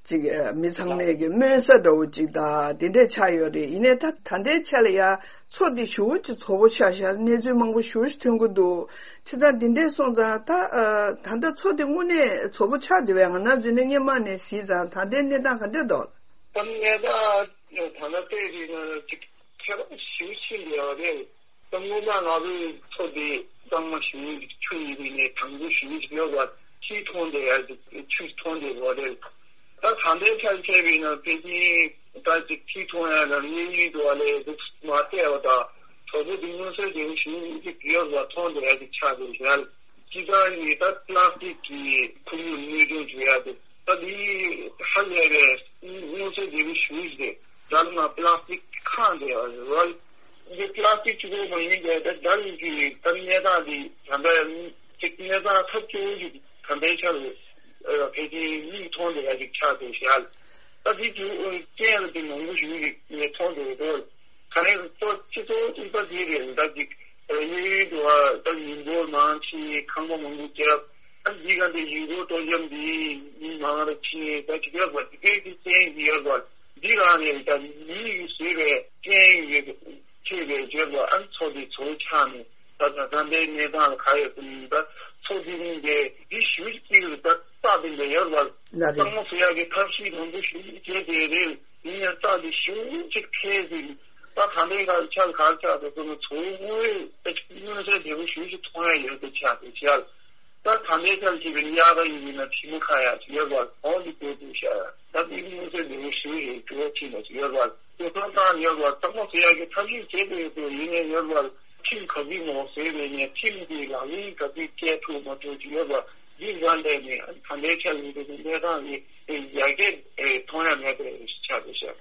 ཅིག་ཨ་མི་ཚང་མས་ཀྱི་སྨོན་ས་འདྲ་བོ་ཅིག་དང་དེ་འདྲས་ཆགས་ཡོད་རེད། ཡིན་ནའི་ད་ད་ལྟའི་ཆ་ལ་ཡ་མཚོ་འདི་ཞེ་པོ་ཅིག་བཙོག་པོ་ཆགས་ཤག་གནས་ཚུལ་མང་པོ་ཞེ་པོ་ཅིག་ཐོན་གྱི་འདུག་བྱས་ཙང་འདི་འདྲས་སོང་ཙང་ད་ཨ་ད་ལྟ་མཚོ་འདི་དངོས་གནས་བཙོག་པོ་ཆགས་བསྡད་པའི་ང་རང་ཚོ་ནས་སྔོན་མ་ནས་གཟིགས་ཙང་ད་ལྟའི་གནས་སྟངས་ག་འདྲས་འདུག་ད་གནས་སྟངས་ད་ལྟ་བལྟས་རེད་ན་ཅིག་ཁྱད་པར་ཞེ་པོ་ཕྱིན་བསྡད་ཡོད་རེད། ད་སྔོན་མ་ང་ཚོའི་མཚོ་འདི་གཙང་མ་ཞེ་པོ་ཅིག་ཆུ་ཡོད་པའི་ནས་དྭངས་པོ་ཞེ་པོ་ཅིག་ཡོད་པ་ཅིག་མཐོང་བསྡད་ཡ་ཅིག་ཆུ་མཐོང་བསྡད་ཡོད་རེད། ད་ད་ལྟའི་ཆར་བྱས་པས་ན་ཕལ་ཆེར་ད་ཅིག་ཁྱི་མཐོང་ཡ་དང་གཡས་གཡོན་དུ་བ་ལས་འདུག་མ་བལྟས་པ་དང་གྲོགས་པོ་འདི་མངོན་གསལ་དོད་པོ་ཞིག་ཅིག་ཡོད་པ་མཐོང་བསྡད་ཡ་ཅིག་ཆགས་འདུག་ཞལ། སྤྱི་བཏང་ནི་ད་པ་ལ་སི་ཊིག་གི་ཁོར་ཡུག་གནོད་སྐྱོན་བྱེད་ཡ་དེ་ད་འདི་ཧ་ལས་པའི་མངོན་གསལ་དོད་པོ་ཞིག་རེད། ད་ལ་ན་པ་ལ་སི་ཊིག་ཁང་དེ་རེད་བ། འདི་པ་ལ་སི་ཊིག་གཅིག་པོ་མ་ཡིན་པའི་ད་ད་ལ་གི་ད་གནས་སྟངས་འདི་ད་ལྟ་ཅིག་གནས་སྟངས་ཐབས་སྐྱོ་བོ་ཞིག་ད་ལྟའི་ཆར་ཕལ་ཆེར་མིག་མཐོང་བསྡད་ཡ་ཅིག་ཆགས་འདུག་ཤག་ད་འདི་དུས་རྐྱེན་ལ་དེ་མང་པོ་ཞིག་ཅིག་ངས་མཐོང་འདུག་རེད། ག་ནས་གཙོ་སྤྱི་གཙོ་བོ་གཅིག་པ་དེ་རེད། ད་ཅིག་གཡས་གཡོན་དུ་བ་ད་ཡུལ་སྐོར་མང་ཆེ་ཁང་པ་མང་པོ་བརྒྱབ། ཨ་འདི་ག་འདི་ཡུལ་སྐོར་སྤྲོ་འཆམ་འདི་མི་མང་རུ་ཕྱིན་ད་ཅིག་ཡོད་པ་འདི་གའི་གི་རྐྱེན་གྱིས་ཡོད་པ། འདི་རང་ནས་ད་མི་ཡིས་བཟོས་པའི་རྐྱེན་ཡིས་ཐེབས་པའི་ཡོད་པ། ཨ་མཚོ་འདི་མཚོ་ཆགས་ནས་ད་ད་ད་ལྟའི་གནས་སྟངས་ལ་ག་ཡོད་ཟེར་ན། ད་མཚོ་འདི་ནི་འདི་འདི་ཞུ་གཅིག་ལ་ད་རྩ་དེ་འདྲ་ཡོད་པ། ལ་རེད། གཙང་མ་བཟོ་ཡག་གི་ཐབས་ཤེས་མང་པོ་ཞིག་བྱས་ཏེ་རེད། ཡིན་ཡང་རྩ་འདི་ཞུ་གཅིག་འཕེལ་ཟིན། ད་ད་ལྟའི་ག་ཆགས་ག་ཆགས་ད་ཚོ་ན་མཚོ་དངོས་ད་ཅིག་མངོན་གསལ་དོད་པོ་ཞུ་ཞིག་མཐོང་ཡ་ཡོད་པ་ཆགས་ཏེ་ཆགས། ད་ད་ལྟའི་ཆར་བྱས་པའི་གཡག་ད་ཡིན་ན་ཁྲིམས་ཁ་ཡ་ཡོད་པ་གོང་དུ་བཀོད་དུ་བཞག་ཡ། ད་འདི་མངོན་གསལ་དོད་པོ་ཞུ་ཞིག་གྲོས་ཁྲིམས་ཡོད་པ། དེ་ཚོ་བཏང་ཡོད་པ། གཙང་མ་བཟོ་ཡག་གི་ཐབས་ཤེས་བྱེད་དགོས་ཡོད་པ་ཡིན་ནའི་ཡོད་པ། ཁྲིམས་ག་ཚོད་མང་བཟོས་པའི་ནས་ཁྲིམས་ཀྱི་ལག་ལེན་ག་ཚོད་བཀལ་ཐུབ་མ་ཐུབ་ཀྱི་ཡོད་པ། འདི་རང་ལས་ནས་ད་ལྟའི་ཆར་ཡིན་པའི་གནས་སྟངས་ཀྱི་ཡར་རྒྱས་མཐོང་ཡ་མེད་པའི་ཆགས་འདུག་ཤག་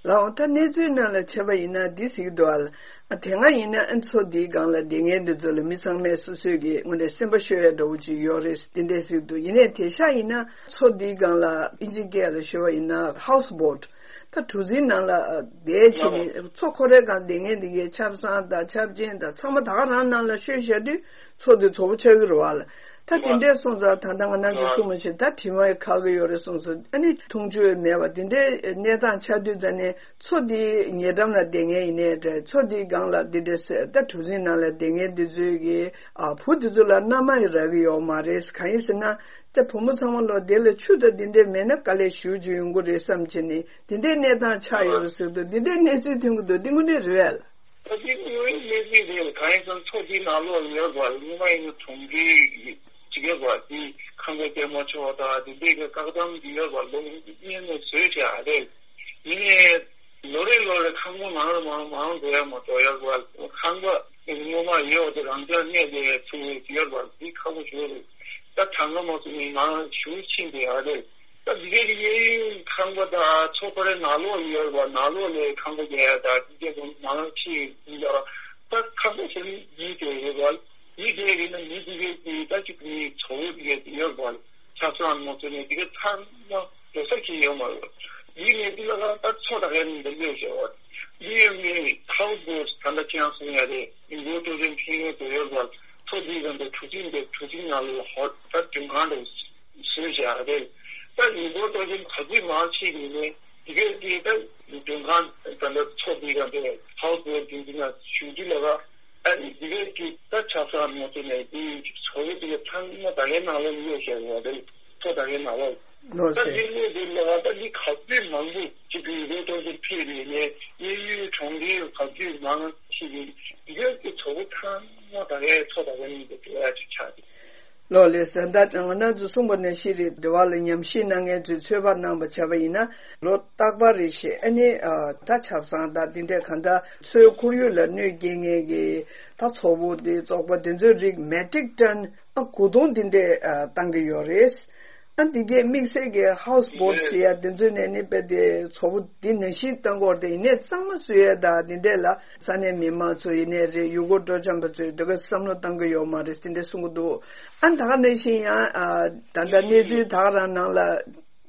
ལའོ། ད་གནས་ཚུལ་ནང་ལ་བྱས་པ་ཡིན་ན་འདི་ཟེར་གྱི་འདུག་ཨ། ཨ་དེ་སྔ་ཡིན་ན་ཨ་མཚོ་འདིའི་སྒང་ལ་བསྡད་མཁན་འདི་ཚོ་ལ་མི་ཚང་མས་སོ་སོའི་གི་དངོས་གནས་སེམས་པ་ཤོར་ཡ་འདྲ་བོ་ཅིག་ཡོད་རེད་འདི་འདྲས་ཟེར་གྱི་འདུག་ཡིན་ནའི་དེང་སང་ཡིན་ན་མཚོ་འདིའི་སྒང་ལ་ཨིན་ཇི་སྐད་ལ་ཞུ་བ་ཡིན་ན་ཧའུ་སི་བོ་ཊི། ད་གྲུ་གཟིངས་ནང་ལ་བསྡད་བྱས་ནས་མཚོ་ཁོ་རའི་སྒང་བསྡད་མཁན་འདི་གའི་ཆབ་གསང་དང་ཆབ་ཆེན་དང་ཚང་མ་ད་ག་རང་ནང་ལ་ཤོད་བཞག་དུས་མཚོ་འདི་བཙོག་པོ་ཆགས་ཀྱི་རེད་བ་ལ། ད་དེ་འདྲས་སོང་ཙང་ད་ལྟ་ང་རང་ཚོ་གསུངས་པ་བཞིན་ད་དྲི་མ་ཁག་གི་ཡོད་རེད་གསུངས་སོང་། ཨ་ནི་འཐུང་ཆུ་མེད་པ་དེ་འདྲའི་གནས་སྟངས་ཆགས་དུས་ཙ་ནས་མཚོ་འདིའི་ཉེ་འགྲམ་ལ་བསྡད་མཁན་ཡིན་ནའི་འདྲ། མཚོ་འདིའི་སྒང་ལ་འདི་འདྲས་ཟེར་ད་གྲུ་གཟིངས་ནང་ལ་བསྡད་མཁན་འདི་ཚོའི་གི་ཨ་བུ་འདི་ཚོ་ལ་མནའ་མ་ཡི་རག་གི་ཡོད་མ་རེད། གང་ཡིན་ཟེར་ན་ད་བུ་མོ་ཚང་མ་ལོ་དེ་ལ་ཆུ་དང་འདི་འདྲས་མེད་ན་དཀའ་ལས་ཞེ་པོ་ཅིག་ཡོང་གི་རེད་བསམ་བྱས་ནས་འདི་འདྲའི་གནས་སྟངས་ཆགས་ཡོད་རེད་ཟེར་དུས་འདི་འདྲའི་གནས་ཚུལ་ཐོན་གྱི་འདུག་འདི་དངོས་གནས་རེད་བས་ལ། ད་དེ་དངོས་ཡོད་གནས་ཚུལ་རེད། གང་ཡིན་ཟེར་ན་མཚོ་དེའི་ནང་ལོགས་ཡོད་པ་སྔོན་མ་ཡིན་ན་གྲོང་ཁྱེར་གྱི་ཅིག་ཡོད་པ་དེ་ཁང་པ་སྐྱེལ་མ་ཆོག་པ་དང་དེ་འདྲའི་གི་བཀག་དམ་གྱི་ཡོད་པ་ལོ་སྔོན་ནས་བཟོས་བྱས་ཨ་རེད། ཡིན་ནའི་ལོ་རེ་ལོ་རེ་ཁང་པ་མང་རུ་མང་རུ་མང་རུ་འགྲོ་ཡ་མ་གཏོགས་ཡོད་པ་ཁང་པ་སྔོན་མ་ཡོད་དེ་རང་འཇགས་གནས་དེ་ཚུགས་ཡོད་པ་དེ་ཁག་པོ་ཞིག་རེད། ད་གྲངས་ཀ་མ་གསུངས་ནས་མང་ཞུ་ཕྱིན་དེ་ཨ་རེད། ད་འདི་གའི་གཡས་གཡོན་ཁང་པ་དང་མཚོ་ཁོ་རའི་ནང་ལོགས་ཡོད་པ་ནང་ལོགས་ལས་ཁང་པ་རྒྱག་ཡ་དང་འདི་གའི་མང་ཆེ་ཡིན་ཡ། ད་ཁང་པ་ཟེར་ནི་ཡིད་དེ་ཡོད་པ་ཡིད་དེ་ཡིན་ན་མི་འདི་གའི་གི་ད་ཅིག་མི་ཚོ་བོ་འདི་གའི་ཡོད་པ་ཆབ་སྲང་མ་ཚོ་ནས་འདི་གའི་ཚང་མ་རོ་ས་གི་ཡོད་མ་རེད། ཡིད་ནས་འདི་ལ་ད་མཚོ་ད་གའི་ནི་འདི་ལོས་ཤེས་བ་འདི་ཡོད་མི་ཧའུ་སི་བོ་ཊི་ད་ལྟ་ཁྱེད་རང་གསུང་ཡ་རེད། མི་འགོ་སྤྲོ་སེམས་ཕན་ཡོན་དུ་ཡོད་པ་མཚོ་འདི་ག་འདི་གྲུ་གཟིངས་འདི་གྲུ་གཟིངས་ནང་ལ་ཧོ་ད་མགྲོན་ཁང་འདྲ་བོ། སུས་བཞག་རེད། ད་ཡིན་པོ་ཏོ་ཅན་ག་ཚོད་མང་ཆེ་ཡིན་ནས་འདི་གའི་དེ་ད་མགྲོན་ཁང་ད་ལྟ་མཚོ་འདི་ག་འདི་ཧའུ་སི་བོ་ཊི་འདི་ན་ཞུ་རྒྱུ་ལ་བ། ཨ་ནི་འདི་གའི་དེ་ད་ཆབ་སྲང་མ་ཚོ་ནས་དེ་ཚོ་བོ་དེ་ཚང་མ་ད་གའི་ནང་ལ་ཡོད་བཞག་ཡོད་རེད། མཚོ་ད་གའི་ནང་ལ། ལོ་ད་ཟེར། འདི་ནས་འདི་ལ་བ་ད་འདི་ག་ཚོད་མང་པོ་ཅིག་གི་ཡིན་པོ་ཏོ་ཅན་ཕེབས་ཡིན་ནས་གཡས་གཡོན་གྲོང་ཁྱེར་ག་ཚོད་མང་ཆེ་ཡིན་འདི་གའི་དེ་ཚོ་བོ་ཚང་མ་ད་གའི་མཚོ་ད་གའི་ནང་དུ་འགྲོ་ཡ་ཅིག་ཆགས་རེད། ལོ་ལེགས་སེ། ད་ང་རང་ཚོ་གསུངས་པ་ནང་བཞིན་རེད། འདི་བ་ལ་ཉམས་ཞིབ་གནང་མཁན་ཚོས་ཚོད་དཔག་གནང་པ་བྱས་པ་ཡིན་ན་ལོ་རྟག་པར་རེ་བཞིན་ཨ་ནི་ཨ་ད་ཆབ་གསང་དང་འདི་འདྲས་གང་ལྟར་མཚོའི་ཁོར་ཡུག་ལ་གནོད་སྐྱེལ་མཁན་གྱི་ད་ཚོ་བོ་འདི་བཙོག་པ་འདི་ཚོའི་རིགས་མེ་ཊིག་ཊོན་ཨ་དགུ་སྟོང་འདི་འདྲས་ཨ་བཏང་གི་ཡོད་རེད། ཨ་འདི་གའི་དམིགས་བསལ་གྱི་ཧའུ་སི་བོ་ཊི་ཟེར་ཡ་འདི་ཚོའི་ནས་ནི་དཔེ་དེ་ཚོ་བོ་འདི་ནང་བཞིན་བཏང་དགོས་རེད། དེ་ཡིན་ནའི་གཙང་མ་བཟོ་ཡ་དང་འདི་འདྲས་ལ་ས་གནས་མི་མང་ཚོ་ཡིན་ནའི་རེད། ཡུལ་སྐོར་སྤྲོ་འཆམ་པ་ཚོས་འདི་ག་བསམ་བློ་བཏང་གི་ཡོད་མ་རེད་འདི་འདྲས་གསུང་གི་འདུག་ཨ་ད་ག་ནང་བཞིན་ཡང་ཨ་ད་ལྟ་གནས་ཚུལ་ད་ག་རང་ནང་ལ་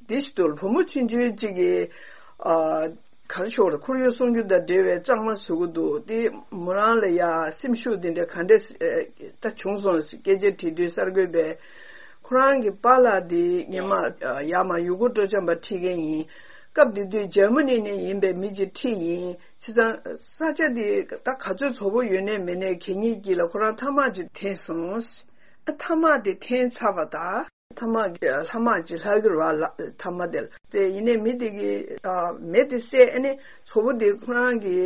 འདི་ཞིག་འདུག་བུ་མོ་ཆུང་ཆུང་གཅིག་གིས་ཨ་ག་རེ་ཞུ་དགོས་རེད། ཁོར་ཡུག་སྲུང་སྐྱོབ་དང་འབྲེལ་བའི་གཙང་མ་བཟོ་གི་འདུག་དེ་མོ་རང་ལ་ཡ་སེམས་ཤུགས་དེ་འདྲ་ག་འདྲ་ཨ་ད་བྱུང་སོང་སྐད་ཆ་དྲིས་དུས་གསར་འགོད་པས་ཁོ་རང་གི་པཱ་ལགས་དེ་སྔོན་མ་ཨ་ཡར་མར་ཡུལ་སྐོར་སྤྲོ་འཆམ་པ་ཁྲིད་མཁན་ཡིན། སྐབས་དེ་དུས་འཇར་མ་ནི་ནས་ཡིན་པའི་མི་གཅིག་ཁྲིད་ཡིན། བྱས་ཙང་ས་ཆ་དེ་ད་ག་ཚོད་བཙོག་པོ་ཡོད་ནའི་མེད་ནའི་གད་སྙིགས་དཀྱིལ་ལ་ཁོ་རང་ཐ་མག་ཅིག་འཐེན་སོང་། ཨ་ཐ་མག་དེ་འཐེན་ཚར་བ་དང་། ཐ་མག་གི་ལྷག་མ་ཅིག་ལྷག་གི་རེད་བ་ལ་ཐ་མག་དེ་ལ། དེ་ཡིན་ནའི་མི་དེ་གིས་ཨ་མེ་དེ་བསད་ཨ་ནི་བཙོག་པོ་དེ་ཁོ་རང་གི་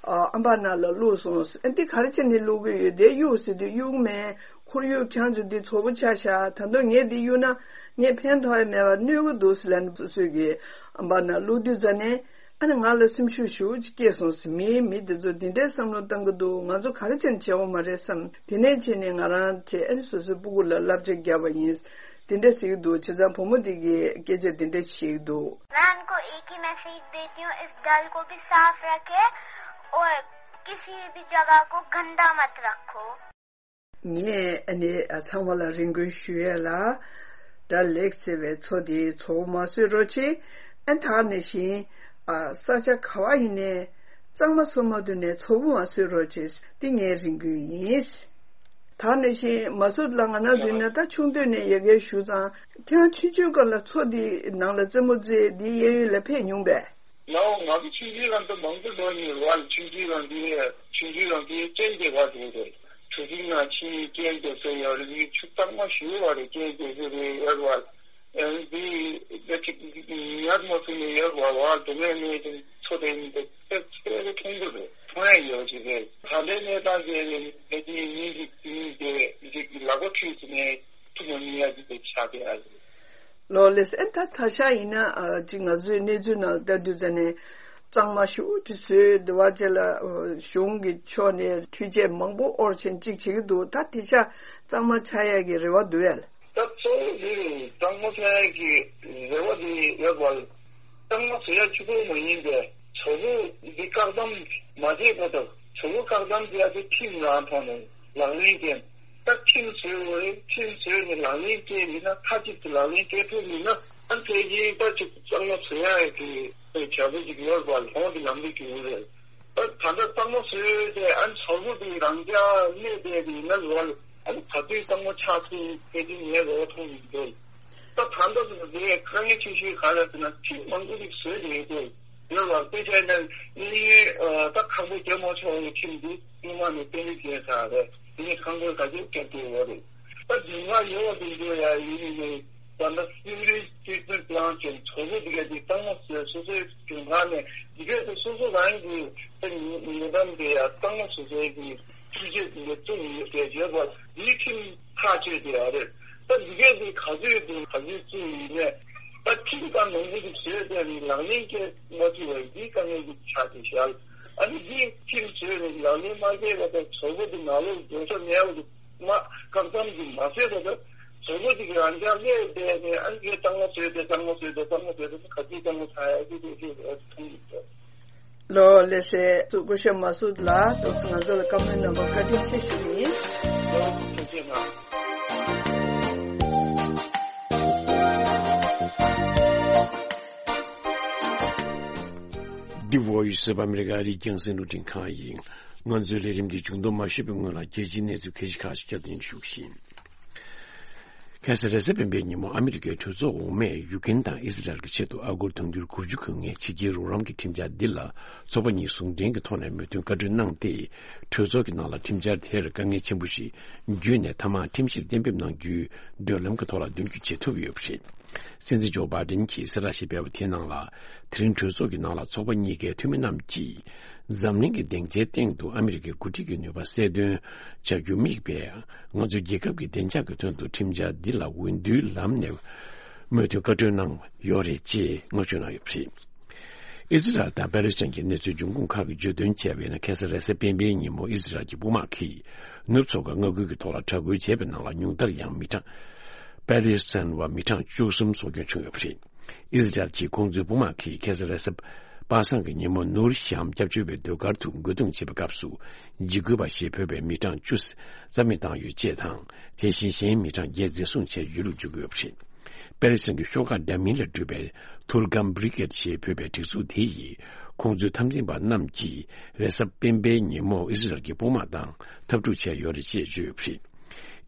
ཨ་ཨམ་པ་ནང་ལ་བླུགས་སོང་། ཨ་འདི་ག་རེ་བྱས་ནས་བླུགས་གི་ཡོད། དེ་གཡུག་ཟེར་དུས་གཡུག་མེད། ཁོར་ཡུག་ཁྱེད་ཚོ་འདི་བཙོག་པོ་ཆགས་ཤག་ད་དུང་ངས་འདི་གཡུག་ན་ངས་ཕན་ཐོགས་ཡ་མེད་པ་གནོད་གི་འདུག་ཟེར་ལབ་ནས་སོ་སོ་གི་ཨམ་པ་ནང་བླུགས་དུས་ཙ་ནས། ཨ་ནི་ང་ལ་སེམས་ཤུགས་ཞེ་པོ་ཅིག་སྐྱེས་སོང་ཟེར། མིའི་མི་དེ་ཚོ་འདི་འདྲའི་བསམ་བློ་བཏང་གི་འདུག་ང་ཚོ་ག་རེ་བྱས་ནས་བྱེད་དགོས་མ་རེད་བསམ། དེ་ནས་བྱས་ནས་ང་རང་བྱས། ཨ་ནི་སོ་སོའི་སྤུ་གུ་ལ་བསླབ་བྱ་བརྒྱབ་པ་ཡིན། དེ་འདྲ་ཟེར་གྱི་འདུག་བྱས་ཙང་བུ་མོ་འདི་གིས་སྐད་ཆ་འདི་འདྲ་བཤད་ཀྱི་འདུག मैं उनको एक ही मैसेज देती हूँ, इस डल को भी साफ रखे और किसी भी जगह को गंदा मत रखो। ངས་ཨ་ནི་ཚང་མ་ལ་རེ་སྐུལ་ཞུ་ཡས་ལ། སྒྲ་ལེགས་ཟེར་བའི་མཚོ་དེ་ཚོ་བོ་མ་བཟོས་རོགས་བྱེད། ཨ། ད་ནང་བཞིན་ཨ་ས་ཆ་ག་བ་ཡིན་ནའི་གཙང་མ་བཟོ་མ་ཐུབ་ནའི་ཚོ་བོ་མ་བཟོས་རོགས་བྱེད། འདི་ངའི་རེ་སྐུལ་ཡིན། ད་ནང་བཞིན་མ་སུ་ལགས། ང་རང་ཚོ་ཡིན་ན་ད་ཆུང་དུས་ནས་ཡ་གིར་བཞུགས་ཙང་། ཁྱེད་རང་ཆུང་ཆུང་སྐབས་ལ་མཚོ་འདི་ནང་ལ་རྩེད་མོ་རྩེ། འདིའི་གཡས་གཡོན་ལ་ཕེབས་མྱོང་པས། ལའོ། ང་ཚོ་ཆུང་ཆུང་སྒང་དུ་མང་པོ་འགྲོ་མྱོང་བ། ཆུང་ཆུང་སྒང་དེ། ཆུང་ཆུང་སྒང་དེ་སྐྱེས་རྒྱལ་བ་དེ་རེད། གྲུ་གཟིངས་ནང་ཕྱིན། སྐྱེས་རྒྱལ་ས་ཡོད་རེད། ཆུ་གཙང་མ་ཞེ་པོ་རེད། སྐྱེས་རྒྱལ་ས་རེད་ཡོད་བ། ཨ་ནི་དེ་ད་ཅིག་ཉར་མ་ཐུབ་ནས་ཡོད་བ། བ་དུ་མེད་མེད་དེ་མཚོ་དེ་ནི་དེ་ཚེ་ཚེ་རེ་མཐོང་གི་རེད། མཐོང་ཡ་ཡོད་ཅིག་རེད། ད་ལྟའི་གནས་སྟངས་དེ་ནི་དེ་ཉིན་གཅིག་དེ་ཉིན་དེ་ཅིག་ལག་པ་འཁྲུད་ཟིན་ནས་ཐུབ་མ་མྱོང་ཡ་ཅིག་དེ་ཆགས་བསྡད་ཡ་རེད། ལོ་ལེགས། ཨེ་ད་ད་ཆ་ཡིན་ན་ཨ་ཅིག་ང་ཚོའི་གནས་ཚུལ་ནང་ལ་ལྟ་དུས་ཙ་ནས་གཙང་མ་ཞེ་པོ་ཅིག་བཟོས། དེ་བ་ཅིག་ལ་ཨ་གཞུང་གི་ཕྱོགས་ནས་འཕྲུལ་ཆས་མང་པོ་དབོར་བྱས་ཅིག་བྱེད་ཀྱི་འདུག་ད་དེ་ཆ་གཙང་མ་ཆགས་ཡས་ཀྱི་རེ་བ་འདུག་ཡ། ད་གཙོ་བོ་དེ་གཙང་མ་ཆགས་ཡས་ཀྱི་རེ་བ་དེ་ཡོད་པ། གཙང་མ་བཟོ་ཡ་གཅིག་པོ་མ་ཡིན་པས། ཚོ་བོ་འདི་བཀག་སྡོམ་མ་བྱས་པ་དང་། ཚོ་བོ་བཀག་སྡོམ་བྱེད་ཡ་དེ་ཁྲིམས་རང་ཐོག་ནས་ལག་ལེན་བསྟན། ད་ཁྲིམས་བཟོས་པ་རེད། ཁྲིམས་བཟོས་ནས་ལག་ལེན་བསྟན་ཡིན་ན། མཐའ་གཅིག་ཏུ་ལག་ལེན་བསྟན་ཐུབ་ཡིན་ན། ཨ་ནི་དེ་བཞིན་ད་ཅིག་གཙང་མ་བཟོ་ཡ་གི་བྱ་བ་ཅིག་ཡོད་པ། ལྷོང་གི་ལམ་ལུགས་ཅིག་ཡོད་རེད། ད་ད་ལྟ་གཙང་མ་བཟོས་ཏེ། ཨ་ནི་ཚོ་བོ་དེ་རང་འཇགས་གནས་བསྡད་པ་ཡིན་ན། ལོ་ལ་ཨ་ནི་ག་དུས་གཙང་མ་ཆགས་ཐུབ་ཕལ་ཆེར་ངས་རེ་བ་མཐོང་གི་འདུག་ད་ད་ལྟ་དེ་དཀའ་ངལ་ཆེ་ཤོས་ག་རེ་ཟེར་ན། ཁྲིམས་མང་པོ་ཞིག་བཟོས་ཏེ་ཡོད་དེ། ཡོད་ལ། དཔེ་བྱས་ན་གཡས་གཡོན་ད་ཁང་པ་རྒྱབ་མ་ཆོག་པའི་ཁྲིམས་འདི་སྔོན་མ་ནས་གཏན་འབེབས་བྱས་ཚར་རེད། དེ་ནས་ཁང་པ་ག་ཚོད་རྒྱབ་ཀྱི་ཡོད་རེད། ད་སྡུག་བསྔལ་ཡོད་པ་དེ་ཚོ་ཡང་ཡིན་ནི་ནས། ད་ལྟ་སེ་ཝེ་རེཇ་ཊྲི་ཊི་མེན་ཊི་པི་ལན་ཊི་བྱས། ཚོ་བོ་འདི་ག་དེ་གཙང་མ་བཟོས། སོ་སོའི་ཇུས་ཁག་ནས་འདི་ག་དེ་སོ་སོ་རང་གི་ད་ཉེ་ཉེ་འགྲམ་དེ་ཡང་གཙང་མ་བཟོ་སའི་གི་འཕྲུལ་ཆས་དེ་འདྲ་བཙུགས་ཡོད་པའི་ཡོད་པ། འདིའི་ཁྲིམས་ཐག་གཅོད་དེ་ཡོད་རེད། ད་འདི་གས་དེ་ག་ཚོད་དེ་ག་ཚོད་བཙུགས་ཡིན་ནས། ད་ཁྲིམས་ལྟར་ནོར་འཁྲུལ་དེ་བཟོས་ཏེ་ནི་ལག་ལེན་འཁེལ་མ་ཐུབ་པ་འདི་དཀའ་ངལ་གྱི་ཆ་དེ་བཞག་ཨ་ནི་འདི་ཁྲིམས་བཟོས་ནས་ལག་ལེན་མ་འཁེལ་བ་དང་། ཚོ་བོ་དེ་ནང་ལོགས་འགྲོ་ས་མེད་པ་དེ་མ་བཀག་སྡོམ་གྱི་མ་བཟོས་པ་དང་། ཚོ་བོ་དེ་གི་རང་འཇགས་སླེབས་བསྡད་ནས། ཨ་ནི་གཙང་མ་བཟོས་ཏེ་གཙང་མ་བཟོས་ཏེ་གཙང་མ་བཟོས་ཏེ་ག་ཚོད་གཙང་མ་ཆགས་ཡ་དེ་དེ་དེ་མཐོང་གི་འདུག་ལོ་ལེགས་སེ་སྐུ་ཞབས་མ་སུད་ལགས། ང་ཚོ་ལ་བཀའ་མོལ་གནང་བར་བཀའ་དྲིན་ཆེ་ཞུ་ཡིན། ལོ་ཐུགས་རྗེ་གནང་། འདི་Voice of America རྒྱང་སྲིང་རླུང་འཕྲིན་ཁང་ཡིན། ང་ཚོའི་ལས་རིམ་འདི་མཇུག་སྡོམ་མ་ཞུས་པའི་སྔོན་ལ། རྒྱལ་སྤྱིའི་གནས་ཚུལ་གལ་ཆེ་ཁག་ཅིག་བསྐྱར་ཟློས་ཞུ་གི་ཡིན། ཁ་སང་རེས་གཟའ་སྤེན་པའི་ཉིན་མོ་ཨ་མི་རི་ཀའི་གྲོས་ཚོགས་འོག་མས་ཡུ་ཀེན་དང་ཨི་ཟི་རལ་གྱི་ཆེད་དུ་ཨ་སྒོར་དུང་ཕྱུར་དགུ་བཅུ་དགོས་ངེས་ཕྱི་རྒྱལ་རོགས་རམ་གྱི་ཁྲིམས་འཆར་འདི་ལ་ཚོགས་པ་གཉིས་ཟུང་འབྲེལ་གྱི་ཐོག་ནས་མོས་མཐུན་བཀའ་འཁྲོལ་གནང་སྟེ། གྲོས་ཚོགས་ཀྱི་ནང་ལ་ཁྲིམས་འཆར་དེར་དཀའ་ངལ་ཆེན་པོ་ཞིག་བརྒྱུད་ནས། མཐའ་མར་ཁྲིམས་གཞིར་གཏན་འབེབས་གནང་རྒྱུའི་བགྲོད་ལམ་གྱི་ཐོག་ལ་མདུན་སྐྱོད་བྱེད་ཐུབ་ཡོད་པ་རེད། སྲིད་འཛིན་ཇོ་བྷའི་ཌེན་གྱིས་གསལ་བསྒྲགས་ཤིག་སྤེལ་བ་དེའི་ནང་ལ། དེ་རིང་གྲོས་ཚོགས་ཀྱི་ནང་ལ་ཚོགས་པ་གཉིས་ཀའི་འཐུས་མི་རྣམས་ཀྱིས། འཛམ་གླིང་གི་སྡིངས་ཆའི་སྟེང་དུ་ཨ་མི་རི་ཀའི་འགོ་ཁྲིད་ཀྱི་ནུས་པ་གསལ་སྟོན་བྱ་རྒྱུ་དམིགས་པའི། ང་ཚོའི་རྒྱལ་ཁབ་ཀྱི་བདེ་འཇགས་ཀྱི་དོན་དུ་ཁྲིམས་འཆར་འདི་ལ་འོས་བསྡུའི་ལམ་ནས་མོས་མཐུན་བཀའ་འཁྲོལ་གནང་ཡོད་རེད་ཅེས་ངོ་སྤྲོད་གནང་ཡོད་པ་རེད། ཨི་ཟི་རལ་དང་པེ་ལེ་སི་ཐན་གྱི་གནས་ཚུལ་འབྱུང་ཁུངས་ཁག་གིས་བརྗོད་དོན་བྱས་པ་ཡིན་ན། ཁ་སང་རེས་གཟའ་སྤེན་པའི་ཉིན་མོ་ཨི་ཟི་རལ་གྱི་དཔུང་དམག་གིས་ནུབ་མཚོ་ཁ་མངའ་ཁུལ་གྱི་ཐོག་ལ་དྲག་རྒོལ་བྱས་པའི་ནང་ལ། ཉུང་མཐར་ཡང་མི་གྲངས། པེ་ལེ་སི་ཐན་བ་མི་གྲངས་བཅུ་གསུམ་སྲོག་སྐྱོན་བྱུང་ཡོད་པ་རེད། ཨི་ཟི་རལ་གྱིས་ཁོང་ཚོའི་དཔུང་དམག་གིས་ཁ་སང་རེས་གཟའ་པ་སངས་ཀྱི་ཉིན་མོ་ནུར་ཤམ་སྐྱབས་བཅོལ་བའི་ཟློས་གར་དུ་རྒོལ་རྡུང་བྱེད་པའི་སྐབས་སུ། འཇིགས་སྐུལ་བ་ཞེས་འབོད་པའི་མི་གྲངས་བཅུ་རྩ་མེད་བཏང་ཡོད་ཅེས་དང་། དེ་བཞིན་གཞན་མི་གྲངས་བརྒྱད་འཛིན་བཟུང་བྱས་ཡུལ་ལུགས་འཇུག་གི་ཡོད་པ་རེད། པེ་ལེ་སི་ཐན་གྱི་ཤོག་ཁག་འདྲ་མིན་ལས་གྲུབ་པའི་ཐུར་ཀམ་བྷི་རི་གེད་ཞེས་འབོད་པའི་སྒྲིག་འཛུགས་དེ་ཡིས། ཁོང་ཚོའི་འཐབ་འཛིང་པ་རྣམས་ཀྱིས་རེས་གཟའ་སྤེན་པའི་ཉིན་མོ་ཨི་སི་རལ་གྱི་དཔུང་དམག་དང་འཐབ་འཁྲུག་བྱས་ཡོད་རེད་ཅེས་བརྗོད་ཡོད་པ་རེད།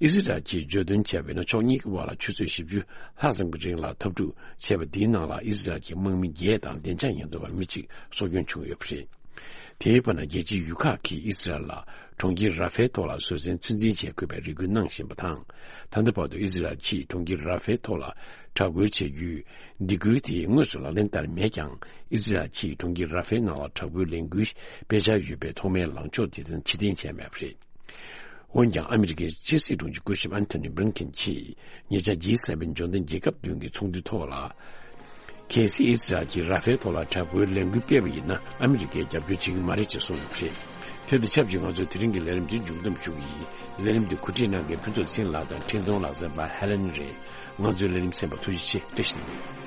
ཨི་སི་རལ་གྱིས་བརྗོད་དོན་བྱས་པ་ཡིན་ན། ཕྱོགས་གཉིས་ཀྱི་དབར་ལ་ཆུ་ཚོད་བཞི་བཅུ་ལྷག་ཙམ་གྱི་རིང་ལ་འཐབ་འཁྲུག་བྱས་པ་འདིའི་ནང་ལ། ཨི་སི་རལ་གྱི་དམག་མི་བརྒྱད་དང་བདེ་འཇགས་ཉེན་རྟོག་པ་མི་གཅིག་སྲོག་སྐྱོན་བྱུང་ཡོད་པ་རེད། དེའི་བར་ན། རྒྱལ་སྤྱིའི་ཡུལ་ཁག་གིས་ཨི་སི་རལ་ལ་གྲོང་ཁྱེར་ར་ཧྥའི་ཐོག་ལ་བཟོད་བསྲན་ཚོད་འཛིན་བྱེད་དགོས་པའི་རེ་སྐུལ་གནང་བཞིན་པ་དང་། ད་ལྟ་བར་དུ་ཨི་སི་རལ་གྱིས་གྲོང་ཁྱེར་ར་ཧྥའི་ཐོག་ལ་དྲག་རྒོལ་བྱ་རྒྱུའི་སྡིགས་སྐུལ་དེ་དངོས་སུ་ལག་ལེན་བསྟར་མེད་ཀྱང་། ཨི་སི་རལ་གྱིས་གྲོང་ཁྱེར་ར་ཧྥའི་ནང་ལ་དྲག་པོའི་ལས་འགུལ་སྤེལ་འཆར་ཡོད་པའི་ཐོག་མའི་ལངས་ཕྱོགས་དེ་ཕྱིར་འཐེན་བྱས་མེད་པ་རེད། འོན་ཀྱང་། ཨ་མི་རི་ཀའི་ཕྱི་སྲིད་དྲུང་ཆེ་སྐུ་ཞབས་ཨན་ཐོ་ནི་བྷི་ལིན་ཀེན་གྱིས་ཉེ་ཆར་ཇི་སེ་ཝེན་འབྱོར་ལྡན་རྒྱལ་ཁབ་བདུན་གྱི་ཚོགས་འདུའི་ཐོག་ལ། གལ་སྲིད་ཨི་སི་རལ་གྱིས་ར་ཧྥེལ་ཐོག་ལ་དྲག་པོའི་ལས་འགུལ་སྤེལ་བ་ཡིན་ན། ཨ་མི་རི་ཀས་རྒྱབ་སྐྱོར་བྱེད་ཀྱི་མ་རེད་ཅེས་གསུངས་ཡོད་པ་རེད། དེ་དང་ཆབས་ཅིག་ང་ཚོས་དེ་རིང་གི་ལས་རིམ་འདི་མཇུག་བསྡོམས་ཞུ་གི་ཡིན། ལས་རིམ་འདི་གོ་སྒྲིག་གནང་མཁན་ཕུན་ཚོགས་ཚེ་རིང་ལགས་དང་འཕྲིན་གཏོང་ལག་རྩལ་པ་ཧེ་ལེན་རེད། ང་ཚོའི་ལས་རིམ་གསན་པར་ཐུགས་རྗེ་ཆེ། བཀྲ་ཤིས་བདེ་ལེགས།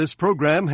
This program